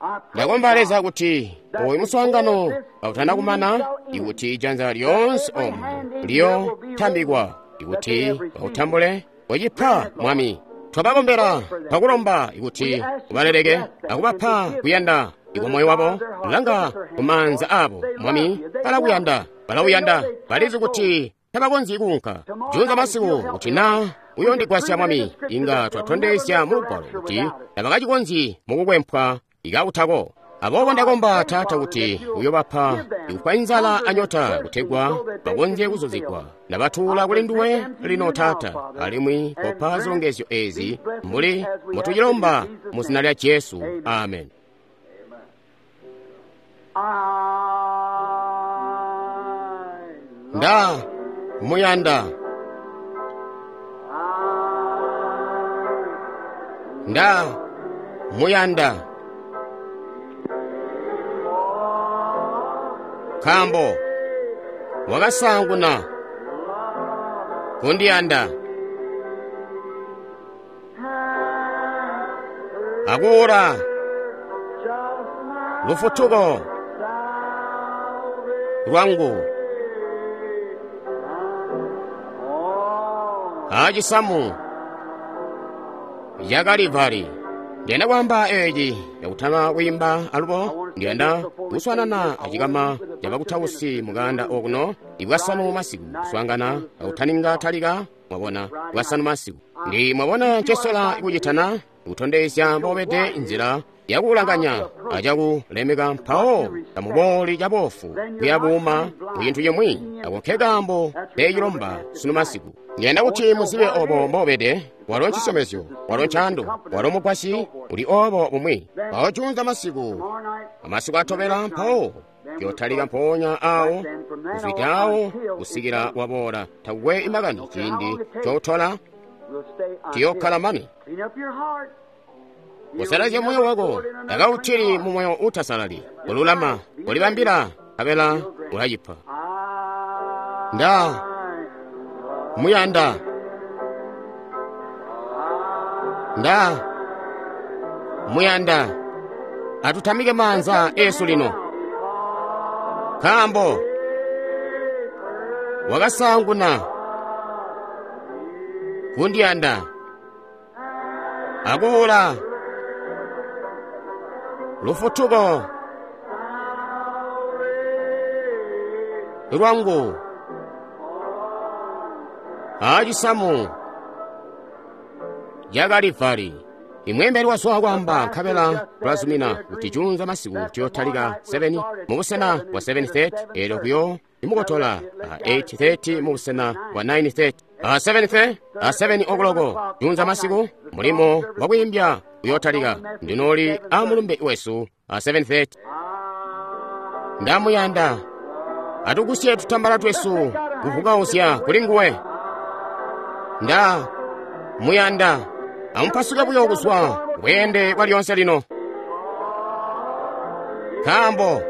Speaker 2: I pray,
Speaker 1: Ndakomba Leza kuti
Speaker 2: that
Speaker 1: oyu muswaangano
Speaker 2: before this
Speaker 1: kautana kumana
Speaker 2: meeting shall end,
Speaker 1: ikuti ijanza lyoonse omu liyotambikwa ikuti bautambule wecipa Mwami. Twabakombela twakulomba ikuti ubaleleke akubapa kuyanda ikwa moyo wabo langa kumaanza abo Mwami balakuyanda balauyanda balizi kuti tabakonzyi kuunka junza masiku kuti na uyondigwasya Mwami inga twatondezya mu lugwalo kuti tabakacikonzyi mukukwempwa ikautako. Aboobo ndakomba Taata kuti uyobapa ikufwa inzala anyota kutegwa bakonzye kuzuzigwa. Ndabatuula kuli nduwe lino Taata, alimwi kopa zilongezyo ezi mbuli mbotucilomba mu zina lya Jesu. Amen.
Speaker 2: I
Speaker 1: Nda muyanda, nda muyanda. Nkaambo wakasaanguna kundiyanda akuula lufutuko lwangu acisamu ca Kalivari. Ndiyanda kwaamba eci cakutama kwiimba alubo ndiyanda kuswanana acikama ca bakutausi mukanda okuno ibwasanu masiku kuswaangana akutaninga talika mwabona bwasanu masiku. Ndi mwabona ncesola kucitana kutondezya mbobede nzila yakulanganya acakulemeka mpawo tamubooli cabofu kuyabuuma ku cintu cimwi. Ako nkekaambo pecilomba sunu masiku. Ndiyanda kuti muzibe obo mbobede. Walo ncisyomezyo, walo ncaando, walo mugwasyi, uli obo bumwi. Mpawo juunza masiku, amasiku atobela mpawo yotalika mpoonya awo kuzwida awo kusikila waboola. Takukwe imakani ciindi cotola tiyokkala mane. Kusalazya moyo wako, takauttili mu moyo uutasalali. Kululama, kulibambila, nkabela ulacipa. Nda muyanda. Nda muyanda. Atutamike maanza esu lino. Nkaambo wakasaanguna kundiyanda akuula lufutuko lwangu acisamu ca Kalivari. Imweembeli wazwa kwaamba nkabela tulazumina kuti juunza masiku tuyotalika 7 mubusena bwa 7:30 eelyo kuyo imukotola a 8:30 mubusena bwa 9:30 a 7:30 a 7 okuloko juunza masiku mulimo wakwiimbya uyotalika. Ndinooli a mulumbe wesu a 7:30. Ndamuyanda. Atugusye tutambala twesu kuvukauzya kuli nguwe. Nda muyanda. Amupasuke buyo kuzwa bweende bwa lyonse lino. Nkaambo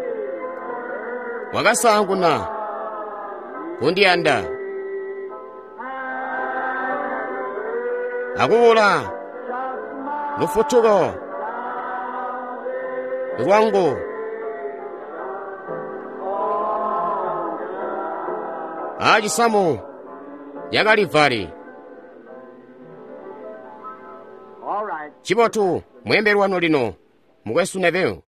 Speaker 1: wakasaanguna kundiyanda akuula lufutuko lwangu acisamu ca Kalivari. Cibotu, mweembeli wanu lino, mukwesu Neville.